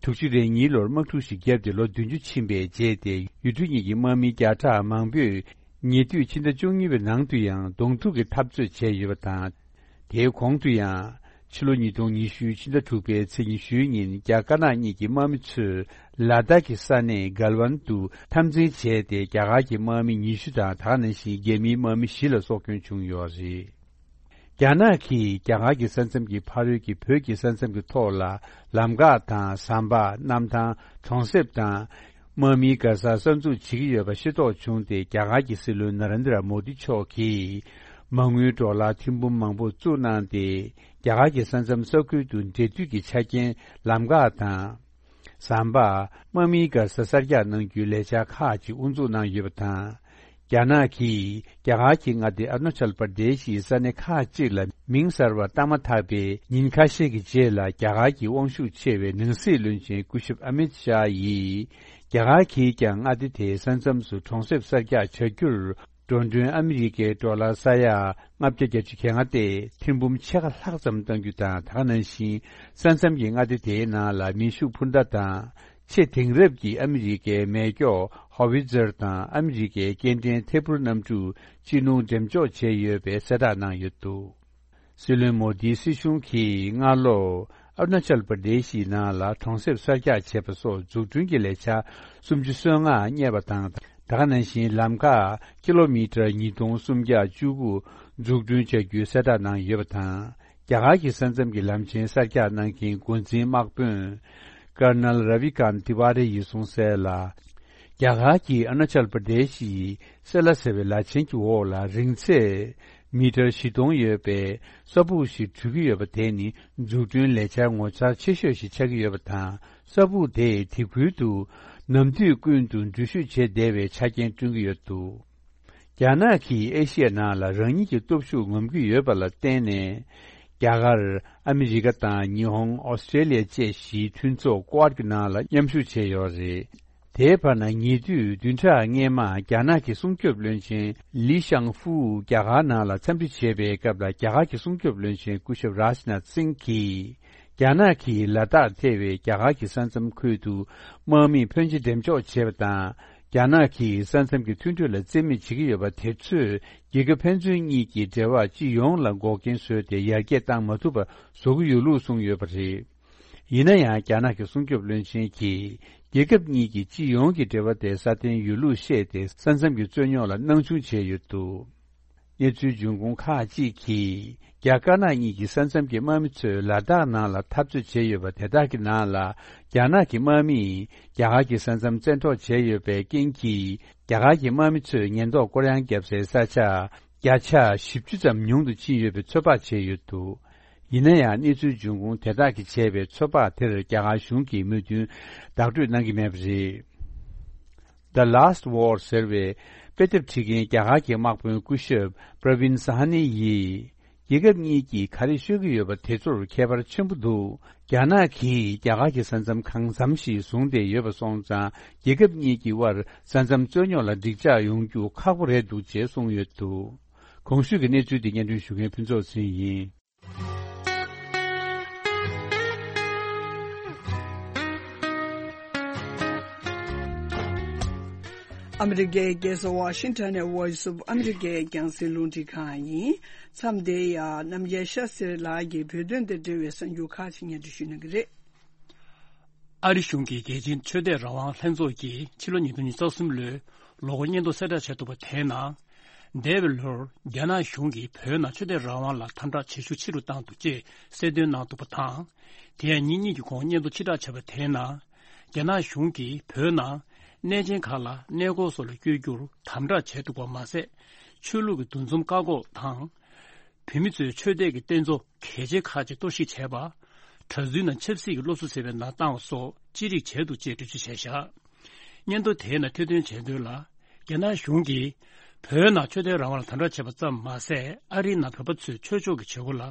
དྲུག་ཅུ་རེ་གཉིས་ལོར་དམག་འཁྲུག་ཞིག་བརྒྱབ་སྟེ་ལོ་བདུན་ཅུ་ཕྱིན་པའི་རྗེས་ཏེ། ཡུལ་གྲུ་གཉིས་ཀྱི་དམག་མི་བརྒྱ་ཕྲག་མང་པོས་ཉེ་དུས་ཕྱི་ཟླ་བཅུ་གཉིས་པའི་ནང་དུ་ཡང་གདོང་ཐུག་གི་འཐབ་རྩོད་བྱས་ཡོད་པ་དང་། དེའི་གོང་དུ་ཡང་ཕྱི་ལོ་ཉིས་སྟོང་ཉི་ཤུ་ཕྱི་ཟླ་དྲུག་པའི་ཚེས་ཉི་ཤུའི་ཉིན་རྒྱ་དཀར་ནག་གཉིས་ཀྱི་དམག་མི་ཚོས་ལ་དྭགས་ཀྱི་ས་གནས་གལ་ཝན་དུ་འཐབ་འཛིང་བྱས་ཏེ། རྒྱ་གར་གྱི་དམག་མི་ཉི་ཤུ་དང་། ད་ག་ནང་བཞིན་རྒྱ་མིའི་དམག་མི་བཞི་ལ་སྲོག་སྐྱོན་བྱུང་ཡོད་རེད། རྒྱ་ནག་གིས་རྒྱ་གར་གྱི་ས་མཚམས་ཀྱི་ཕ་རོལ་གྱི་བོད་ཀྱི་ས་མཚམས་ཀྱི་ཐོག་ལ་ལམ་འགག་དང་། ཟམ་པ། གནམ་ཐང་། གྲོང་གསེབ་དང་། དམག་མིའི་གར་སར་གསར་འཛུགས་བྱེད་ཀྱི་ཡོད་པ་ཤེས་རྟོགས་བྱུང་སྟེ། རྒྱ་གར་གྱི་སྲིད་བློན་ན་རེན་དྲ་མོ་དི་མཆོག་གིས་མ་དངུལ་ཌོ་ལར་ཐེར་འབུམ་མང་པོ་བཙུགས་གནང་སྟེ། རྒྱ་གར་གྱི་ས་མཚམས་ས་ཁུལ་དུ་འབྲེལ་མཐུད་ཀྱི་ཆ་རྐྱེན། ལམ་འགག་དང་། ཟམ་པ། དམག་མིའི་གར་ས་གསར་རྒྱག་གནང་རྒྱུའི་ལས་འཆར་ཁག་ཅིག་དབུ་འཛུགས་གནང་ཡོད་པ་དང་། རྒྱ་ནག་གིས་རྒྱ་གར་གྱི་མངའ་སྡེ་ཨ་རུ་ན་ཅལ་པར་དེ་ཤི་ཡི་ས་གནས་ཁག་ཅིག་ལ་མིང་གསར་པ་བཏགས་མ་ཐག་པའི་ཉིན་ཁ་ཤས་ཀྱི་རྗེས་ལ། རྒྱ་གར་གྱི་དབང་ཤུགས་ཆེ་བའི་ནང་སྲིད་བློན་ཆེན་སྐུ་ཞབས་ཨ་མིད་ཤཱ་ཡིས། རྒྱ་གར་གྱིས་ཀྱང་མངའ་སྡེ་དེའི་ས་མཚམས་སུ་གྲོང་གསེབ་གསར་རྒྱག་བྱ་རྒྱུར། འགྲོ་གྲོན་ཨ་མི་རི་ཀའི་ཌོ་ལར་ས་ཡ་ལྔ་བརྒྱ་བརྒྱད་ཅུ་གྱ་ལྔ་སྟེ། ཐེར་འབུམ་ཕྱེད་ཀ་ལྷག་ཙམ་གཏང་རྒྱུ་དང་། ད་ག་ནང་བཞིན་ས་མཚམས་ཀྱི་མངའ་སྡེ་དེའི་ནང་ལ་མེ་ཤུགས་འཕུར་མདའ་དང་། ཆེས་དེང་རབས་ཀྱི་ཨ་མི་རི་ཀའི་མེ་སྒྱོགས་ཧོ་ཝི་ཛར་དང་། ཨ་མི་རི་ཀའི་སྐྱེལ་འདྲེན་ཐད་འཕུར་གནམ་གྲུ་སྤྱི་ནོར་འགྲེམས་འཇོག་བྱས་ཡོད་པའི་གསལ་བསྒྲགས་གནང་ཡོད་འདུག་སྲིད་བློན་མོ་དིའི་སྲིད་གཞུང་གིས་སྔ་ལོ་ཨ་རུ་ན་ཅལ་པར་དེ་ཤི་ནང་ལ་གྲོང་གསེབ་གསར་རྒྱག་བྱས་པ་སོགས་འཛུགས་སྐྲུན་གྱི་ལས་འཆར་སུམ་ཅུ་སོ་ལྔ་གཉེར་བ་དང་། ད་ག་ནང་བཞིན་ལམ་ཁ་ཀི་ལོ་མི་ཊར་ཉིས་སྟོང་སུམ་བརྒྱ་བཅུ་དགུ་འཛུགས་སྐྲུན་བྱ་རྒྱུའི་གསལ་བསྒྲགས་གནང་ཡོད་པ་དང་། རྒྱ་གར་གྱི་ས་མཚམས་ཀྱི་ལམ་ཆེན་གསར་རྒྱག་གནང་མཁན་འགོ་འཛིན་དམག་དཔོན་ཀར་ནལ་ར་བི་ཀན་ཏི་ཝཱ་རེ་ཡིས་གསུངས་གསལ་ལ། རྒྱ་གར་གྱི་ཨ་རུ་ན་ཅལ་པར་དེ་ཤི་ཡི་སེ་ལ་ཟེར་བའི་ལ་ཆེན་གྱི་འོག་ལ་རིང་ཚད་མི་ཊར་བཞི་སྟོང་ཡོད་པའི་ས་སྦུག་ཞིག་གྲུ་གི་ཡོད་པ་དེ་ནི་འཛུགས་སྐྲུན་ལས་འཆར་ངོ་མཚར་ཆེ་ཤོས་ཤིག་ཆགས་ཀྱི་ཡོད་པ་དང་། ས་སྦུག་དེས་དེ་ཁུལ་དུ་ནམ་དུས་ཀུན་ཏུ་འགྲུལ་བཞུད་བྱེད་བདེ་བའི་ཆ་རྐྱེན་བསྐྲུན་གྱི་ཡོད་འདུག་རྒྱ་ནག་གིས་ཨེ་ཤི་ཡའི་ནང་ལ་རང་ཉིད་ཀྱི་སྟོབས་ཤུགས་ངོམ་གྱི་ཡོད་པ་ལ་བརྟེན་ནས། རྒྱ་གར། ཨ་མི་རི་ཀ་དང་། ཉི་ཧོང་། ཨོ་སི་ཀྲེ་ལི་ཡ་བཅས་བཞིའི་མཐུན་ཚོགས་ཀོ་ཨར་གྱི་ནང་ལ་མཉམ་ཞུགས་བྱས་ཡོད་རེད། དེའི་བར་ན་ཉེ་དུས་བདུན་ཕྲག་སྔོན་མ་རྒྱ་ནག་གི་སྲུང་སྐྱོབ་བློན་ཆེན་ལི་ཤང་ཧྥུའུ་རྒྱ་གར་ནང་ལ་འཚམས་འདྲི་བྱེད་པའི་སྐབས་ལ། རྒྱ་གར་གྱི་སྲུང་སྐྱོབ་བློན་ཆེན་སྐུ་ཞབས་རཱཇ་ནཱཐ་སིང་གིས། རྒྱ་ནག་གིས་ལ་དྭགས་ཐེ་བའི་རྒྱ་གར་གྱི་ས་མཚམས་ཁུལ་དུ་དམག་མི་ཕོན་ཆེ་འགྲེམས་འཇོག་བྱས་པ་དང་། རྒྱ་ནག་གིས་ས་མཚམས་ཀྱི་མཐུན་གྲོས་ལ་རྩིས་མེད་བྱེད་ཀྱི་ཡོད་པ་དེ་ཚོས་རྒྱལ་ཁབ་ཕན་ཚུན་གཉིས་ཀྱི་འབྲེལ་བ་སྤྱི་ཡོངས་ལ་འགོག་རྐྱེན་བཟོས་ཏེ། ཡར་རྒྱས་བཏང་མ་ཐུབ་པ་བཟོ་གི་ཡོད་ལུགས་གསུངས་ཡོད་པ་རེད། ཡིན་ན་ཡང་། རྒྱ་ནག་གི་སྲུང་སྐྱོབ་བློན་ཆེན་གྱིས། རྒྱལ་ཁབ་གཉིས་ཀྱི་སྤྱི་ཡོངས་ཀྱི་འབྲེལ་བ་དེ་སྲ་བརྟན་ཡོད་ལུགས་བཤད་དེ། ས་མཚམས་ཀྱི་རྩོད་རྙོག་ལ་སྣང་ཆུང་བྱས་ཡོད་འདུག་གནས་ཚུལ་འབྱུང་ཁུངས་ཁག་ཅིག་གིས། རྒྱ་དཀར་ནག་གཉིས་ཀྱི་ས་མཚམས་ཀྱི་དམག་མི་ཚོས་ལ་དྭགས་ནང་ལ་འཐབ་རྩོད་བྱས་ཡོད་པ་དེ་དག་གི་ནང་ལ། རྒྱ་ནག་གི་དམག་མིས་རྒྱ་གར་གྱི་ས་མཚམས་བཙན་འཕྲོག་བྱས་ཡོད་པའི་རྐྱེན་གྱིས། རྒྱ་གར་གྱི་དམག་མི་ཚོས་ཉེན་རྟོག་སྐོར་གཡེང་བརྒྱབ་སའི་ས་ཆ་བརྒྱ་ཆ་བཞི་བཅུ་ཙམ་ཉུང་དུ་ཕྱིན་ཡོད་པའི་ཚོད་དཔག་བྱས་ཡོད་འདུག་ཡིན་ན་ཡང་། གནས་ཚུལ་འབྱུང་ཁུངས་དེ་དག་གིས་བྱས་པའི་ཚོད་དཔག་དེར་རྒྱ་གར་གཞུང་གིས་མོས་མཐུན་བདག་སྤྲོད་གནང་གི་མེད་པ་རེད། The Last War ཟེར་བའི་ དཔེ་དེབ་ཁྲིད་མཁན་རྒྱ་གར་གྱི་དམག་དཔོན་སྐུ་ཞབས་པྲ་བིན་ས་ཧ་ནི་ཡིས། རྒྱལ་ཁབ་གཉིས་ཀྱིས་ག་རེ་ཤོད་ཀྱི་ཡོད་པ་དེ་ཚོར་ཁྱད་པར་ཆེན་པོ་འདུག་རྒྱ་ནག་གིས་རྒྱ་གར་གྱི་ས་མཚམས་གང་འཚམ་ཞིག་བཟུང་སྟེ་ཡོད་པ་སོང་ཙང་། རྒྱལ་ཁབ་གཉིས་ཀྱི་དབར་ས་མཚམས་རྩོད་རྙོག་ལ་འགྲིག་འཇགས་ཡོང་རྒྱུ་ཁག་པོ་རེད་འདུག་ཅེས་གསུངས་ཡོད་འདུག་གོང་ཞུས་ཀྱི་གནས་ཚུལ་དེ་སྙན་སྒྲོན་ཞུ་མཁན་ཕུན་ཚོགས་ཚེ་ཡིན། ཨ་མི་རི་ཀའི་རྒྱལ་ས་ཝ་ཤིང་ཊོན་ནས་Voice of America་རྒྱང་སྲིང་རླུང་འཕྲིན་ཁང་ཡིན། མཚམས་འདིར་ཡང་རྣམ་རྒྱལ་ཤ་སེར་ལགས་ཀྱིས་བོད་དོན་དང་འབྲེལ་བའི་གསར་འགྱུར་ཁག་ཅིག་སྙན་སྒྲོན་ཞུ་གནང་གི་རེད། ཨ་རི་གཞུང་གི་རྒྱལ་སྤྱིའི་ཆོས་དད་རང་དབང་ལྷན་ཚོགས་ཀྱིས་ཕྱི་ལོ་ཉིས་སྟོང་ཉི་ཤུ་རྩ་གསུམ་ལོའི་ལོ་འཁོར་སྙན་ཐོ་གསལ་བསྒྲགས་བྱས་འདུག་པ་དེའི་ནང་། འདས་པའི་ལོར་རྒྱ་ནག་གཞུང་གིས་བོད་ནང་ཆོས་དད་རང་དབང་ལ་དམ་དྲག་བྱེད་ཤུགས་ཆེ་རུ་བཏང་འདུག་ཅེས་གསལ་སྟོན་གནང་འདུག་པ་དང་། དེ་ཡང་ཉིན་གཉིས་ཀྱི་གོང་སྙན་ཐོ་ཕྱིར་བསྒྲགས་བྱས་པ་དེའི་ནང་། རྒྱ་ནག་གཞུང་གིས་བོད་ནང་གནས་ཆེན་ཁག་ལ་གནས་སྐོར་སོགས་ལ་བསྐྱོད་རྒྱུར་དམ་དྲག་བྱས་འདུག་པ་མ་ཟད། ཆོས་ལུགས་ཀྱི་འདུ་འཛོམས་བཀག་འགོག་དང་། བོད་མི་ཚོའི་ཆོས་དད་ཀྱི་རྟེན་གཙོ་གལ་ཆེ་ཁག་ཅིག་གཏོར་བཤིག་བྱས་པ། གྲྭ་བཙུན་རྣམས་ཆབ་སྲིད་ཀྱི་སློབ་གསོ་ཟེར་བའི་ནང་བཏང་བ་སོགས་ཅི་རིགས་བྱས་འདུག་ཅེས་འགྲེལ་བརྗོད་བྱས་བཞག་སྙན་ཐོ་དེའི་ནང་ཐེར་འདོན་བྱས་དོན་ལ། རྒྱ་ནག་གཞུང་གིས་བོད་ནང་ཆོས་དད་རང་དབང་ལ་དམ་དྲག་བྱས་པ་ཙམ་མ་ཟད། ཨ་རིའི་ནང་བོད་པ་ཚོས་ཆོས་ཕྱོགས་ཀྱི་བྱེད་སྒོ་ལ་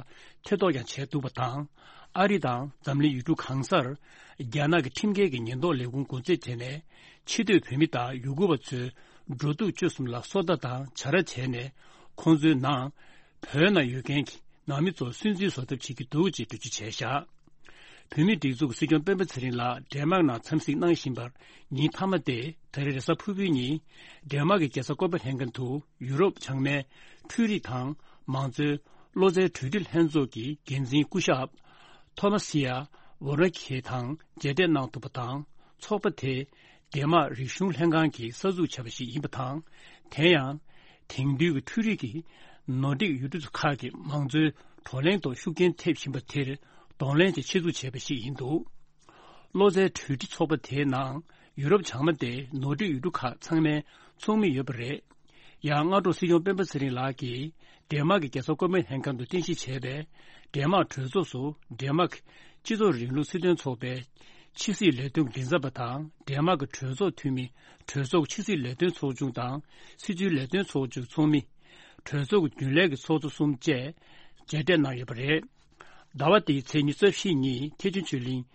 ཐེ་གཏོགས་ཀྱང་བྱས་འདུག་པ་དང་། ཨ་རི་དང་འཛམ་གླིང་ཡུལ་གྲུ་གང་སར་རྒྱ་ནག་གི་ཁྲིམས་འགལ་གྱི་ཉེན་རྟོག་ལས་ཁུངས་འགོ་འཛིན་བྱས་ནས། ཕྱི་སྡོད་བོད་མི་དང་ཡུ་གུར་བ་ཚོའི་འགྲོ་འདུག་སྤྱོད་གསུམ་ལ་སོ་ལྟ་དང་བྱ་ར་བྱས་ནས། ཁོང་ཚོའི་ནང་བོད་ནང་ཡོད་མཁན་གྱི་ནང་མི་ཚོར་སུན་གཙེར་བཟོ་ཐབས་བྱེད་ཀྱི་འདུག་ཅེས་འགྲེལ་བརྗོད་བྱས་བཞག་བོད་མིའི་སྒྲིག་འཛུགས་ཀྱི་སྲིད་སྐྱོང་སྤེན་པ་ཚེ་རིང་ལགས་ཌེན་མཱག་ནང་འཚམས་གཟིགས་གནང་བཞིན་པར། ཉིན་མཐའ་མ་སྟེ་ད་རེས་རེས་གཟའ་ཕུར་བུའི་ཉིན། ཌེན་མཱག་གི་རྒྱལ་ས་ཀོ་པན་ཧེ་གྷན་དུ་ཡུ་རོབ་བྱང་མའི་འཕྲུལ་རིག་དང་མང་གཙོའི་བློ་རྩེའི་གྲོས་སྒྲིག་ལྷན་ཚོགས་ཀྱི་འགན་འཛིན་སྐུ་ཞབས་ཐོ་མ་སི་ཡ་ཝོ་ར་ཁེ་དང་མཇལ་འཕྲད་གནང་ཐུབ་པ་དང་། ཚོགས་པ་དེ་ཌེན་མཱག་རིག་གཞུང་ལྷན་ཁང་གིས་གསར་འཛུགས་བྱས་པ་ཞིག་ཡིན་པ་དང་། དེ་ཡང་དེང་དུས་ཀྱི་འཕྲུལ་རིག་གི་ནོར་འཁྲུལ་ཡུལ་གྲུ་ཁག་གི་མང་གཙོའི་བགྲོ་གླེང་ཐོག་ཤུགས་རྐྱེན་ཐེབས་བཞིན་པ་དེར་གདོང་ལེན་གྱིས་ཆེད་འཛུགས་བྱས་པ་ཞིག་ཡིན་འདུག་བློ་རྩེའི་གྲོས་སྒྲིག་ཚོགས་པ་དེའི་ནང་ཡུ་རོབ་བྱང་མ་སྟེ་ནོར་འཁྲུལ་ཡུལ་གྲུ་ཁག་ཚང་མའི་ཚོགས་མི་ཡོད་པ་རེད། ཡང་སྔ་དྲོ་སྲིད་སྐྱོང་སྤེན་པ་ཚེ་རིང་ལགས་ཀྱིས་ཌེན་མཱག་གི་རྒྱལ་ས་ཀོ་པན་ཧེ་གྷན་དུ་རྟེན་གཞི་བྱས་པའི་ཌེན་མཱག་གྲོས་ཚོགས་སུ་ཌེན་མཱག་སྤྱི་ཚོགས་རིང་ལུགས་སྲིད་དོན་ཚོགས་པའི་ཕྱི་སྲིད་ལས་དོན་མགྲིན་ཚབ་པ་དང་། ཌེན་མཱག་གི་གྲོས་ཚོགས་འཐུས་མི་གྲོས་ཚོགས་ཕྱི་སྲིད་ལས་དོན་ཚོགས་ཆུང་དང་སྲིད་བྱུས་ལས་དོན་ཚོགས་ཆུང་ཚོགས་མི། གྲོས་ཚོགས་ཀྱི་རྒྱུན་ལས་ཀྱི་ཚོགས་གཙོ་གསུམ་བཅས་མཇལ་འཕྲད་གནང་ཡོད་པ་རེད། ཟླ་བ་འདིའི་ཚེས་ཉི་ཤུ་རྩ་བཞིའི་ཉིན་ཐེག་ཆེན་ཆོས་གླིང་།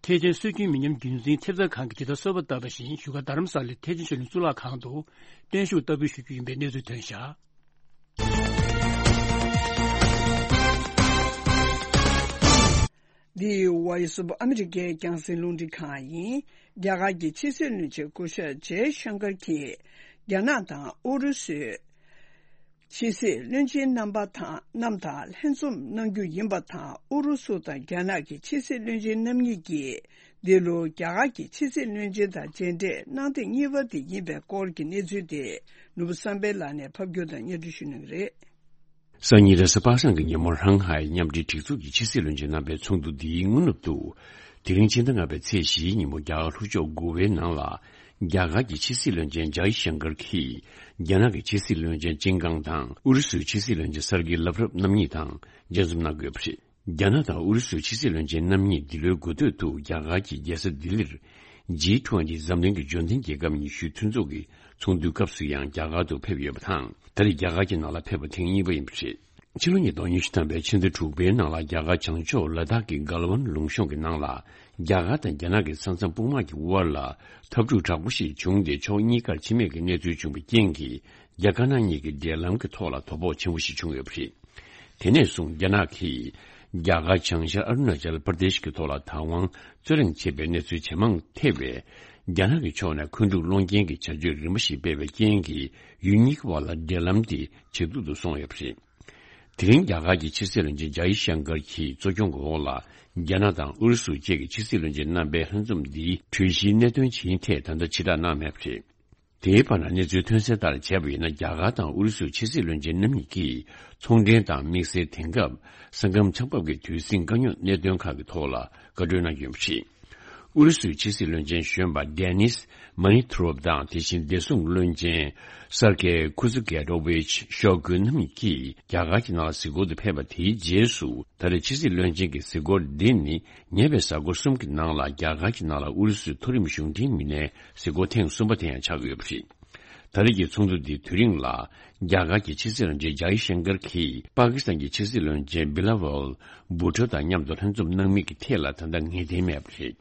ཐེག་ཆེན་སྲོལ་རྒྱུན་མི་ཉམས་རྒྱུན་འཛིན་ཐེབས་རྩ་ཁང་གིས་ཇི་ལྟར་གསོལ་བ་བཏབ་པ་བཞིན་བཞུགས་སྒར་རྡ་རམ་ས་ལའི་ཐེག་ཆེན་ཆོས་གླིང་གཙུག་ལག་ཁང་དུ་བརྟན་བཞུགས་བསྟར་འབུལ་ཞུ་རྒྱུ་ཡིན་པའི་གནས་ཚུལ་ཐོན་བཞག་འདི་Voice of America་རྒྱང་སྲིང་རླུང་འཕྲིན་ཁང་ཡིན། རྒྱ་གར་གྱི་ཕྱི་སྲིད་བློན་ཆེན་སྐུ་ཞབས་ཇེ་ཤང་ཀར་གྱིས་རྒྱ་ནག་དང་ཨུ་རུ་སུའི་ཕྱི་སྲིད་བློན་ཆེན་རྣམ་པ་དང་རྣམས་དང་ལྷན་འཛོམས་གནང་རྒྱུ་ཡིན་པ་དང་། ཨུ་རུ་སུ་དང་རྒྱ་ནག་གི་ཕྱི་སྲིད་བློན་ཆེན་རྣམ་གཉིས་ཀྱིས་འདི་ལོ་རྒྱ་གར་གྱི་ཕྱི་སྲིད་བློན་ཆེན་དང་མཇལ་འཕྲད་གནང་ཐེངས་གཉིས་པ་དེ་ཡིན་པའི་སྐོར་གྱི་གནས་ཚུལ་དེ་ནོར་བུ་བསམ་འཕེལ་ལགས་ནས་ཕབ་སྒྱུར་དང་སྙན་སྒྲོན་ཞུ་གནང་གི་རེད། སང་ཉིན་རེས་གཟའ་པ་སངས་ཀྱི་ཉིན་མོ་ཧྲང་ཧའེ་མཉམ་འབྲེལ་སྒྲིག་འཛུགས་ཀྱི་ཕྱི་སྲིད་བློན་ཆེན་རྣམ་པའི་ཚོགས་འདུ་འདིའི་སྔ་ནུབ་ཏུ། དེ་རིང་ཕྱི་ཟླ་ལྔ་པའི་ཚེས་བཞིའི་ཉིན་མོ་རྒྱ་གར་ལྷོ་ཕྱོགས་གོ་ཝའི་ནང་ལ། རྒྱ་གར་གྱི་ཕྱི་སྲིད་བློན་ཆེན་ཇའི་ཤང་ཀར་གྱིས། རྒྱ་ནག་གི་ཕྱི་སྲིད་བློན་ཆེན་ཅིན་ཀང་དང་ཨུ་རུ་སུའི་ཕྱི་སྲིད་བློན་ཆེན་སར་གི་ལབ་རབ་རྣམ་གཉིས་དང་མཇལ་འཛོམས་གནང་དགོས་པ་རེད། རྒྱ་ནག་དང་ཨུ་རུ་སུའི་ཕྱི་སྲིད་བློན་ཆེན་རྣམ་གཉིས་འདི་ལོའི་འགོ་སྟོད་དུ་རྒྱ་གར་གྱི་རྒྱལ་ས་ལྡི་ལིར། ཇི་ཊུ་ཝེན་ཊི་འཛམ་གླིང་གི་འབྱོར་ལྡན་རྒྱལ་ཁབ་ཉི་ཤུའི་མཐུན་ཚོགས་ཀྱི་ཚོགས་འདུའི་སྐབས་སུ་ཡང་རྒྱ་གར་དུ་ཕེབས་ཡོད་པ་དང་། ད་རེས་རྒྱ་གར་གྱི་ནང་ལ་ཕེབས་པ་ཐེངས་གཉིས་པ་ཡིན་པ་རེད། ཕྱི་ལོ་ཉིས་སྟོང་ཉི་ཤུ་ཐམ་པའི་ཕྱི་ཟླ་དྲུག་པའི་ནང་ལ་རྒྱ་གར་བྱང་ཕྱོགས་ལ་དྭགས་ཀྱི་གལ་ཝན་ལུང་གཤོང་གི་ནང་ལ། རྒྱ་གར་དང་རྒྱ་ནག་གི་ས་མཚམས་དཔུང་དམག་གི་དབར་ལ་འཐབ་འཁྲུག་དྲག་པོ་ཞིག་བྱུང་སྟེ། ཕྱོགས་གཉིས་ཀར་འཆི་རྨས་ཀྱི་གནས་ཚུལ་བྱུང་བའི་རྐྱེན་གྱིས། རྒྱ་དཀར་ནག་གཉིས་ཀྱི་འབྲེལ་ལམ་གྱི་ཐོག་ལ་དོ་ཕོག་ཆེན་པོ་ཞིག་བྱུང་ཡོད་པ་རེད། དེ་ནས་བཟུང་རྒྱ་ནག་གིས་རྒྱ་གར་བྱང་ཤར་ཨ་རུ་ན་ཅལ་པར་དེཤ་གི་ཐོག་ལ་བདག་དབང་རྩོད་གླེང་བྱེད་པའི་གནས་ཚུལ་ཇེ་མང་ཐེབས་པས། རྒྱ་ནག་གི་ཕྱོགས་ནས་མཁོ་སྒྲུབ་སློང་རྐྱེན་གྱི་བྱ་སྤྱོད་རིམ་པ་ཞིག་སྤེལ་བའི་རྐྱེན་གྱིས། ཡུལ་གཉིས་ཀྱི་བར་ལ་འབྲེལ་ལམ་དེ་ཇེ་སྡུག་ཏུ་སོང་ཡོད་པ་རེད། དེ་རིང་རྒྱ་གར་གྱི་ཕྱི་སྲིད་བློན་ཆེན་ཇའི་ཤང་ཀར་གྱིས་གཙོ་སྐྱོང་གི་འོག་ལ། རྒྱ་ནག་དང་ཨུ་རུ་སུ་བཅས་ཀྱི་ཕྱི་སྲིད་བློན་ཆེན་རྣམ་པའི་ལྷན་འཛོམས་འདིའི་གྲོས་གཞིའི་གནད་དོན་ཇི་ཡིན་ཐད་ད་ལྟ་ཕྱིར་བསྒྲགས་གནང་མེད་པ་རེད། དེའི་བར་ན་གནས་ཚུལ་ཐོན་གསལ་ལྟར་བྱས་པ་ཡིན་ན། རྒྱ་གར་དང་ཨུ་རུ་སུའི་ཕྱི་སྲིད་བློན་ཆེན་རྣམ་གཉིས་ཀྱིས་ཚོང་འབྲེལ་དང་དམིགས་བསལ་དེང་སྐབས་ས་ཁམས་ཆགས་བབ་ཀྱི་དུས་ཟིང་དཀའ་རྙོག་གནད་དོན་ཁག་གི་ཐོག་ལ་བཀའ་གྲོས་གནང་རྒྱུ་ཡིན་པ་རེད། ཨུ་རུ་སུའི་ཕྱི་སྲིད་བློན་ཆེན་གཞོན་པ་ཌེ་ནིས་མ་ནི་ཐུ་རོབ་དང་། དེ་བཞིན་བདེ་སྲུང་བློན་ཆེན་སར་ཀེ་ཁུ་ཛུ་གེ་ཏོ་ཝིཆ་ཤོ་གུ་རྣམ་གཉིས་ཀྱིས་རྒྱ་གར་གྱི་ནང་ལ་གཟིགས་སྐོར་དུ་ཕེབས་པ་དེའི་རྗེས་སུ། ད་རེས་ཕྱི་སྲིད་བློན་ཆེན་གྱི་གཟིགས་སྐོར་འདི་ནི་ཉེ་བའི་གཟའ་འཁོར་གསུམ་གྱི་ནང་ལ་རྒྱ་གར་གྱི་ནང་ལ་ཨུ་རུ་སུའི་མཐོ་རིམ་གཞུང་འབྲེལ་མི་སྣའི་གཟིགས་སྐོར་ཐེངས་གསུམ་པ་དེ་ཡང་ཆགས་ཀྱི་ཡོད་པ་རེད། ད་རེས་ཀྱི་ཚོགས་འདུ་འདིའི་དུས་རིང་ལ། རྒྱ་གར་གྱི་ཕྱི་སྲིད་བློན་ཆེན་ཇའི་ཤང་ཀར་གྱིས་པ་ཀི་སི་ཐན་གྱི་ཕྱི་སྲིད་བློན་ཆེན་བི་ལ་ཝལ་བྷུ་ཊོ་དང་མཉམ་དུ་ལྷན་འཛོམས་གནང་མིན་གྱི་ཐད་ལ་ད་ལྟ་ངེས་གཏན་མེད་པ་རེད།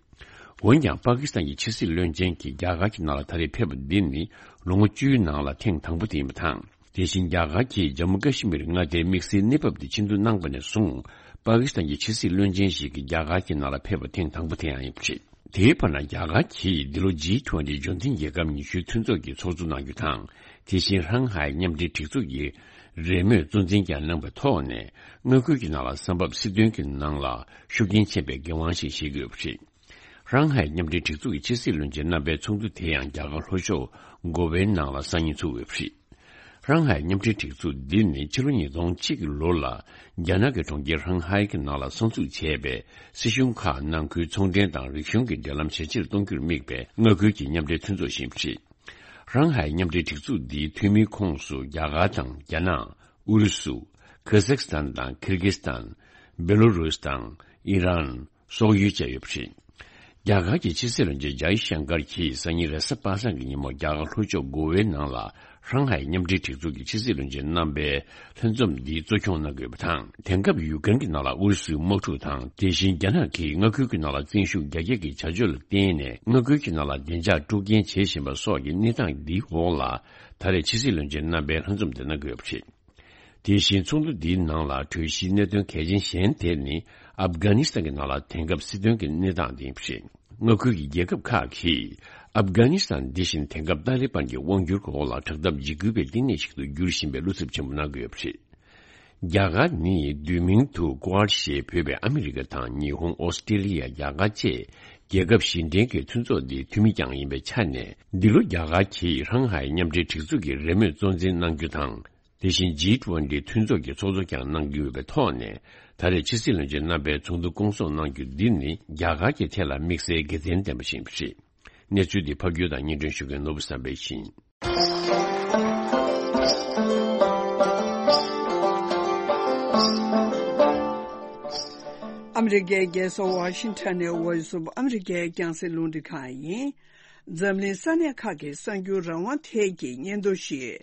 འོན་ཀྱང་། པ་ཀི་སི་ཐན་གྱི་ཕྱི་སྲིད་བློན་ཆེན་གྱིས་རྒྱ་གར་གྱི་ནང་ལ་ད་རེས་ཕེབས་པ་འདི་ནི་ལོ་ངོ་བཅུའི་ནང་ལ་ཐེངས་དང་པོ་དེ་ཡིན་པ་དང་། དེ་བཞིན་རྒྱ་གར་གྱིས་ཇམ་མུ་ཀ་ཤི་མིར་མངའ་སྡེའི་དམིགས་བསལ་གནས་བབ་དེ་ཆེད་འཛུགས་གནང་པ་ནས་བཟུང་། པ་ཀི་སི་ཐན་གྱི་ཕྱི་སྲིད་བློན་ཆེན་ཞིག་གིས་རྒྱ་གར་གྱི་ནང་ལ་ཕེབས་པ་ཐེངས་དང་པོ་དེ་ཡང་ཡིན་པ་རེད། དེའི་བར་ན། རྒྱ་གར་གྱིས་འདི་ལོ་ཇི་ཊུ་ཝན་ཊི་འབྱོར་འཛིན་རྒྱལ་ཁབ་ཉི་ཤུའི་མཐུན་ཚོགས་ཀྱི་ཚོགས་གཙོ་གནང་རྒྱུ་དང་། དེ་བཞིན་ཧྲང་ཧའེ་མཉམ་འབྲེལ་སྒྲིག་འཛུགས་ཀྱི་རེས་མོས་གཙོ་འཛིན་ཀྱང་གནང་པའི་ཐོག་ནས། མངའ་ཁུལ་གྱི་ནང་ལ་ས་བབ་སྲིད་དོན་གྱི་ནང་ལ་ཤུགས་རྐྱེན་ཆེན་པོའི་འགན་དབང་ཞིག་བཞེས་ཀྱི་ཡོད་པ་རེད། ཧྲང་ཧའེ་མཉམ་འབྲེལ་སྒྲིག་འཛུགས་ཀྱི་ཕྱི་སྲིད་བློན་ཆེན་རྣམ་པའི་ཚོགས་འདུ་དེ་ཡང་རྒྱ་གར་ལྷོ་ཕྱོགས་གོ་ཝེའི་ནང་ལ་སང་ཉིན་ཚུགས་ཡོད་པ་རེད། ཧྲང་ཧའེ་མཉམ་འབྲེལ་སྒྲིག་འཛུགས་འདི་ནི་ཕྱི་ལོ་ཉིས་སྟོང་གཅིག་གི་ལོ་ལ་རྒྱ་ནག་གི་གྲོང་ཁྱེར་ཧྲང་ཧའེ་གི་ནང་ལ་གསར་འཛུགས་བྱས་པའི་སྲིད་གཞུང་ཁག་ནང་ཁུལ་ཚོང་འབྲེལ་དང་རིག་གཞུང་གི་འབྲེལ་ལམ་ཇེ་ཆེར་གཏོང་རྒྱུར་དམིགས་པའི་མངའ་ཁུལ་གྱི་མཉམ་འབྲེལ་མཐུན་ཚོགས་ཤིག་ཡིན་པ་རེད། ཧྲང་ཧའེ་མཉམ་འབྲེལ་སྒྲིག་འཛུགས་འདིའི་འཐུས་མིའི་ཁོངས་སུ་རྒྱ་གར་དང་རྒྱ་ནག་ཨུ་རུ་སུ། ཁ་ཟག་སི་ཐན་དང་ཁིར་གི་སི་ཐན། བེ་ལོ་རུས་དང་ཨི་རན། སོག་ཡུལ་བཅས་ཡོད་པ་རེད། རྒྱ་གར་གྱི་ཕྱི་སྲིད་བློན་ཆེན་ཇའི་ཤང་ཀར་གྱིས་སང་ཉིན་རེས་གཟའ་པ་སངས་ཀྱི་ཉིན་མོ་རྒྱ་གར་ལྷོ་ཕྱོགས་གོ་ཝེ་ནང་ལ་ཧྲང་ཧའེ་མཉམ་འབྲེལ་སྒྲིག་འཛུགས་ཀྱི་ཕྱི་སྲིད་བློན་ཆེན་རྣམ་པའི་ལྷན་འཛོམས་འདི་གཙོ་སྐྱོང་གནང་དགོས་པ་དང་། དེང་སྐབས་ཡུ་ཀེ་རེན་གྱི་ནང་ལ་ཨུ་རུ་སུའི་དམག་འཁྲུག་དང་། དེ་བཞིན་རྒྱ་ནག་གིས་མངའ་ཁུལ་གྱི་ནང་ལ་བཙན་ཤུགས་རྒྱ་སྐྱེད་ཀྱི་བྱ་སྤྱོད་ལ་བརྟེན་ནས་མངའ་ཁུལ་གྱི་ནང་ལ་བདེ་འཇགས་དཀྲུག་རྐྱེན་བྱེད་བཞིན་པ་སོགས་ཀྱི་གནས་སྟངས་འདིའི་འོག་ལ། ད་རེས་ཕྱི་སྲིད་བློན་ཆེན་རྣམ་པའི་ལྷན་འཛོམས་འདི་གནང་གི་ཡོད་པ་རེད། དེ་བཞིན་ཚོགས་འདུ་འདིའི་ནང་ལ་གྲོས་གཞིའི་གནད་དོན་གལ་ཆེན་གཞན་དེ་ནི་ཨབ་གྷ་ནི་སི་ཐན་གྱི་ནང་ལ་དེང་སྐབས་སྲིད་དོན་གྱི་གནས་སྟངས་དེ་ཡིན་པ་རེད། མངའ་ཁུལ་གྱི་རྒྱལ་ཁབ་ཁག་གིས་ཨབ་གྷ་ནི་སི་ཐན་འདི་བཞིན་དེང་སྐབས་ཏཱ་ལི་བན་གྱི་དབང་སྒྱུར་འོག་ལ་དྲག་འཐབ་འཇིགས་སྐུལ་བའི་བསྟི་གནས་ཤིག་ཏུ་འགྱུར་བཞིན་པའི་བློ་འཚབ་ཆེན་པོ་གནང་གི་ཡོད་པ་རེད། རྒྱ་གར་ནི་བསྡུས་མིང་དུ་ཀུ་ཨར་ཞེས་འབོད་པའི་ཨ་མི་རི་ཀ་དང་ཉི་ཧོང་། ཨོ་སི་ཀྲི་ལི་ཡ། རྒྱ་གར་བཅས་རྒྱལ་ཁབ་བཞི་ལྡན་གྱི་མཐུན་ཚོགས་འདིའི་འཐུས་མི་ཀྱང་ཡིན་པའི་ཆ་ནས། འདི་ལོ་རྒྱ་གར་གྱིས་ཧྲང་ཧའེ་མཉམ་འབྲེལ་སྒྲིག་འཛུགས་ཀྱི་རེས་མོས་གཙོ་འཛིན་གནང་རྒྱུ་དང་། དེ་བཞིན་ཇི་ཊུ་ཝན་ཊི་མཐུན་ཚོགས་ཀྱི་ཚོགས་གཙོ་ཀྱང་གནང་རྒྱུ་ཡོད་པའི་ཐོག་ནས། ད་རེས་ཕྱི་སྲིད་བློན་ཆེན་རྣམ་པའི་ཚོགས་འདུ་སྐོང་ཚོགས་གནང་རྒྱུ་འདི་ནི་རྒྱ་གར་གྱི་ཐད་ལ་དམིགས་བསལ་དགེ་མཚན་ལྡན་པ་ཞིག་ཡིན་པ་རེད། གནས་ཚུལ་འདི་ཕབ་སྒྱུར་དང་སྙན་སྒྲོན་ཞུ་མཁན་ནོར་བུ་བསམ་འཕེལ་ཡིན། ཨ་མི་རི་ཀའི་རྒྱལ་ས་ཝ་ཤིང་ཊོན་ནས་Voice of America་རྒྱང་སྲིང་རླུང་འཕྲིན་ཁང་ཡིན། འཛམ་གླིང་ས་གནས་ཁག་གི་གསར་འགྱུར་རང་དབང་ཐད་ཀྱི་སྙན་ཐོ་ཞིག་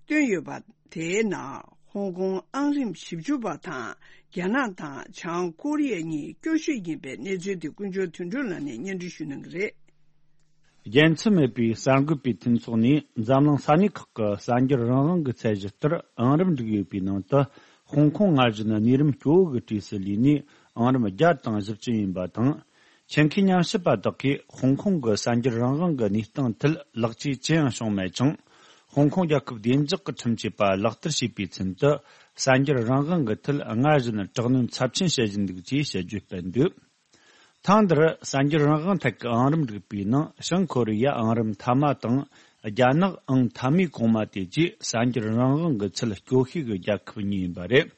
བཏོན་ཡོད་པ། དེའི་ནང་ཧོང་ཀོང་ཨང་རིམ་བཞི་བཅུ་པ་དང་རྒྱ་ནག་དང་བྱང་ཀོ་རི་ཡ་གཉིས་སྐྱོ་ཤོས་ཡིན་པའི་གནས་ཚུལ་དེ་ཀུན་མཆོག་དོན་གྲུབ་ལགས་ནས་སྙན་སྒྲོན་ཞུ་གནང་གི་རེད། རྒྱལ་མཚམས་མེད་པའི་གསར་འགོད་པའི་མཐུན་ཚོགས་ནས་འཛམ་གླིང་ས་གནས་ཁག་གི་གསར་འགྱུར་རང་དབང་གི་ཚད་གཞི་ལྟར་ཨང་རིམ་བསྒྲིགས་ཡོད་པའི་ནང་དུ། ཧོང་ཀོང་སྔར་བཞིན་གནས་རིམ་སྐྱོ་བོ་གི་གྲས་སུ་ལུས་ནས་ཨང་རིམ་བརྒྱ་དང་བཞི་བཅུ་ཡིན་པ་དང་། ཆེད་མཁས་ཉམས་ཞིབ་པ་དག་གིས་ཧོང་ཀོང་གི་གསར་འགྱུར་རང་དབང་གི་གནས་སྟངས་ཐད་ལེགས་བཅོས་ཅི་ཡང་བྱུང་མེད་ཅིང་། ཧོང་ཀོང་རྒྱལ་ཁབ་བདེ་འཇགས་ཀྱི་ཁྲིམས་ཆད་པ་ལག་བསྟར་བྱས་པའི་ཚུན་དུ། གསར་འགྱུར་རང་དབང་གི་ཐད་སྔར་བཞིན་དྲག་གནོན་ཚབས་ཆེན་བྱེད་བཞིན་འདུག་ཅེས་བཤད་རྒྱུའི་སྤེལ་འདུག། ཐེངས་འདིར་གསར་འགྱུར་རང་དབང་ཐད་ཀྱི་ཨང་རིམ་བསྒྲིགས་པའི་ནང་བྱང་ཀོ་རི་ཡ་ཨང་རིམ་མཐའ་མ་དང་རྒྱ་ནག་ཨང་མཐའ་མའི་གོང་མ་དེ་བཅས་གསར་འགྱུར་རང་དབང་གི་ཚད་སྐྱོ་ཤོས་ཀྱི་རྒྱལ་ཁབ་གཉིས་ཡིན་པ་རེད།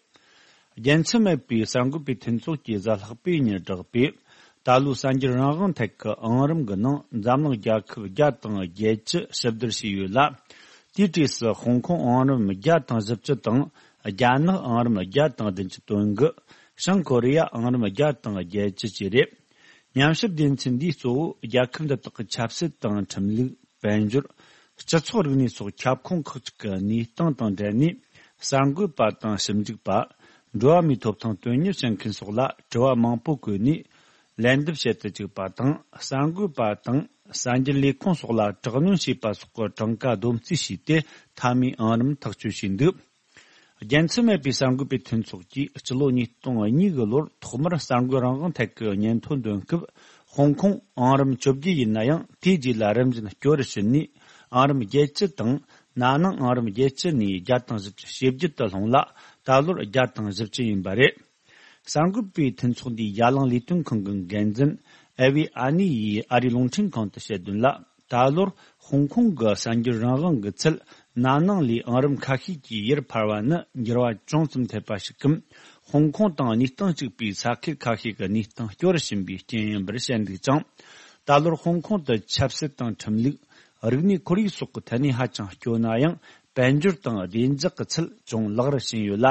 རྒྱལ་མཚམས་མེད་པའི་གསར་འགོད་པའི་མཐུན་ཚོགས་ཀྱིས་གཟའ་ལྷག་པའི་ཉིན་བསྒྲགས་པའི་ད་ལོའི་གསར་འགྱུར་རང་དབང་ཐད་ཀྱི་ཨང་རིམ་གྱི་ནང་འཛམ་གླིང་རྒྱལ་ཁབ་བརྒྱ་དང་བརྒྱད་ཅུ་ཞིབ་བསྡུར་བྱས་ཡོད་ལ། དེའི་གྲས་སུ་ཧོང་ཀོང་ཨང་རིམ་བརྒྱ་དང་བཞི་བཅུ་དང་རྒྱ་ནག་ཨང་རིམ་བརྒྱ་དང་བདུན་ཅུ་དོན་དགུ། བྱང་ཀོ་རི་ཡ་ཨང་རིམ་བརྒྱ་དང་བརྒྱད་ཅུ་བཅས་རེད། ཉམས་ཞིབ་སྡེ་ཚན་འདིས་གཙོ་བོ་རྒྱལ་ཁབ་འདི་དག་གི་ཆབ་སྲིད་དང་ཁྲིམས་ལུགས། དཔལ་འབྱོར། སྤྱི་ཚོགས་རིག་གནས་སོགས་ཁྱབ་ཁོངས་ཁག་ཅིག་གི་གནས་སྟངས་དང་འབྲེལ་ནས། གསར་འགོད་པ་དང་ཞིབ་འཇུག་པ། འགྲོ་བ་མིའི་ཐོབ་ཐང་དོན་གཉེར་བྱེད་མཁན་སོགས་ལ་དྲི་བ་མང་པོ་བཀོད་ནས། ལན་འདེབས་བྱེད་དུ་བཅུག་པ་དང་། གསར་འགོད་པ་དང་གསར་འགྱུར་ལས་ཁུངས་སོགས་ལ་དྲག་གནོན་བྱས་པ་སོགས་ཀྱི་གྲངས་ཀ་བསྡོམས་རྩིས་བྱས་ཏེ། མཐའ་མའི་ཨང་རིམ་ཐག་གཅོད་བྱས་འདུག། རྒྱལ་མཚམས་མེད་པའི་གསར་འགོད་པའི་མཐུན་ཚོགས་ཀྱིས་སྤྱི་ལོ་ཉིས་སྟོང་གཉིས་གི་ལོར་ཐོག་མར་གསར་འགོད་རང་དབང་ཐད་ཀྱི་སྙན་ཐོ་འདོན་སྐབས། ཧོང་ཀོང་ཨང་རིམ་བཅོ་བརྒྱད་ཡིན་ན་ཡང་། དེའི་རྗེས་ལ་རིམ་བཞིན་སྐྱོ་རུ་ཕྱིན་ནས། ཨང་རིམ་བརྒྱད་ཅུ་དང་། ན་ནིང་ཨང་རིམ་བརྒྱད་ཅུ་ནས་བརྒྱ་དང་བཞི་བཅུ་ཞེ་བརྒྱད་དུ་ལྷུང་ལ། ད་ལོར་བརྒྱ་དང་བཞི་བཅུ་ཡིན་པ་རེད། གསར་འགོད་པའི་མཐུན་ཚོགས་འདིའི་ཡ་ལང་ལས་དོན་ཁང་གི་འགན་འཛིན་ཨེ་ཝེ་ཨ་ནི་ཡིས་ཨ་རིའི་རླུང་འཕྲིན་ཁང་དུ་བཤད་དོན་ལ། ད་ལོར་ཧོང་ཀོང་གི་གསར་འགྱུར་རང་དབང་གི་ཚད་ན་ནིང་ལས་ཨང་རིམ་ཁ་ཤས་ཀྱིས་ཡར་འཕར་བ་ནི་འགྱུར་བ་ཅུང་ཙམ་ཐེབས་པ་ཞིག་གམ། ཧོང་ཀོང་དང་གནས་སྟངས་གཅིག་པའི་ས་ཁུལ་ཁ་ཤས་ཀྱི་གནས་སྟངས་སྐྱོ་རུ་ཕྱིན་པའི་རྐྱེན་ཡིན་པར་བཤད་འདུག་ཅིང་། ད་ལོར་ཧོང་ཀོང་དུ་ཆབ་སྲིད་དང་ཁྲིམས་ལུགས། རིག་གནས་ཁོར་ཡུག་སོགས་ཀྱི་ཐད་ནས་ཧ་ཅང་སྐྱོ་ན་ཡང་། དཔལ་འབྱོར་དང་བདེ་འཇགས་ཀྱི་ཚད་ཅུང་ལེགས་རུ་ཕྱིན་ཡོད་ལ།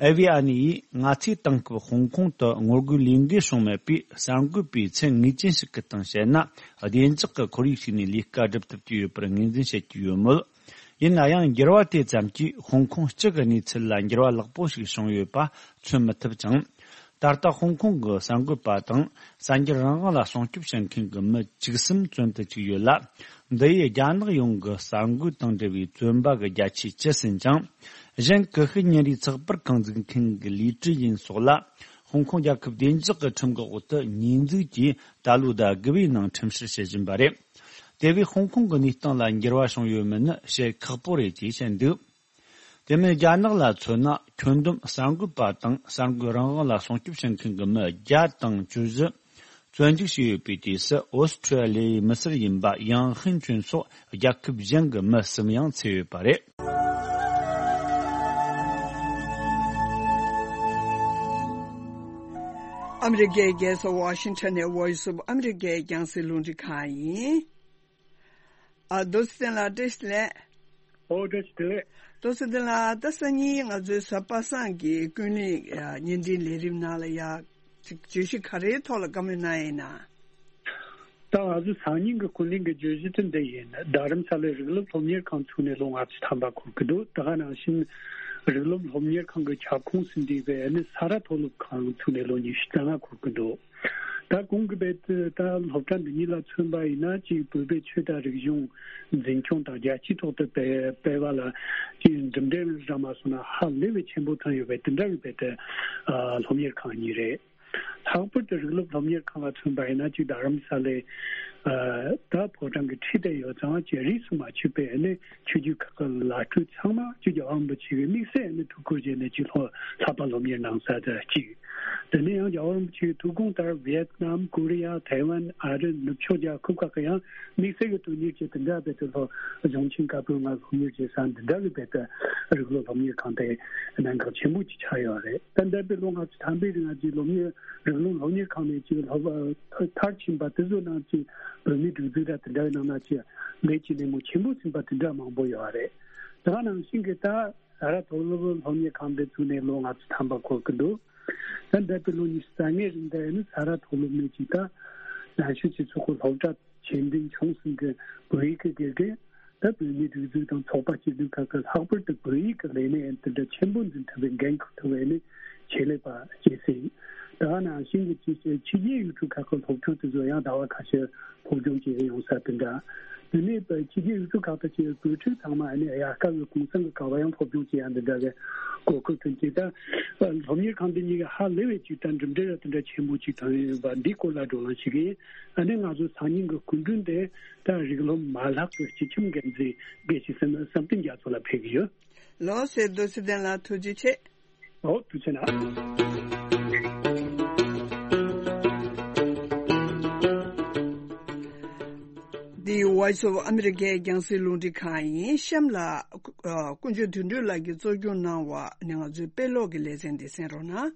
ཨེ་ཝི་ཨ་ནི་ཡིས་ང་ཚོའི་དེང་སྐབས་ཧོང་ཀོང་དུ་ངོ་རྒོལ་ལས་འགུལ་བྱུང་མེད་པས། གསར་འགོད་པས་ཚད་ངེས་ཅན་ཞིག་གི་སྟེང་བཤད་ན། བདེ་འཇགས་ཀྱི་ཁོར་ཡུག་ཞིག་ནས་ལས་ཀ་སྒྲུབ་ཐུབ་ཀྱི་ཡོད་པར་ངོས་འཛིན་བྱེད་ཀྱི་ཡོད་མོད། ཡིན་ན་ཡང་། འགྱུར་བ་དེ་ཙམ་གྱིས་ཧོང་ཀོང་སྤྱི་གི་གནས་ཚུལ་ལ་འགྱུར་བ་ལེགས་པོ་ཞིག་བྱུང་ཡོད་པ་མཚོན་མི་ཐུབ་ཅིང་། ད་ལྟ་ཧོང་ཀོང་གི་གསར་འགོད་པ་དང་གསར་འགྱུར་རང་དབང་ལ་སྲུང་སྐྱོབ་བྱེད་མཁན་གྱི་མི་བཅུ་གསུམ་བཙོན་དུ་བཅུག་ཡོད་ལ། འདི་ཡིས་རྒྱ་ནག་ཡོངས་ཀྱི་གསར་འགོད་དང་འབྲེལ་བའི་བཙོན་པ་གི་བརྒྱ་ཆའི་བཅུ་ཟིན་ཅིང་། གཞན་ཀུ་ཤུ་ཉིན་རེའི་ཚགས་པར་རྐང་འཛུགས་མཁན་གྱི་ལི་ཀྲི་ཡིན་སོགས་ལ། ཧོང་ཀོང་རྒྱལ་ཁབ་བདེ་འཇགས་ཀྱི་ཁྲིམས་ཀྱི་འོག་ཏུ་ཉེས་འཛུགས་ཀྱིས་ད་ལོའི་ཟླ་དགུ་པའི་ནང་ཁྲིམས་བཤེར་བྱེད་བཞིན་པ་རེད། དེ་བས་ཧོང་ཀོང་གི་གནས་སྟངས་ལ་འགྱུར་བ་བྱུང་ཡོད་མེད་ནི་བཤད་ཁག་པོ་རེད་ཅེས་བཤད་འདུག་དེ་མིན། རྒྱ་ནག་ལ་མཚོན་ན། ཁྱོན་བསྡོམས་གསར་འགོད་པ་དང་གསར་འགོད་རང་དབང་ལ་སྲུང་སྐྱོབ་བྱེད་མཁན་གྱི་མི་བརྒྱ་དང་བཅུ་བཞི་བཙོན་འཇུག་བྱས་ཡོད་པའི་གྲས་སུ། ཨོ་སི་ཁྲུ་ལི་ཡའི་མི་སེར་ཡིན་པ་ཡང་ཧིན་ཅུན་སོགས་རྒྱལ་ཁབ་གཞན་གྱི་མི་གསུམ་ཡང་ཚུད་ཡོད་པ་རེད། ཨ་མི་རི་ཀའི་རྒྱལ་ས་ཝ་ཤིང་ཊོན་ནས་Voice of America་རྒྱང་སྲིང་རླུང་འཕྲིན་ཁང་ཡིན། ཨ། རྡོ་རྗེ་བརྟན་ལགས་བཀྲ་ཤིས་བདེ་ལེགས། ཨོ། བཀྲ་ཤིས་བདེ་ལེགས། རྡོ་རྗེ་བརྟན་ལགས། ད་སང་ཉིན་ང་ཚོའི་གཟའ་པ་སངས་ཀྱི་ཀུན་གླེང་བརྙན་འཕྲིན་ལས་རིམ་ནང་ལ་ཡ་ཅིག་བརྗོད་གཞི་ག་རེའི་ཐོག་ལ་བཀའ་མོལ་གནང་ཡིན་ན། ད་ང་ཚོའི་སང་ཉིན་གྱི་ཀུན་གླེང་གི་བརྗོད་གཞི་དེ་འདི་ཡིན། རྡ་རམ་ས་ལའི་རིགས་སློབ་སློབ་གཉེར་ཁང་ཚུགས་ནས་ལོ་ལྔ་བཅུ་ཐམ་པ་འཁོར་གྱི་འདུག་ད་ག་ནང་བཞིན་རིགས་སློབ་སློབ་གཉེར་ཁང་གི་ཁྱབ་ཁོངས་སུ་འདུས་པའི་ནི་ས་རཱ་མཐོ་སློབ་ཁང་ཚུགས་ནས་ལོ་ཉི་ཤུ་རྩ་ལྔ་འཁོར་གྱི་འདུག་ད་གོང་གི་རྦད་དེ་ད་སློབ་གྲྭ་འདི་གཉིས་ལ་མཚོན་པ་ཡིན་ན། གཅིག་བོད་པའི་ཆོས་དང་རིག་གཞུང་འཛིན་སྐྱོང་དང་རྒྱལ་སྤྱིའི་ཐོག་ཏུ་སྤེལ་སྤེལ་བ་ལ་གཅིག་གྲུབ་འབྲས་རག་མ་སོང་ན་ཧ་ལས་པའི་ཆེན་པོ་ཐོན་ཡོད་པའི་དེ་འདྲ་བའི་རྦད་དེ་ཨ་སློབ་གཉེར་ཁང་གཉིས་རེད། ལྷག་པར་དུ་རིགས་སློབ་སློབ་གཉེར་ཁང་ལ་མཚོན་པ་ཡིན་ན། གཅིག་རྡ་རམ་ས་ལའི་ཨ་ད་ཕོ་བྲང་གི་འཁྲིས་དེར་ཡོད་ཙང་། གཅིག་རིས་སུ་མ་ཆད་པའི་ནི་ཆོས་བརྒྱུད་ཁག་གི་བླ་སྤྲུལ་ཚང་མ་གཅིག་རྒྱལ་བ་རིན་པོ་ཆེ་གི་དམིགས་བསལ་ནི་ཐུགས་ཁུར་བཞེས་ནས་གཅིག་སློབ་ལྷག་པར་སློབ་གཉེར་གནང་ས་དེ་གཅིག་དེ་ནས་ཡང་རྒྱལ་བ་རིན་པོ་ཆེའི་ཐུགས་དགོངས་ལྟར་ཝི་ཡེད་ནམ། ཀོ་རི་ཡ། ཐའེ་ཝན། ཨ་རི། ནུབ་ཕྱོགས་རྒྱལ་ཁབ་ཁག་གི་ཡང་དམིགས་བསལ་གྱི་དོན་གཉེར་གྱི་དེ་འདྲ་བའི་དེ་ལྷོ་གཞུང་ཆེན་བཀའ་པོད་ལྔ་སློབ་གཉེར་བྱེད་ས་འདི་འདྲ་བའི་རྦད་དེ་རིགས་སློབ་སློབ་གཉེར་ཁང་དེ་གནད་འགག་ཆེན་པོ་ཅིག་ཆགས་ཡོད་རེད། ད་འདས་པའི་ལོ་ལྔ་བཅུ་ཐམ་པའི་རིང་ང་ཚོའི་སློབ་གཉེར་རིགས་སློབ་སློབ་གཉེར་ཁང་ནས་ཅིག་སློབ་མཐར་ཕྱིན་པ་དེ་ཚོ་ནང་ཅིག་བོད་མིའི་སྒྲིག་འཛུགས་དང་དེ་འདྲ་བའི་ནང་ན་ཅིག་ལས་ཀྱི་སྣེ་མོ་ཆེན་པོ་ཟིན་པ་དེ་འདྲ་མང་པོ་ཡོད་རེད། དེ་ག་ནང་བཞིན་གྱི་ད། ས་རཱ་མཐོ་སློབ་སློབ་གཉེར་ཁང་འདི་བཙུགས་ནས་ལོ་ལྔ་བཅུ་ཐམ་པ་འཁོར་གྱི་འདུག་ད་འདས་པའི་ལོ་ཉི་ཤུ་རྩ་ལྔའི་རིང་དུ་ནི་ས་རཱ་མཐོ་སློབ་ནས་ཅིག་ད་ནང་ཆོས་སྤྱི་ཚོགས་ཀྱི་སློབ་གྲྭ་ཆེ་འབྲིང་ཆུང་གསུམ་གྱི་བོད་ཡིག་གི་དགེ་རྒན། ད་བོད་མིའི་སྒྲིག་འཛུགས་དང་ཚོགས་པ་སྐྱིད་སྡུག་ཁག་གི་ལྷག་པར་དུ་བོད་ཡིག་གི་ལས་གནས་དེ་འདྲ་ཆེན་པོ་འཛིན་ཐུབ་པའི་འགན་འཁུར་ཐུབ་པའི་ནི་ཆེད་ལས་པ་བྱེད་སྲིད། ད་ག་ནང་བཞིན་གྱི་ཕྱི་རྒྱལ་ཡུལ་གྲུ་ཁག་གི་སློབ་ཕྲུག་དེ་ཚོ་ཡང་ཟླ་བ་ཁ་ཤས་སློབ་སྦྱོང་བྱེད་ཡོང་ས་དེ་འདྲ། དེ་ནས་ཕྱི་རྒྱལ་ཡུལ་གྲུ་ཁག་ཏུ་སྐྱེས་པའི་བོད་ཕྲུག་ཚང་མ་ནི་དབྱར་ཁ་གི་གུང་སེང་གི་སྐབས་ཡང་སློབ་སྦྱོང་བྱེད་ཡ་འདི་འདྲ་གི་གོ་སྐབས་ཐོན་ཅིག་ད་སློབ་གཉེར་ཁང་འདི་གཉིས་ཀྱི་ཧ་ལས་པའི་ཅིག་ད་འགྲུབ་འབྲས་ར་དེ་འདྲ་ཆེན་པོ་ཅིག་ཐོན་ཡོད་པ་འདིའི་སྐོར་ལ་བགྲོ་གླེང་བྱེད་ཀྱི་ཡིན། ཨ་ནི་ང་ཚོ་སང་ཉིན་གྱི་སྐུ་མགྲོན་དེ་ད་རིགས་སློབ་མ་ལག་གི་སྤྱི་ཁྱབ་འགན་འཛིན་དགེ་བཤེས་བསམ་གཏན་རྒྱ་མཚོ་ལ་ཕེབས་ཀྱི་ཡོད། ལགས་སོ། རྡོ་རྗེ་བསྟན་ལགས་ཐུགས་རྗེ་ཆེ། ཨོ། ཐུགས་རྗེ་གནང་། འདི་Voice of America་རྒྱང་སྲིང་རླུང་འཕྲིན་ཁང་ཡིན། གཤམ་ལ་ཨ་དཀོན་མཆོག་དོན་གྲུབ་ལགས་ཀྱིས་གཙོ་སྐྱོང་གནང་བ་ནས་ང་ཚོའི་དཔེ་ཀློག་གི་ལེ་ཚན་འདི་གསན་རོགས་གནང་།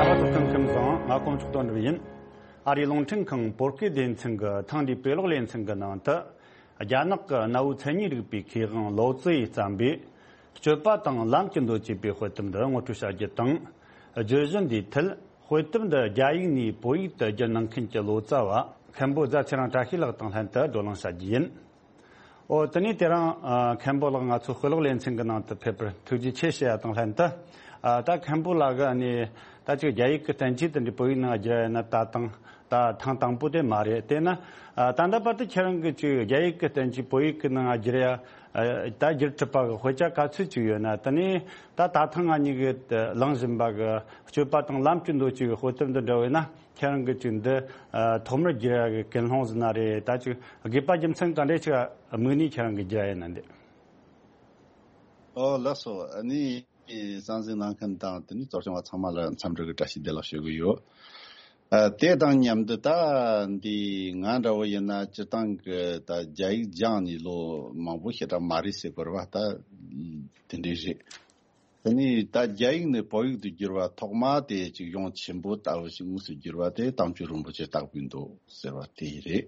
ཨ་ཕ་ཚོ་ཁམས་ཁམས་བཟང་། ང་དཀོན་མཆོག་དོན་གྲུབ་ཡིན། ཨ་རིའི་རླུང་འཕྲིན་ཁང་བོད་སྐད་སྡེ་ཚན་གྱི་ཐེངས་འདིའི་དཔེ་ཀློག་ལེ་ཚན་གྱི་ནང་དུ། རྒྱ་ནག་གི་གནའ་བོའི་མཚན་ཉིད་རིག་པའི་མཁས་དབང་ལའོ་ཙི་ཡིས་བརྩམས་པའི་སྤྱོད་པ་དང་ལམ་གྱི་མདོ་ཅེས་པའི་དཔེ་དེབ་འདི་ངོ་སྤྲོད་བྱ་རྒྱུ་དང་། བརྗོད་གཞི་འདིའི་ཐད་དཔེ་དེབ་འདི་རྒྱ་ཡིག་ནས་བོད་ཡིག་ཏུ་བསྒྱུར་གནང་མཁན་གྱི་ལོ་ཙཱ་བ་མཁན་པོ་རྫ་ཚེ་རིང་བཀྲ་ཤིས་ལགས་དང་ལྷན་དུ་བགྲོ་གླེང་བྱ་རྒྱུ་ཡིན། ཨོ། དེ་ནས་དེ་རིང་ཨ་མཁན་པོ་ལགས་ང་ཚོའི་དཔེ་ཀློག་ལེ་ཚན་གྱི་ནང་དུ་ཕེབས་པར་ཐུགས་རྗེ་ཆེ་ཞུ་ཡ་དང་ལྷན་དུ། ཨ་ད་མཁན་པོ་ལགས་ཀྱིས་ནི་ད་ཅིག་རྒྱ་ཡིག་གི་བསྟན་བཅོས་དེ་འདྲ་བོད་ཡིག་ནང་བསྒྱུར་ཡ་ཡིན་ན་ད་དང་ད་ཐེངས་དང་པོ་དེ་མ་རེད། དེས་ན་ཨ་ད་ལྟ་བར་དུ་ཁྱེད་རང་གིས་ཅིག་རྒྱ་ཡིག་གི་བསྟན་བཅོས་བོད་ཡིག་གི་ནང་བསྒྱུར་ཡ་ཨ་ད་བསྒྱུར་གྲུབ་པ་གི་དཔེ་ཆ་ག་ཚོད་ཅིག་ཡོད་ན། དེ་ནས་ད་ད་ཐེངས་ང་གཉིས་ཀྱིས་གླེང་བཞིན་པ་གི་སྤྱོད་པ་དང་ལམ་གྱི་མདོ་ཅེས་པའི་དཔེ་དེབ་འདི་འདྲ་བས་ན། ཁྱེད་རང་གིས་ཅིག་འདི་ཨ་ཐོག་མར་བསྒྱུར་ཡ་གི་ཀུན་སློང་ཟིན་ན་རེད། ད་ཅིག་དགོས་པ་རྒྱུ་མཚན་ག་འདྲ་ཅིག་དམིགས་ནས་ཁྱེད་རང་གིས་བསྒྱུར་ཡ་ཡིན་ན་འདི། ཨོ་ལགས་སོ། ཨ་ནི་གསན་གཟིགས་གནང་མཁན་དང་དེ་ནས་གཙོ་སྐྱོང་བ་ཚང་མ་ལ་འཚམས་འདྲི་གི་བཀྲ་ཤིས་བདེ་ལེགས་ཞུ་གི་ཡོད། ཨ། དེ་དང་མཉམ་དུ་ད་འདི་ང་འདྲ་བོ་ཡིན་ན་སྤྱིར་བཏང་གི་ད་རྒྱ་ཡིག་སྦྱངས་ནས་ལོ་མང་པོ་ཞེ་དྲག་མ་རེད་ཟེར་དགོས་རེད་བ། ད་དེ་འདྲས་རེད། དེ་ནས་ད་རྒྱ་ཡིག་ནས་བོད་ཡིག་ཏུ་བསྒྱུར་བ་ཐོག་མ་དེ་ཅིག་གཞུང་ཆེན་པོ་ལྟ་བུ་ཞིག་དངོས་སུ་བསྒྱུར་བ་དེ་དམ་ཆོས་རིན་པོ་ཆེ་བརྟག་པའི་མདོ་ཟེར་བ་དེ་རེད།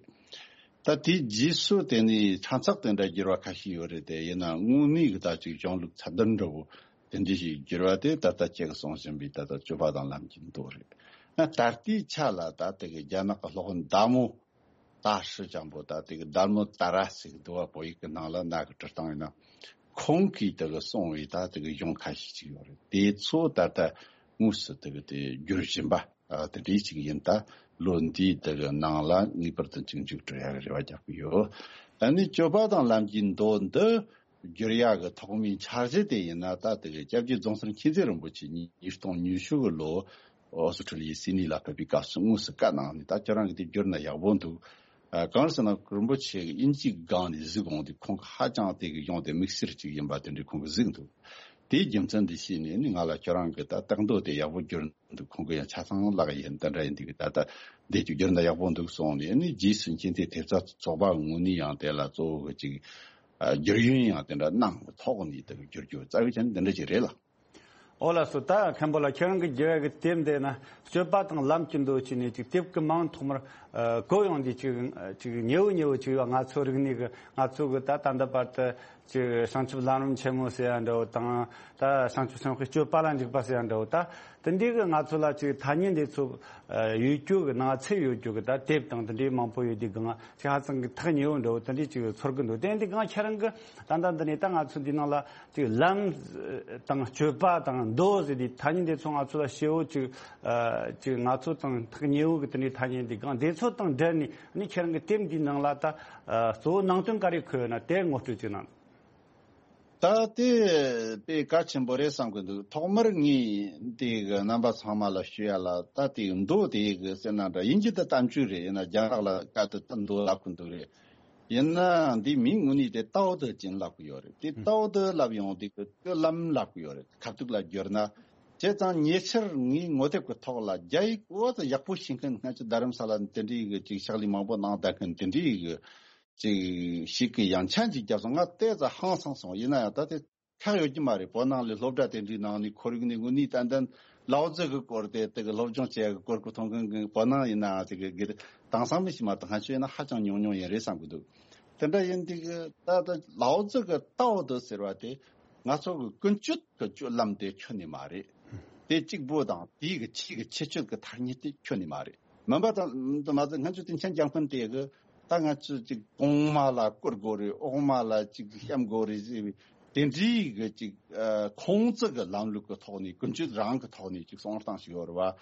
ད་དེའི་རྗེས་སུ་དེ་ནས་ཕྲན་ཚེགས་དེ་འདྲ་བསྒྱུར་བ་ཁ་ཤས་ཡོད་རེད། དེ་ཡིན་ན་དངོས་གནས་ཀྱི་ད་ཅིག་གཞུང་ལུགས་ཚད་ལྡན་འདྲ་བོ་དེ་འདྲ་ཞིག་བསྒྱུར་བ་དེ་ད་ལྟ་ཁྱེད་ཀྱིས་གསུང་བཞིན་པའི་ད་ལྟ་སྤྱོད་པ་དང་ལམ་གྱི་མདོ་རེད། ད་ལྟའི་ཆ་ལ་ད་དེ་གི་རྒྱ་ནག་གི་སློབ་དཔོན་ཟླ་མོ། ད་ཧྲི་ཅང་པོ་ད་དེ་གི་ཟླ་མོ་ཏཱ་ར་ཟེར་གི་འདུག་བ། བོད་ཡིག་གི་ནང་ལ་ནག་གི་བྲི་སྟངས་ཡིན་ན། ཁོང་གིས་དེ་གི་གསུངས་པའི་ད་དེ་གི་གཞུང་ཁ་ཤས་ཅིག་ཡོད་རེད། དེ་ཚོ་ད་ལྟ་དངོས་སུ་དེ་གི་དེ་བསྒྱུར་བཞིན་པ། ཨ། དེ་འདྲའི་ཅིག་ཡིན། ད་ལོ་འདིའི་དེ་གི་ནང་ལ་ངེས་པར་དུ་ཅིག་མཇུག་སྒྲིལ་ཡག་གི་རེ་བ་རྒྱག་གི་ཡོད། ཨ་ནི་སྤྱོད་པ་དང་ལམ་གྱི་མདོ་འདི་བསྒྱུར་ཡག་གི་ཐོག་མའི་འཆར་གཞི་དེ་ཡིན་ན། ད་དེ་གི་སྐྱབས་རྗེ་རྫོང་སར་མཁྱེན་བརྩེ་རིན་པོ་ཆེ་ཉིས་སྟོང་ཉི་ཤུ་གི་ལོ་ཨོ་སི་ཁྲུ་ལི་ཡའི་སིད་ནི་ལ་ཕེབས་པའི་སྐབས་སུ་དངོས་སུ་བཀའ་གནང་ནས། ད་ཁྱོད་རང་གིས་དེ་བསྒྱུར་ན་ཡག་པོ་འདུག། ཨ། གང་ཟེར་ན་རིན་པོ་ཆེ་གིས་དབྱིན་ཇིའི་སྒང་ནས་གཟིགས་འོང་དུས་ཁོང་གིས་ཧ་ཅང་དེ་གི་གཞུང་དེ་དམིགས་བསལ་ཅིག་ཡིན་པ་དེ་འདྲའི་ཁོང་གིས་གཟིགས་འདུག། དེའི་རྒྱུ་མཚན་འདི་ཤེས་ནས་ནི་ང་ལ་ཁྱོད་རང་གིས་ད་བརྟག་མདོ་དེ་ཡག་པོ་བསྒྱུར་འདུག། ཁོང་གིས་ཡང་ཆ་ཚང་ལགས་ཡིན། དེ་འདྲ་ཡིན་དུས་ད་ལྟ་འདི་ཅིག་བསྒྱུར་ན་ཡག་པོ་འདུག་གསུངས་ནས། ཨ་ནི་རྗེས་སུ་མཁྱེན་བརྩེ་ཐེབས་རྩ་ཚོགས་པ་ངོས་ནས་ཡང་དེ་ལ་གཙོ་བོ་གི་ཅིག་ཨ། བསྒྱུར་ཡོན་ཡང་དེ་འདྲ་གནང་གི་ཐོག་ནས་དེ་གི་བསྒྱུར་རྒྱུ་རྩ་བའི་ཆ་ནས་འདི་འདྲ་ཅིག་རེད་ལ། ཨོ་ལགས་སོ། ད་མཁན་པོ་ལགས་ཁྱེད་རང་གི་བསྒྱུར་ཡག་གི་དེབ་འདི་ན་སྤྱོད་པ་དང་ལམ་གྱི་མདོ་བྱས་ནས་ཅིག་དེབ་ཀྱི་མིང་ཐོག་མར་ཨ། གོ་ཡོང་དུས་ཅིག་ཅིག་ཉེ་བོ་ཉེ་བོ་ཅིག་ཡོད། ང་ཚོ་རིག་གནས་ཀྱི། ང་ཚོ་གི་ད་ད་ལྟ་བར་དུ་ཅིག་བྱང་ཆུབ་ལམ་རིམ་ཆེན་མོ་ཟེར་ཡ་འདྲ་བོ་དང་། ད་བྱང་ཆུབ་སེམས་དཔའི་སྤྱོད་པ་ལ་འཇུག་པ་ཟེར་ཡ་འདྲ་བོ། ད་དེ་འདྲའི་གི་ང་ཚོ་ལ་ཅིག་ཐ་སྙད་འདི་ཚོ་ཨ། ཡོད་རྒྱུ་གི་ནང་ཚན་ཡོད་རྒྱུ་གི་ད་དེབ་དང་དེ་འདྲའི་མང་པོ་ཡོད་དུས་སྒང་ཅིག་ཧ་ཅང་གི་ཐག་ཉེ་བོ་འདྲ་བོ་དེ་འདྲའི་ཅིག་ཚོར་གི་འདུག། དེ་འདི་སྒང་ཁྱེད་རང་གི་ད་ལྟ་འདི་ནས་ད་ང་ཚོ་འདི་ནང་ལ་ཅིག་ལམ་དང་སྤྱོད་པ་དང་མདོ་ཟེར་དུས་ཐ་སྙད་འདི་ཚོ་ང་ཚོ་ལ་ཞེ་བོ་ཅིག་ཨ། ཅིག་ང་ཚོ་དང་ཐག་ཉེ་བོ་གི་དེ་འདྲའི་ཐ་སྙད་འདི་སྒང་དེ་ཚོ་དང་འབྲེལ་ནས་ནི་ཁྱེད་རང་གི་དེབ་འདིའི་ནང་ལ་ད་ཨ། གཙོ་བོ་ནང་དོན་ག་རེ་འཁོད་ཡོད་ན་དེ་ངོ་སྤྲོད་ཅིག་གནང་། ད་དེ་དཔེ་གལ་ཆེན་པོ་རེད་བསམ་གི་འདུག། ཐོག་མར་ངས་དེ་གི་རྣམ་པ་ཚང་མ་ལ་ཞུ་ཡ་ལ། ད་དེ་མདོ་དེ་གི་ཟེར་ན་འདྲ་ཡིན་གྱི་ད་གཏམ་རྒྱུད་རེད། ཡིན་ན་རྒྱ་ནག་ལ་བཀའ་དེ་ད་མདོ་ལབ་གི་འདུག་རེད། ཡིན་ན་འདི་མིང་དངོས་གནས་དེ་ཏའོ་ཏེ་ཅིན་ལབ་གི་ཡོད་རེད། དེ་ཏའོ་ཏེ་ལབ་ཡོང་དུས་ཀྱི་སྤྱོད་ལམ་ལབ་གི་ཡོད་རེད། ཁ་ཐུག་ལ་བསྒྱུར་ན། བྱས་ཙང་ཉེ་ཆར་ངའི་ངོ་དེབ་ཀྱི་ཐོག་ལ་རྒྱ་ཡིག་འོ་ཙམ་ཡག་པོ་ཤེས་མཁན་སྔ་ཕྱི་རྡ་རམ་ས་ལ་དེ་འདྲའི་གི་ཅིག་ཕྱག་ལས་མང་པོ་གནང་བསྡད་མཁན་དེ་འདྲའི་གི་ཅིག་ཞིག་གི་ཡང་ཆན་ཅིག་བརྒྱབ་སོང་། ང་ཏོག་ཙམ་ཧང་སངས་སོང་། ཡིན་ན་ཡང་ད་དེ་ཁག་ཡོད་ཀྱི་མ་རེད། བོད་ནང་ལ་སློབ་གྲྭ་དེ་འདྲའི་ནང་ནས་ཁོར་ཡུག་ནས་དངོས་གནས་ཏན་ཏན་ལའོ་ཙེ་གི་སྐོར་དེ་དེ་གི་སློབ་སྦྱོང་བྱེད་ཡག་གི་སྐོར་གི་མཐོང་མཁན་གི་བོད་ནང་ཡིན་ནའང་དེ་གི་དགེ་དེང་སང་མི་ཞིག་མ་གཏོགས་ང་ཚོ་ཡིན་ན་ཧ་ཅང་ཉུང་ཉུང་ཡིན་རེད་བསམ་གི་འདུག། དེ་འདྲ་ཡིན་དུས་གི་ད་ད་ལའོ་ཙེ་གི་ཏའོ་ཏེ་ཟེར་བ་དེ་ང་ཚོ་གི་ཀུན་སྤྱོད་ཀྱི་སྤྱོད་ལམ་དེ་ཁྱོན་ནས་མ་རེད། དེ་གཅིག་པོ་དང་དེའི་གི་ཆེས་གི་ཁྱད་ཆོས་ཀྱི་ཐ་སྙད་དེ་ཁྱོན་ནས་མ་རེད། མིན་པ་དང་དུ་མ་ཟད་ང་ཚོ་དེ་མཁྱེན་རྒྱ་མཁན་དེ་གི་ད་ང་ཚོ་ཅིག་གོང་མ་ལ་བཀུར་དགོས་རེད། འོག་མ་ལ་ཅིག་བཤམ་དགོས་རེད་ཟེར་བའི་དེ་འདྲའི་གི་ཅིག་ཨ། ཁོང་ཚོ་གི་ལམ་ལུགས་ཀྱི་ཐོག་ནས་ཀུན་སྤྱོད་རང་གི་ཐོག་ནས་ཅིག་གསུང་སྟངས་ཤིག་ཡོད་རེད་བ།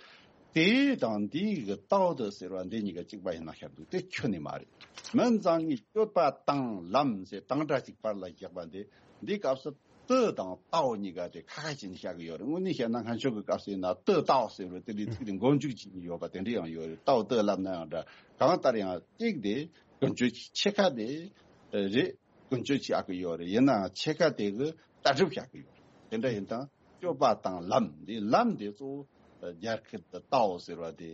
དེ་དང་འདི་གི་ཏའོ་ཏེ་ཟེར་བ་འདི་གཉིས་ཀ་གཅིག་པ་ཡིན་ན་ཤར་འདུག། དེ་ཁྱོན་ནས་མ་རེད། མིན་ཙང་ངས་སྤྱོད་པ་དང་ལམ་ཟེར་དང་སྒྲ་གཅིག་པར་ལ་བཞག་པ་འདི་འདི་སྐབས་སུ་ཏེ་དང་ཏའོ་གཉིས་ཀ་དེ་ཁ་ཁ་བྱས་ནས་བཞག་གི་ཡོད་རེད། དངོས་གནས་བཤད་ན་སྔ་ཕྱོགས་ཀྱི་སྐབས་སུ་ཡིན་ན་ཏེ་ཏའོ་ཟེར་བ་དེ་འདྲའི་ཚིག་དེ་མགོ་མཇུག་བྱས་ནས་ཡོད་པ་དེ་འདྲ་ཡང་ཡོད་རེད། ཏའོ་ཏེ་ལབ་ན་ཡང་འདྲ། གང་ལྟར་ཡང་གཅིག་དེ་ཀུན་སྤྱོད་ཀྱི་ཕྱེད་ཀ་དེ་རེད། ཀུན་སྤྱོད་བྱ་གི་ཡོད་རེད། ཡིན་ནའང་ཕྱེད་ཀ་དེ་གི་ལྟ་གྲུབ་བྱ་གི་ཡོད་རེད། དེ་འདྲ་ཡིན་དང་སྤྱོད་པ་དང་ལམ་འདི་ལམ་འདི་གཙོ་བོ་རྒྱ་སྐད་དུ་ཏའོ་ཟེར་བ་དེ་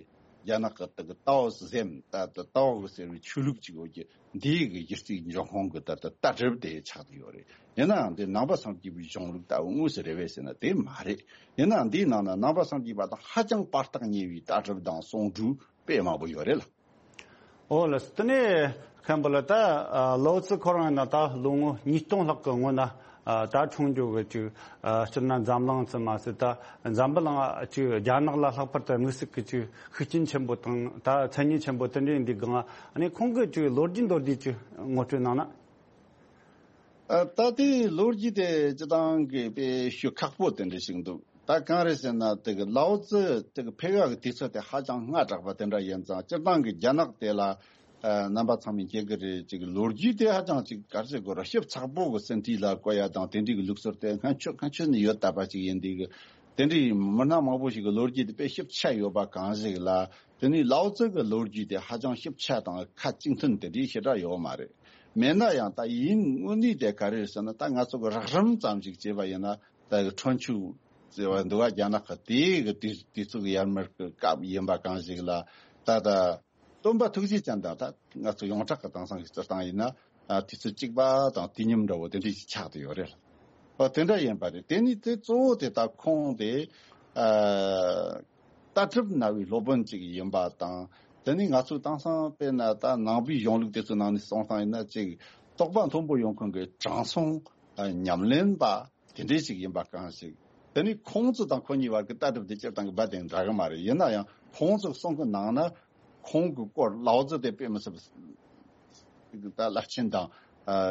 རྒྱ་ནག་གི་དེ་གི་ཏའོ་ཟེམ་ད་དེ་ཏའོ་གི་ཟེར་བའི་ཆོས་ལུགས་ཅིག་ཡོད་ཀྱི་འདིའི་གི་གཞི་རྩའི་འབྱུང་ཁུངས་གི་ད་ལྟ་ལྟ་གྲུབ་དེ་ཆགས་ཀྱི་ཡོད་རེད། ཡིན་ནའང་འདི་ནང་པ་སངས་རྒྱས་པའི་གཞུང་ལུགས་ལྟ་བུ་དངོས་སུ་རེད་པས་ཟེར་ན་དེ་མ་རེད། ཡིན་ནའང་འདིའི་ནང་ན་ནང་པ་སངས་རྒྱས་པ་དང་ཧ་ཅང་བར་ཐག་ཉེ་བའི་ལྟ་གྲུབ་དང་གསུང་སྒྲོས་དཔེ་མང་པོ་ཡོད་རེད་ལ། ཨོ་ལགས། དེ་ནས་མཁན་པོ་ལགས་ད་ཨ་ལའོ་ཙི་ཁོ་རང་ཡིན་ན་ད་ལོ་ངོ་ཉིས་སྟོང་ལྷག་གི་སྔོན་ན་ཨ་ད་འཁྲུངས་རྒྱུ་གི་ཅིག་ཨ་སྤྱིར་ན་འཛམ་གླིང་ཙམ་མ་ཟད་ད་འཛམ་བུ་གླིང་ཨ་ཅིག་རྒྱ་ནག་ལ་ལྷག་པར་དུ་དམིགས་བསལ་གི་ཅིག་ཤུགས་རྐྱེན་ཆེན་པོ་དང་ད་མཚན་སྙན་ཆེན་པོ་དེ་འདྲ་ཡིན་དུས་སྒང་ཨ་ནི་ཁོང་གི་ཅིག་ལོ་རྒྱུས་མདོར་བསྡུས་ཅིག་ངོ་སྤྲོད་གནང་ན། ཨ་ད་དེའི་ལོ་རྒྱུས་དེ་སྤྱི་བཏང་གི་དཔེ་ཞུ་ཁག་པོ་དེ་འདྲ་ཞིག་འདུག། ད་གང་རེད་ཟེར་ན་དེ་གི་ལའོ་ཙི་དེ་གི་ཕེབས་ཡག་གི་དུས་ཚོད་དེ་ཧ་ཅང་སྔ་དྲགས་པ་དེ་འདྲ་ཡིན་ཙང་སྤྱིར་བཏང་གི་རྒྱ་ནག་དེ་ལ་ཨ་རྣམ་པ་ཚང་མས་མཁྱེན་གི་རེད། ཅིག་ལོ་རྒྱུས་དེ་ཧ་ཅང་ཅིག་ག་རེ་ཟེར་དགོས་རེད། ཞིབ་ཚགས་པོ་གི་ཟིན་བྲིས་ལ་བཀོད་ཡ་དང་དེ་འདྲའི་གི་ལུགས་སྲོལ་དེ་སྔ་ཕྱོགས་སྔ་ཕྱོགས་ནས་ཡོད་བསྡད་པ་ཅིག་ཡིན་དུས་གི་དེ་འདྲའི་མི་སྣ་མང་པོ་ཞིག་གི་ལོ་རྒྱུས་དེ་དཔེ་ཞིབ་ཆ་ཡོད་པ་གང་ཞིག་ལ། དེ་ནས་ལའོ་ཙི་གི་ལོ་རྒྱུས་དེ་ཧ་ཅང་ཞིབ་ཆ་དང་ཁ་གཅིག་མཐུན་དེ་འདྲའི་ཞེ་དྲག་ཡོད་མ་རེད། མེད་ན་ཡང་ད་ཡིན་དངོས་གནས་དེ་ག་རེ་རེད་ཟེར་ན་ད་ང་ཚོ་གི་རགས་རིམ་ཙམ་ཞིག་བྱས་པ་ཡིན་ན་ད་གི་ཁྲོན་ཆུ་ ཟེར་བ་འདུག་ག་རྒྱ་ནག་གི་དེའི་གི་དུས་དུས་ཚོད་ཡར་མར་གི་སྐབས་ཡིན་པ་གང་ཞིག་ལ་ད་ད་སྟོན་པ་ཐུགས་རྗེ་ཅན་དང་ད་ང་ཚོ་ཡོངས་གྲགས་ཀྱི་དེང་སང་གི་སྤྱིར་བཏང་ཡིན་ན་དུས་ཚོད་གཅིག་པ་དང་དུས་མཉམ་འདྲ་བོ་དེ་འདྲ་ཞིག་ཆགས་བསྡད་ཡོད་རེད། ཨོ་དེ་འདྲ་ཡིན་པ་རེད། དེ་ནི་དེ་གཙོ་བོ་དེ་ད་ཁོང་དེ་ལྟ་གྲུབ་ན་བའི་སློབ་དཔོན་ཅིག་ཡིན་པ་དང་། དེ་ནི་ང་ཚོ་དེང་སང་དཔེར་ན་ད་ནང་པའི་གཞུང་ལུགས་དེ་ཚོའི་ནང་ནས་གསུངས་སྟངས་ཡིན་ན་ཅིག་རྟོགས་པ་མཐོན་པོ་ཡོང་མཁན་གྱི་དྲང་སྲོང་ཉམས་ལེན་པ་དེ་འདྲའི་ཞིག་ཡིན་པ་གང་ཞིག་དེ་ནི་ཁོང་ཚོ་དང་ཁོ་གཉིས་བར་གྱི་ལྟ་གྲུབ་དེ་སྤྱིར་བཏང་གི་རྦད་དེ་འདྲ་གི་མ་རེད། ཡིན་ན་ཡང་ཁོང་ཚོ་གསུང་གི་ནང་ན་ཁོང་གི་སྐོར་ལའོ་ཙི་དེ་དཔེ་མི་སྲིད་པ་ད་རླབས་ཆེན་དང་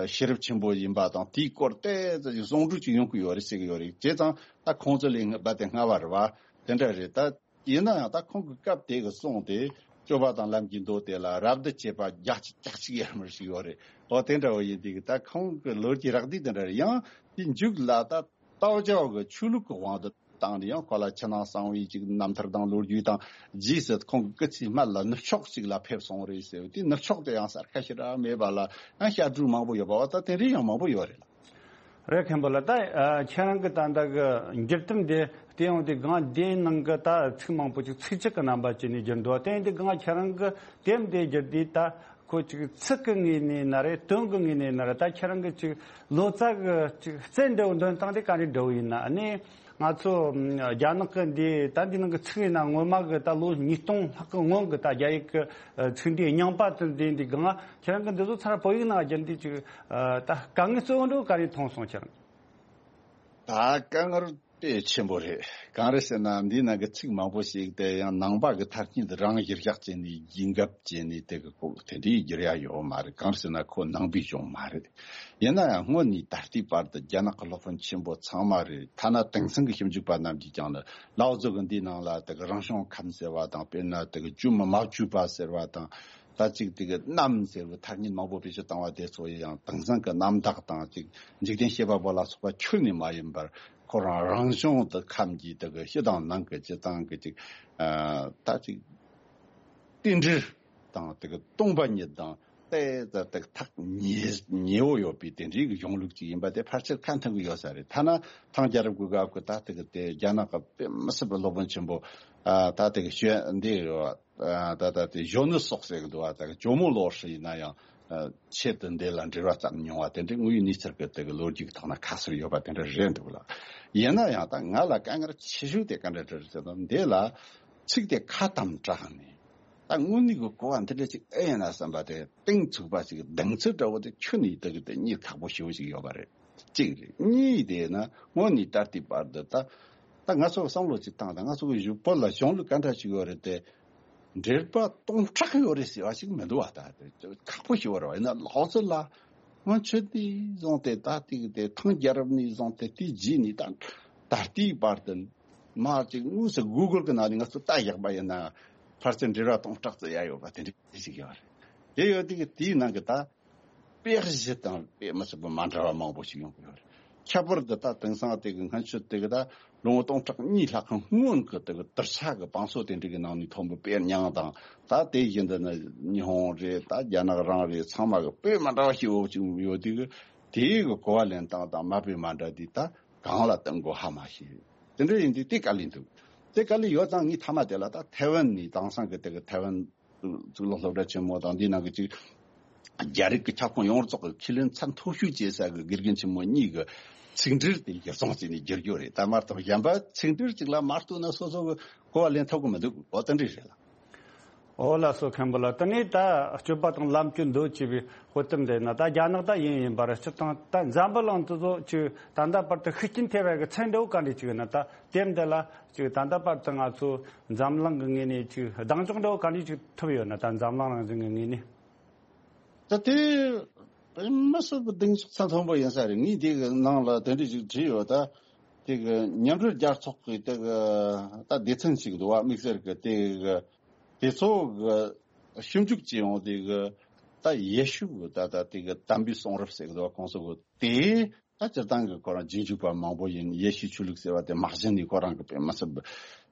ཤེས་རབ་ཆེན་པོ་ཡིན་པ་དང་དེའི་སྐོར་ཏོག་ཙམ་ཟུང་འབྲེལ་ཅིག་ཡོང་གི་ཡོད་རེད་ཟེར་གི་ཡོད་རེད། བྱས་ཙང་ད་ཁོང་ཚོ་ལས་རྦད་དེ་སྔ་བ་རེད་བ། དེ་འདྲ་རེད། ད་ཡིན་ན་ཡང་ད་ཁོང་གི་སྐབས་དེ་གི་གསུང་དེ་སྤྱོད་པ་དང་ལམ་གྱི་མདོ་དེ་ལ་རབ་ཏུ་བྱེད་པ་བརྒྱ་ཆ་བརྒྱ་ཆ་གཅིག་ཡར་མར་ཞིག་ཡོད་རེད། འོ་དེ་འདྲ་བོ་ཡིན་དུས་ད་ཁོང་གི་ལོ་རྒྱུས་རགས་བསྡུས་དེ་འདྲ་རེད། ཡང་དེ་མཇུག་ལ་ད་ཏའོ་ཅའོ་གི་ཆོས་ལུགས་ཀྱི་དབང་དུ་བཏང་ནས་ཡང་ཁོ་ལ་ཕྱི་ནང་གསང་བའི་ཅིག་རྣམ་ཐར་དང་ལོ་རྒྱུས་དང་རྗེས་སུ་ཁོང་གི་སྐུ་ཚེའི་སྨད་ལ་ནུབ་ཕྱོགས་ཅིག་ལ་ཕེབས་སོང་རེད་ཟེར། དེ་ནུབ་ཕྱོགས་དེ་ཡང་གསལ་ཁ་ཞེ་དྲག་མེད་པ་ལ་ཡང་བཤད་སྒྲུང་མང་པོ་ཡོད་པ་བ་ད་དེ་འདྲའི་ཡང་མང་པོ་ཡོད་རེད་ལ། རེད། མཁན་པོ་ལགས། ད་ཨ་ཁྱེད་རང་གི་ད་ལྟ་གི་འགྱུར་དེབ་འདི་བལྟས་ཡོང་དུས་སྒང་འདིའི་ནང་གི་ད་ཚིག་མང་པོ་ཅིག་ཚིགས་བཅད་ཀྱི་རྣམ་པ་བྱས་ནས་བསྒྱུར་འདུག་དེ་ཡིན་དུས་སྒང་ཁྱེད་རང་གི་དེབ་འདི་བསྒྱུར་དུས་ད་ཁོ་ཅིག་ཚིག་གི་ངོས་ནས་ན་རེད། དོན་གི་ངོས་ནས་ན་རེད། ད་ཁྱེད་རང་གི་ཅིག་ལོ་ཙཱ་གི་ཅིག་རྩལ་འདྲ་བོ་འདོན་སྟངས་དེ་ག་འདྲ་འདྲ་བོ་ཡིན་ན། ཨ་ནི་ང་ཚོ་ཨམ་རྒྱ་ནག་གི་འདི་ད་འདི་ནང་གི་ཚིག་ཡིན་ན་སྔོན་མ་གི་ད་ལོ་ཉིས་སྟོང་ལྷག་གི་སྔོན་གི་ད་རྒྱ་ཡིག་གི་ཨ་ཚིག་འདི་རྙིང་པ་དེ་འདི་འདི་སྒང་ཁྱེད་རང་གི་འདི་ཚོ་ཚར་བོད་ཡིག་ནང་བསྒྱུར་འདི་ཅིག་ཨ་ད་དཀའ་ངལ་གཙོ་བོ་འདྲ་བོ་ག་རེ་མཐོང་སོང་ཁྱེད་རང་། ད་དཀའ་ངལ་དཔེ་ཆེན་པོ་རེད། གང་རེད་ཟེར་ན་འདི་ནང་གི་ཚིག་མང་པོ་ཞིག་དེ་ཡང་ནང་པ་གི་ཐ་སྙད་རང་གཞིར་བཞག་བྱས་ནས་ཡིན་འགབ་བྱས་ནས་དེ་གི་ཁོ་དེ་འདྲའི་བསྒྱུར་ཡ་ཡོད་མ་རེད། གང་རེད་ཟེར་ན་ཁོ་ནང་པའི་གཞུང་མ་རེད། ཡིན་ན་ཡང་སྔོན་ནས་ད་ལྟའི་བར་དུ་རྒྱ་ནག་གི་སློབ་དཔོན་ཆེན་པོ་ཚང་མ་རེད། ཐ་ན་དེང་སང་གི་ཞིབ་འཇུག་པ་རྣམས་ཀྱིས་ཀྱང་ནི་ལའོ་ཙི་གི་འདིའི་ནང་ལ་དེ་གི་རང་བྱུང་ཁམས་ཟེར་བ་དང་། དཔེར་ན་དེ་གི་བཅོས་མ་མ་བཅོས་པ་ཟེར་བ་དང་། ད་ཅིག་དེ་གི་རྣམ་ཟེར་བའི་ཐ་སྙད་མང་པོ་བེད་སྤྱོད་བཏང་བ་དེ་ཚོ་ཡང་དེང་སང་གི་རྣམ་དག་དང་ཅིག་འཇིག་རྟེན་བཤད་པ་པོ་ལ་སོགས་པ་ཁྱོན་ནས་མ་ཡིན་པར་ཁོ་རང་རང་བྱུང་དུ་ཁམས་ཀྱི་དེ་གི་ཕྱི་དང་ནང་གི་སྤྱི་དང་གི་ཅིག་ཨ་ད་ཅིག་རྟེན་འབྲེལ་དང་དེ་གི་སྟོང་པ་ཉིད་དང་ཏོག་ཙམ་དེ་གི་ཐག་ཉེ་ཉེ་བོ་ཡོད་པའི་དེ་འདྲའི་གི་གཞུང་ལུགས་ཅིག་ཡིན་པ་དེ་ཕལ་ཆེར་ཁ་འཐོན་གི་ཡོད་ས་རེད། ཐ་ན་ཐང་རྒྱལ་རབས་ཀྱི་སྐབས་ཀྱི་ད་དེ་གི་དེ་རྒྱ་ནག་གི་དཔེ་མི་སྲིད་པའི་སློབ་དཔོན་ཆེན་པོ་ཨ་ད་དེ་གི་ཞོན་འདི་ཡོད། ད་ད་དེ་གཞོན་ནུ་སོགས་ཟེར་གི་འདུག་བ། ད་གི་ཇོ་མོ་ལོ་ཧྲི་ཡིན་ན་ཡང་ཆེད་དུ་འདི་ལ་འབྲེལ་བ་བརྩམས་མྱོང་བ་དེ་འདྲའི་དངོས་ཡོད་གནས་ཚུལ་གི་དེ་གི་ལོ་རྒྱུས་ཀྱི་ཐོག་ན་ཁ་གསལ་ཡོད་པ་དེ་འདྲ་རེད་འདུག་ལ། ཡིན་ན་ཡང་ད་ང་ལ་དཀའ་ངལ་ཆེ་ཤོས་དེ་ག་འདྲ་འདྲ་རེད་ཟེར་ན། འདི་ལ་ཚིག་དེ་ཁ་དམ་དྲགས་ནས་ད་དངོས་གནས་ཀྱི་གོ་བ་འདི་འདྲ་ཅིག་ཨེ་ཡིན་ན་བསམ་པ་དེ་གཏིང་ཚུགས་པ་ཅིག་གདེང་ཚོད་འདྲ་བོ་དེ་ཁྱོན་ནས་དེ་གི་དེ་གཉིད་ཁག་པོ་ཞེ་བོ་ཅིག་ཡོད་པ་རེད། གཅིག་རེད། གཉིས་དེ་ན་སྔོན་ནས་ད་ལྟའི་བར་དུ་ད་ད་ང་ཚོ་བསམ་བློ་ཅིག་བཏང་དང་། ང་ཚོ་གི་བོད་ལ་གཞུང་ལུགས་ག་འདྲ་ཞིག་ཡོད་རེད་དེ། འགྲེལ་པ་སྟོང་ཕྲག་ཡོད་རེད་ཟེར་བ་ཞིག་མི་འདུག་བ། ད་དེ་ཁག་པོ་ཞིག་ཡོད་རེད་བ། ཡིན་ན་ལའོ་ཙི་ལ་སྔོན་ཆད་ནས་བཟུང་སྟེ་ད་ལྟའི་དེ་ཐང་རྒྱལ་རབས་ནས་བཟུང་སྟེ་དེའི་རྗེས་ནས་ད་ད་ལྟའི་བར་དུ་མ་ཅིག་དངོས་སུ་གུ་གལ་གི་ནང་ནས་ང་ཚོ་ལྟ་བཞག་པ་ཡིན་ན་ཕལ་ཆེར་འགྲེལ་པ་སྟོང་ཕྲག་ཙམ་ཡ་ཡོད་པ་དེ་འདྲ་ཞིག་ཡོད་རེད། དེ་ཡོད་དུས་དེའི་ནང་གི་ད་དཔེ་གཞི་དང་དཔེ་མི་སྲིད་པ་མ་འདྲ་བ་མང་པོ་ཞིག་ཡོང་གི་ཡོད་རེད། ཁྱད་པར་དུ་ད་དེང་སང་དེ་གི་སྔོན་ཆད་དེ་གི་ད་ལོ་ངོ་སྟོང་ཕྲག་གཉིས་ལྷག་གི་སྔོན་གི་དེ་གི་དུར་ས་གི་བང་སོ་དེ་འདྲ་གི་ནང་ནས་ཐོན་པའི་དཔེ་རྙིང་དང་། ད་དེ་བཞིན་དུ་ནི་ཉི་ཧོང་རེད། ད་རྒྱ་ནག་རང་རེད། ཚང་མ་གི་དཔེ་མ་འདྲ་བ་ཞིག་ཡོད་ཅིག་ཡོད་དུས་གི་དེའི་གི་གོ་བ་ལེན་སྟངས་དང་མ་དཔེ་མ་འདྲ་དུས་ད་གང་ལ་བསྟུན་དགོས་ཧ་མ་ཤེས། དེ་འདྲ་ཡིན་དུས་དེ་དཀའ་ལས་འདུག་དེ་དཀའ་ལས་ཡོད་ཙང་ངས་མཐའ་མ་དེ་ལ་ད་ཐའེ་ཝན་ནས་དེང་སང་གི་དེ་གི་ཐའེ་ཝན་གཙུག་ལག་སློབ་གྲྭ་ཆེན་མོ་དང་འདི་ནང་གི་ཅིག་རྒྱ་རིགས་ཀྱི་ཁྱབ་ཁོངས་ཡོངས་རྫོགས་ཀྱི་ཁས་ལེན་ཚད་མཐོ་ཤོས་བྱེད་ས་གི་དགེ་རྒན་ཆེན་མོ་གཉིས་ཀྱི་ཚིག་འགྲེལ་དེ་ཡར་སོང་བྱས་ནས་བསྒྱུར་རྒྱུ་རེད། ད་མ་གཏོགས་གཞན་པ་ཚིག་འགྲེལ་གཅིག་ལ་མ་གཏོགས་ན་སོ་སོ་གི་གོ་བ་ལེན་ཐུབ་ཀྱི་མི་འདུག་འོ་དེ་འདྲ་རེད་ལ། འོ་ལགས་སོ། མཁན་པོ་ལགས། དེ་ནས་ད་སྤྱོད་པ་དང་ལམ་གྱི་མདོ་ཅེས་པའི་དཔེ་དེབ་འདི་ན་ད་རྒྱ་ནག་ད་ཡིན་ཡིན་པར་སྤྱིར་བཏང་ད་འཛམ་བུ་གླིང་དེ་ཚོ་ཅིག་ད་ལྟ་བར་དུ་ཤུགས་རྐྱེན་ཐེབས་པའི་གི་ཚད་འདྲ་བོ་ག་འདྲ་ཅིག་ཡོད་ན། ད་དེབ་འདི་ལ་ཅིག་ད་ལྟ་བར་དུ་ང་ཚོ་འཛམ་གླིང་གི་ངོས་ནས་ཅིག་གདེང་འཇོག་འདྲ་བོ་ག་འདྲ་ཅིག་ཐུབ་ཡོད་ན། ད་འཛམ་གླིང་རང་བཞིན་གྱི་ངོས་ནས། ད་དེ་དཔེ་མི་སྲིད་པའི་གདེང་འཇོག་ཚད་མཐོན་པོ་ཡིན་ས་རེད། ངས་དེ་གི་ནང་ལ་དེ་འདྲ་ཅིག་བྲིས་ཡོད། ད་དེ་གི་མཉམ་འབྲེལ་རྒྱལ་ཚོགས་ཀྱི་དེ་གི་ད་སྡེ་ཚན་ཞིག་འདུག་བ། དམིགས་བསལ་གྱི་དེ་གི་དེ་ཚོ་གི་ཞིབ་འཇུག་བྱས་ཡོང་དེ་གི་ད་ཡེ་ཤུ་གི་ད་ད་དེ་གི་དམ་པའི་གསུང་རབ་ཟེར་གི་འདུག་བ། ཁོང་ཚོ་གི་དེ་ད་སྤྱིར་བཏང་གི་ཁོ་རང་རྗེས་འཇུག་པ་མང་པོ་ཡིན། ཡེ་ཤུའི་ཆོས་ལུགས་ཟེར་བ་དེ་མ་གཞི་ནས་ཁོ་རང་གི་དཔེ་མི་སྲིད་པ་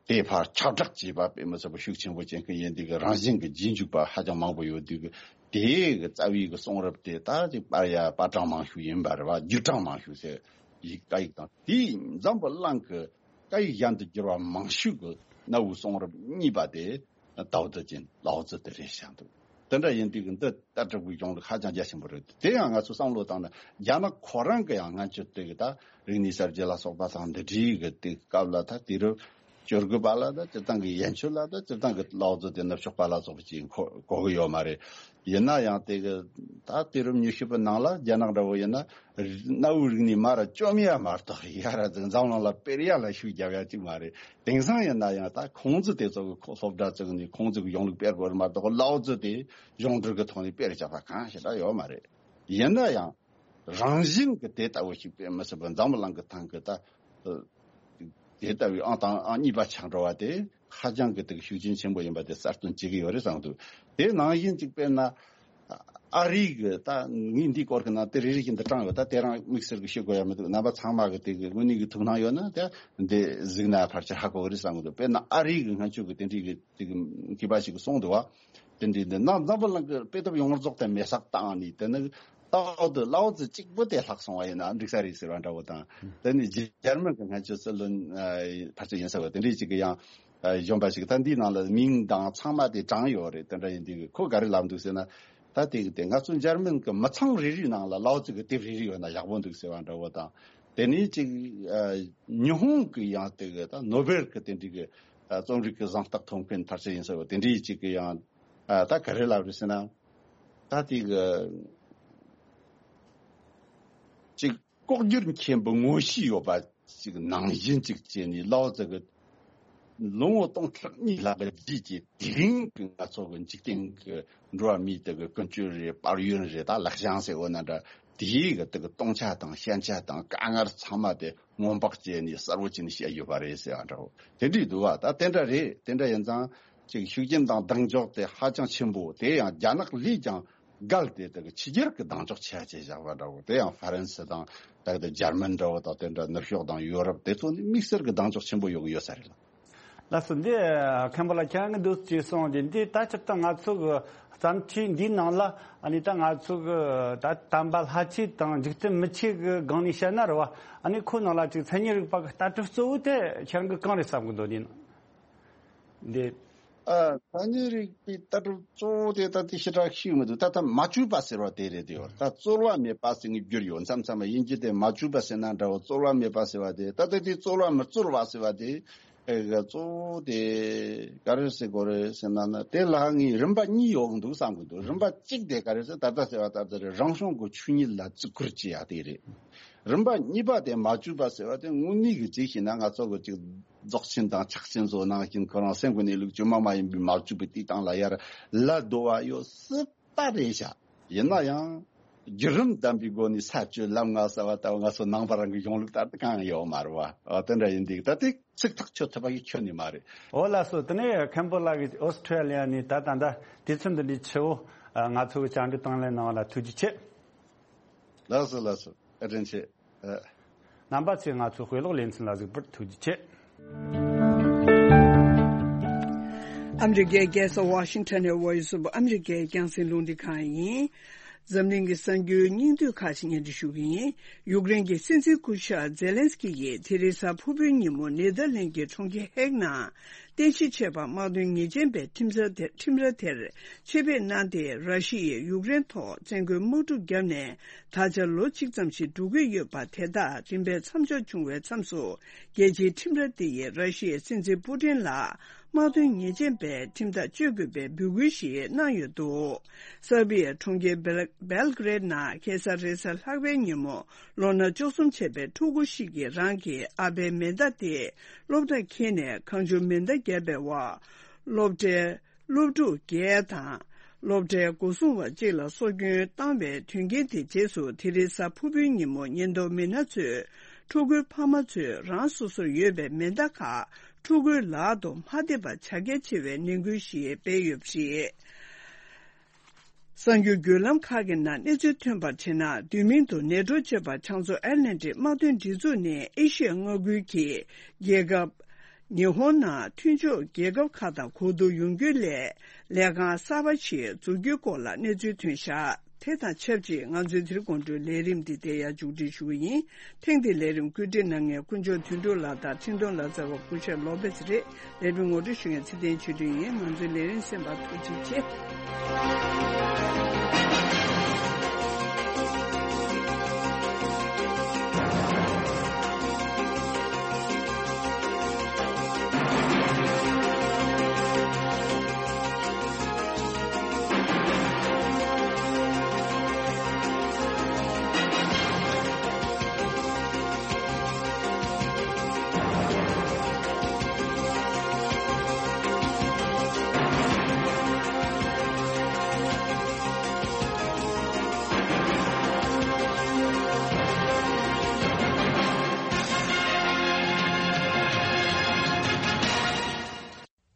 དེ་ཕར་ཁྱབ་བསྒྲགས་བྱས་པ་དཔེ་མི་སྲིད་པ་ཤུགས་ཆེན་པོ་ཅན་གི་ཡིན། དེ་གི་རང་བཞིན་གི་རྗེས་འཇུག་པ་ཧ་ཅང་མང་པོ་ཡོད་དུས་གི་དེ་གི་རྩ་བའི་གི་གསུང་རབ་དེ་ད་ཅིག་པར་ཡ་པར་གྲངས་མང་ཤོས་ཡིན་པ་རེད་བ། བརྒྱུད་གྲངས་མང་ཤོས་ཟེར་ཡིག་བཀའ་ཡིག་དང་དེ་འཛམ་བུ་གླིང་གི་ སྐད་ཡིག་གཞན་དུ་བསྒྱུར་བ་མང་ཤོས་ཀྱི་གནའ་བོའི་གསུང་རབ་གཉིས་པ་དེ་ཏའོ་ཙི་ཅན་ལའོ་ཙི་དེ་རེད་བཞག་འདུག་དེ་འདྲ་ཡིན་དུས་ཀྱི་འདི་ལྟ་གྲུབ་ཀྱི་གཞུང་ལུགས་ཧ་ཅང་རྒྱ་ཆེན་པོ་རེད། དེ་ཡང་ང་ཚོ་བསམ་བློ་བཏང་ན་རྒྱ་ནག་ཁོ་རང་གི་ཡང་སྔ་ཕྱིར་དེ་གི་ད་རིག་གནས་གསར་བརྗེ་ལ་སོགས་པ་དང་འདི་འདྲའི་གི་དེ་སྐབས་ལ་ད་དུས་རབས་བཅུ་དགུ་པ་ལ་ད་སྤྱིར་བཏང་གི་ཡན་ཆོད་ལ་ད་སྤྱིར་བཏང་གི་ལའོ་ཙི་དེ་ནུབ་ཕྱོགས་པ་ལ་སོགས་པ་ཅིག་གོ་གོ་གི་ཡོད་མ་རེད། ཡིན་ན་ཡང་དེ་གི་ད་དུས་རབས་ཉི་ཤུ་པའི་ནང་ལ་རྒྱ་ནག་འདྲ་བོ་ཡིན་ན་གནའ་བོའི་རིག་གནས་མར་བཅོམ་ཡ་མ་གཏོགས་ཡར་འཛམ་གླིང་ལ་སྤེལ་ཡ་ལ་ཤུགས་རྒྱབ་ཡ་ཅིག་མ་རེད། དེང་སང་ཡིན་ན་ཡང་ད་ཁུང་ཙི་དེ་ཚོ་གི་ཁོ་སློབ་གྲྭ་བཙུགས་ནས་ཁུང་ཙི་གི་གཞུང་ལུགས་སྤེལ་དགོས་རེད་མ་གཏོགས་ལའོ་ཙི་དེ་གཞུང་འབྲེལ་གི་ཐོག་ནས་སྤེལ་བྱ་བ་གང་ཞིག་ད་ཡོད་མ་རེད། ཡིན་ན་ཡང་རང་བཞིན་གྱི་དེ་ལྟ་བུ་ཞིག་སྤེལ་མི་སྲིད་པར་འཛམ་བུ་གླིང་གི་ཐང་གི་ད་དེ་ལྟ་བུའི་ཨང་དང་ཨང་གཉིས་པ་ཆགས་འགྲོ་བ་དེ་ཧ་ཅང་གི་དེ་གི་ཤུགས་རྐྱེན་ཆེན་པོ་ཡིན་པ་དེ་གསལ་སྟོན་བྱེད་ཀྱི་ཡོད་རེད་བསམ་འདུག་དེ་ནང་བཞིན་གཅིག་དཔེར་ན་ཨ་རི་གི་ད་ངས་འདིའི་སྐོར་གྱི་ནང་དེ་རེ་རེ་བཞིན་དུ་དྲངས་ཡོད། ད་དེ་རང་དམིགས་བསལ་གྱི་ཤོད་དགོས་ཡ་མི་འདུག་རྣམ་པ་ཚང་མ་གི་དེ་གི་དངོས་གནས་ཀྱི་ཐུགས་སྣང་ཡོད་ན་དེ་འདི་གཟིགས་ན་ཕལ་ཆེར་ཧ་གོ་གི་རེད་བསམ་གི་འདུག་དཔེར་ན་ཨ་རི་གི་སྔ་ཕྱོགས་ཀྱི་དེ་འདྲའི་གི་དེ་གི་མཁས་པ་ཞིག་གིས་གསུངས་འདུག་བ། དེ་འདྲའི་འདི་ནང་འཛམ་བུ་གླིང་གི་དཔེ་དེབ་ཡོངས་རྫོགས་དེ་མེ་སྲེག་བཏང་ནས་དེ་ནི་ཏའོ་ཏི་ལའོ་ཙི་གཅིག་པུ་དེ་ལྷག་སོང་བ་ཡིན་ན་འགྲིག་ས་རེད་ཟེར་བ་འདྲ་བོ་དང་། དེ་ནི་འཇར་མན་གྱི་སྔ་ཕྱི་སྲིད་བློན་ཕལ་ཆེར་ཡིན་ས་བ་དེ་འདྲའི་ཅིག་གི་ཡང་གཞོན་པ་ཞིག་ད་འདིའི་ནང་ལ་མིང་དང་ཚང་མ་དེ་དྲངས་ཡོད་རེད། དེ་འདྲ་ཡིན་དུས་ཁོ་ག་རེ་ལབ་འདུག་ཟེར་ན། ད་དེ་གི་དེ་ང་ཚོ་འཇར་མན་གྱི་མི་ཚང་རེ་རེའི་ནང་ལ་ལའོ་ཙི་གི་དེབ་རེ་རེ་ཡོད་ན་ཡག་པོ་འདུག་ཟེར་བ་འདྲ་བོ་དང་། དེ་ནས་ཅིག་ཨ་ཉི་ཧོང་གི་ཡང་དེ་གི་ད་ནོ་བེལ་གི་དེ་འདྲའི་གི་ཨ་རྩོམ་རིག་གི་གཟེངས་རྟགས་ཐོབ་མཁན་ཕལ་ཆེར་ཡིན་ས་བ་དེ་འདྲའི་ཅིག་གི་ཡང་ཨ་ད་ག་རེ་ལབ་རེད་ཟེར་ན། ད་དེ་གི་ཅིག་ལྐོག་གྱུར་མཁན་པོ་ངོ་ཤེས་ཡོད་པ་ཅིག་ནང་བཞིན་ཅིག་བྱས་ནས་ལའོ་ཙི་གི་ལོ་ངོ་སྟོང་ཕྲག་གཉིས་ལྷག་གི་རྗེས་ཀྱི་དེ་རིང་གི་ང་ཚོ་གི་འཇིག་རྟེན་གི་འགྲོ་བ་མིའི་དེ་གི་ཀུན་སྤྱོད་རེད། དཔལ་ཡོན་རེད། ད་ལེགས་བྱང་ཟེར་འོ་ན་འདྲ། དེའི་གི་དེ་གི་སྟོང་ཆ་དང་ཞན་ཆ་དང་དཀའ་ངལ་ཚང་མ་དེ་སྔོན་དཔག་བྱས་ནས་གསལ་བོ་བྱས་ནས་བཤད་ཡོད་པ་རེད་ཟེར་བ་འདྲ་བོ་དེ་འདྲས་འདུག་བ། ད་དེ་འདྲ་རེད། དེ་འདྲ་ཡིན་ཙང་ཅིག་ཤུགས་རྐྱེན་དང་གདེང་འཇོག་དེ་ཧ་ཅང་ཆེན་པོ། དེ་ཡང་རྒྱ་ནག་ལས་ཀྱང་བརྒལ་ཏེ་དེ་གི་ཕྱི་རྒྱལ་གྱི་གདེང་འཇོག་ཆེ་བ་བྱས་བཞག་པ་འདྲ་བོ། དེ་ཡང་ཧྥ་རན་སི་དང་ད་གི་དེ་འཇར་མན་འདྲ་བོ་དང་དེ་འདྲ་ནུབ་ཕྱོགས་དང་ཡོ་རོབ་དེ་ཚོ་ནི་དམིགས་བསལ་གྱི་གདེང་འཇོག་ཆེན་པོ་ཡོད་གི་ཡོད་ས་རེད་ལ། ལགས་སོ། འདི་མཁན་པོ་ལགས་ཁྱེད་རང་གི་འདུག་ཅེས་གསུངས་ཏེ། འདི་ད་སྤྱིར་བཏང་ང་ཚོ་གི་བརྩམས་ཆོས་འདིའི་ནང་ལ་ཨ་ནི་ད་ང་ཚོ་གི་ད་དམ་པ་ལྷ་ཆོས་དང་འཇིག་རྟེན་མི་ཆོས་གི་སྒང་ནས་བཤད་ན་རེད་བ། ཨ་ནི་ཁོ་ནང་ལ་ཅིག་མཚན་ཉིད་རིག་པ་གི་ལྟ་གྲུབ་གཙོ་བོ་དེ་ཁྱེད་རང་གི་གང་རེད་བསམ་གི་འདུག་འདི་ནང་འདི། ཨ། མཚན་ཉིད་རིག་པའི་ལྟ་གྲུབ་གཙོ་བོ་དེ་ད་དེ་ཞེ་དྲག་ཤེས་མི་འདུག་ད་ལྟ་མ་བཅོས་པ་ཟེར་བ་དེ་རེད་དེ། ད་རྩོལ་བ་མེད་པ་ཟེར་ངེས་བསྒྱུར་ཡོད། མཚམས་མཚམས་ཡིན་གྱི་དེ་མ་བཅོས་པ་ཟེར་ན་འདྲ་བོ། རྩོལ་བ་མེད་པ་ཟེར་བ་དེ། ད་ལྟ་དེ་རྩོལ་བ་མི་རྩོལ་བ་ཟེར་བ་དེ། ཨེ། གཙོ་བོ་དེ་ག་རེ་ཟེར་དགོས་རེད་ཟེར་ན་ན། དེ་ལ་ངས་རིམ་པ་གཉིས་ཡོད་འདུག་བསམ་གི་འདུག་རིམ་པ་གཅིག་དེ་ག་རེ་ཟེར། ད་ལྟ་ཟེར་བ་ལྟར་དེ་རེད། རང་བྱུང་གི་ཆོས་ཉིད་ལ་བརྩི་བཀུར་བྱེད་ཡ་དེ་རེད། རིམ་པ་གཉིས་པ་དེ་མ་བཅོས་པ་ཟེར་བ་དེ་དངོས་གནས་ཀྱི་ཅིག་བྱས་ན་ང་ཚོ་གི་ཅིག་རྫོགས་ཆེན་དང་ཕྱག་ཆེན་ཚོ་ནང་བཞིན་ཁོ་རང་སེམས་ཀྱི་གནས་ལུགས་བཅོས་མ་མ་ཡིན་པའི་མ་བཅོས་པའི་དེའི་སྟེང་ལ་ཡར་ལ་བསྡོ་བ་ཡོད་སྲིད་པ་རེད་ཤག་ཡིན་ན་ཡང་བརྒྱུད་རིམ་ལྡན་པའི་སྒོ་ནས་ས་བཅོས་ལམ་ལྔ་ཟེར་བ་ལྟ་བུ་ང་ཚོ་ནང་པ་རང་གི་གཞུང་ལུགས་ལྟར་དུ་གང་ཡང་ཡོད་མ་རེད་བ། འོ་དེ་འདྲ་ཡིན་དུས་ད་དེ་ཚིག་ཐག་ཆོད་ཐུབ་པ་ཡིན་ཁྱོན་ནས་མ་རེད། འོ་ལགས་སོ། དེ་ནས་མཁན་པོ་ལགས་ཀྱིས་ཨོ་སི་ཁྲུ་ལི་ཡ་ནས་ད་ད་ལྟ་དུས་ཚོད་འདི་འདྲའི་ཆེ་བོ་ང་ཚོ་གི་བཅར་འདྲི་དང་ལེན་གནང་བ་ལ་ཐུགས་རྗེ་ཆེ། ལགས་སོ་ལགས་སོ། བཀའ་དྲིན་ཆེ། ཨ། རྣམ་པ་ཚོས་ང་ཚོའི་དཔེ་ཀློག་ལེ་ཚན་ལ་གཟིགས་པར་ཐུགས་རྗེ་ཆེ། ཨ་མི་རི་ཀའི་རྒྱལ་ས་ཝ་ཤིང་ཊོན་ནས་Voice of America རྒྱང་སྲིང་རླུང་འཕྲིན་ཁང་ཡིན། འཛམ་གླིང་གི་གསར་འགྱུར་སྙིང་བསྡུས་ཁག་ཅིག་སྙན་སྒྲོན་ཞུ་གི་ཡིན། ཡུཀ་རེན་གྱི་སྲིད་འཛིན་སྐུ་ཞབས་ཛེ་ལན་སི་ཀི་ཡིས་དེ་རིང་གཟའ་ཕུར་བུའི་ཉིན་མོ་ནེ་དར་ལེན་གྱི་གྲོང་ཁྱེར་ཧེག་ནང་རྟེན་གཞི་བྱས་པ་དམག་དོན་ཉེས་ཅན་པའི་ཁྲིམས་ར་དེ། ཁྲིམས་ར་དེར་ཆེད་ཕེབས་གནང་སྟེ། ར་ཤི་ཡས་ཡུཀ་རེན་ཐོག་བཙན་རྒོལ་དམག་འཁྲུག་བརྒྱབ་ནས་ད་ཆ་ལོ་གཅིག་ཙམ་ཞིག་འགྲོ་གི་ཡོད་པ་དེ་དག་རིམ་པས་མཚམས་འཇོག་བྱུང་བའི་མཚམས་སུ། རྒྱལ་སྤྱིའི་ཁྲིམས་ར་དེ་ཡིས་ར་ཤི་ཡའི་སྲིད་འཛིན་པུ་ཏིན་ལ་དམག་དོན་ཉེས་ཅན་པའི་ཁྲིམས་ཐག་གཅོད་དགོས་པའི་འབོད་སྐུལ་ཞིག་གནང་ཡོད་འདུག་སར་བྷི་ཡའི་གྲོང་ཁྱེར་སྦེལ་སྦེལ་གྷི་རེད་ནང་ཁ་སང་རེས་གཟའ་ལྷག་པའི་ཉིན་མོ་ལོ་ན་བཅུ་གསུམ་བྱས་པའི་ཕྲུ་གུ་ཞིག་གིས་རང་གི་ཨ་ཕའི་མེ་མདའ་དེ་སློབ་གྲྭར་འཁྱེར་ནས་གང་བྱུང་མེ་མདའ་བརྒྱབ་པའི་འོག་སློབ་གྲྭའི་སློབ་ཕྲུག་བརྒྱད་དང་སློབ་གྲྭའི་སྒོ་སྲུང་བ་གཅིག་ལ་སྲོག་སྐྱོན་བཏང་བའི་དོན་རྐྱེན་དེ་རྗེས་སུ། དེ་རིང་གཟའ་ཕུར་བུའི་ཉིན་མོ་ཉེན་རྟོག་མི་སྣ་ཚོས་ཕྲུ་གུའི་ཕ་མ་ཚོས་རང་སོ་སོར་ཡོད་པའི་མེ་མདའ་ཁག་ཕྲུ་གུའི་ལག་ཏུ་མ་ཐེབས་པ་བྱ་གལ་ཆེ་བའི་ནན་སྐུལ་ཞིག་སྤེལ་ཡོད་པ་རེད། གསར་འགྱུར་བརྒྱུད་ལམ་ཁག་གི་ནང་གནས་ཚུལ་ཐོན་པར་བྱས་ན། བསྡུས་མིང་དུ་ནེ་ཊོ་ཅེས་པ་བྱང་མཚོ་ཨེཊ་ལན་ཊིག་དམག་དོན་སྒྲིག་འཛུགས་ནས་ཨེ་ཤི་ཡ་མངའ་ཁུལ་གྱི་རྒྱལ་ཁབ་ཉི་ཧོང་ནང་མཐུན་ཕྱོགས་རྒྱལ་ཁབ་ཁག་དང་གོ་བསྡུར་ཡོང་རྒྱུའི་སླད་ལས་ཁང་གསར་པ་ཞིག་འཛུགས་རྒྱུའི་སྐོར་ལ་གནས་ཚུལ་ཐོན་བཞག་དེ་དང་ཆབས་ཅིག་ང་ཚོའི་དེ་རིང་དགོང་དྲོའི་ལས་རིམ་འདི་དེ་ཡང་མཇུག་སྒྲིལ་ཞུ་གི་ཡིན། ཐེངས་འདིའི་ལས་རིམ་བཀོད་སྒྲིག་གནང་མཁན་དཀོན་མཆོག་དོན་གྲུབ་ལགས་དང་འཕྲིན་གཏོང་ལག་རྩལ་བ་སྐུ་ཞབས་ལོ་པེས་རེད། ལས་རིམ་ངོ་སྤྲོད་ཞུ་མཁན་ཚེ་བརྟན་ཆོས་སྒྲོན་ཡིན། ང་ཚོའི་ལས་རིམ་གསན་པར་ཐུགས་རྗེ་ཆེ།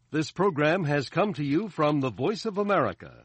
This program has come to you from the Voice of America,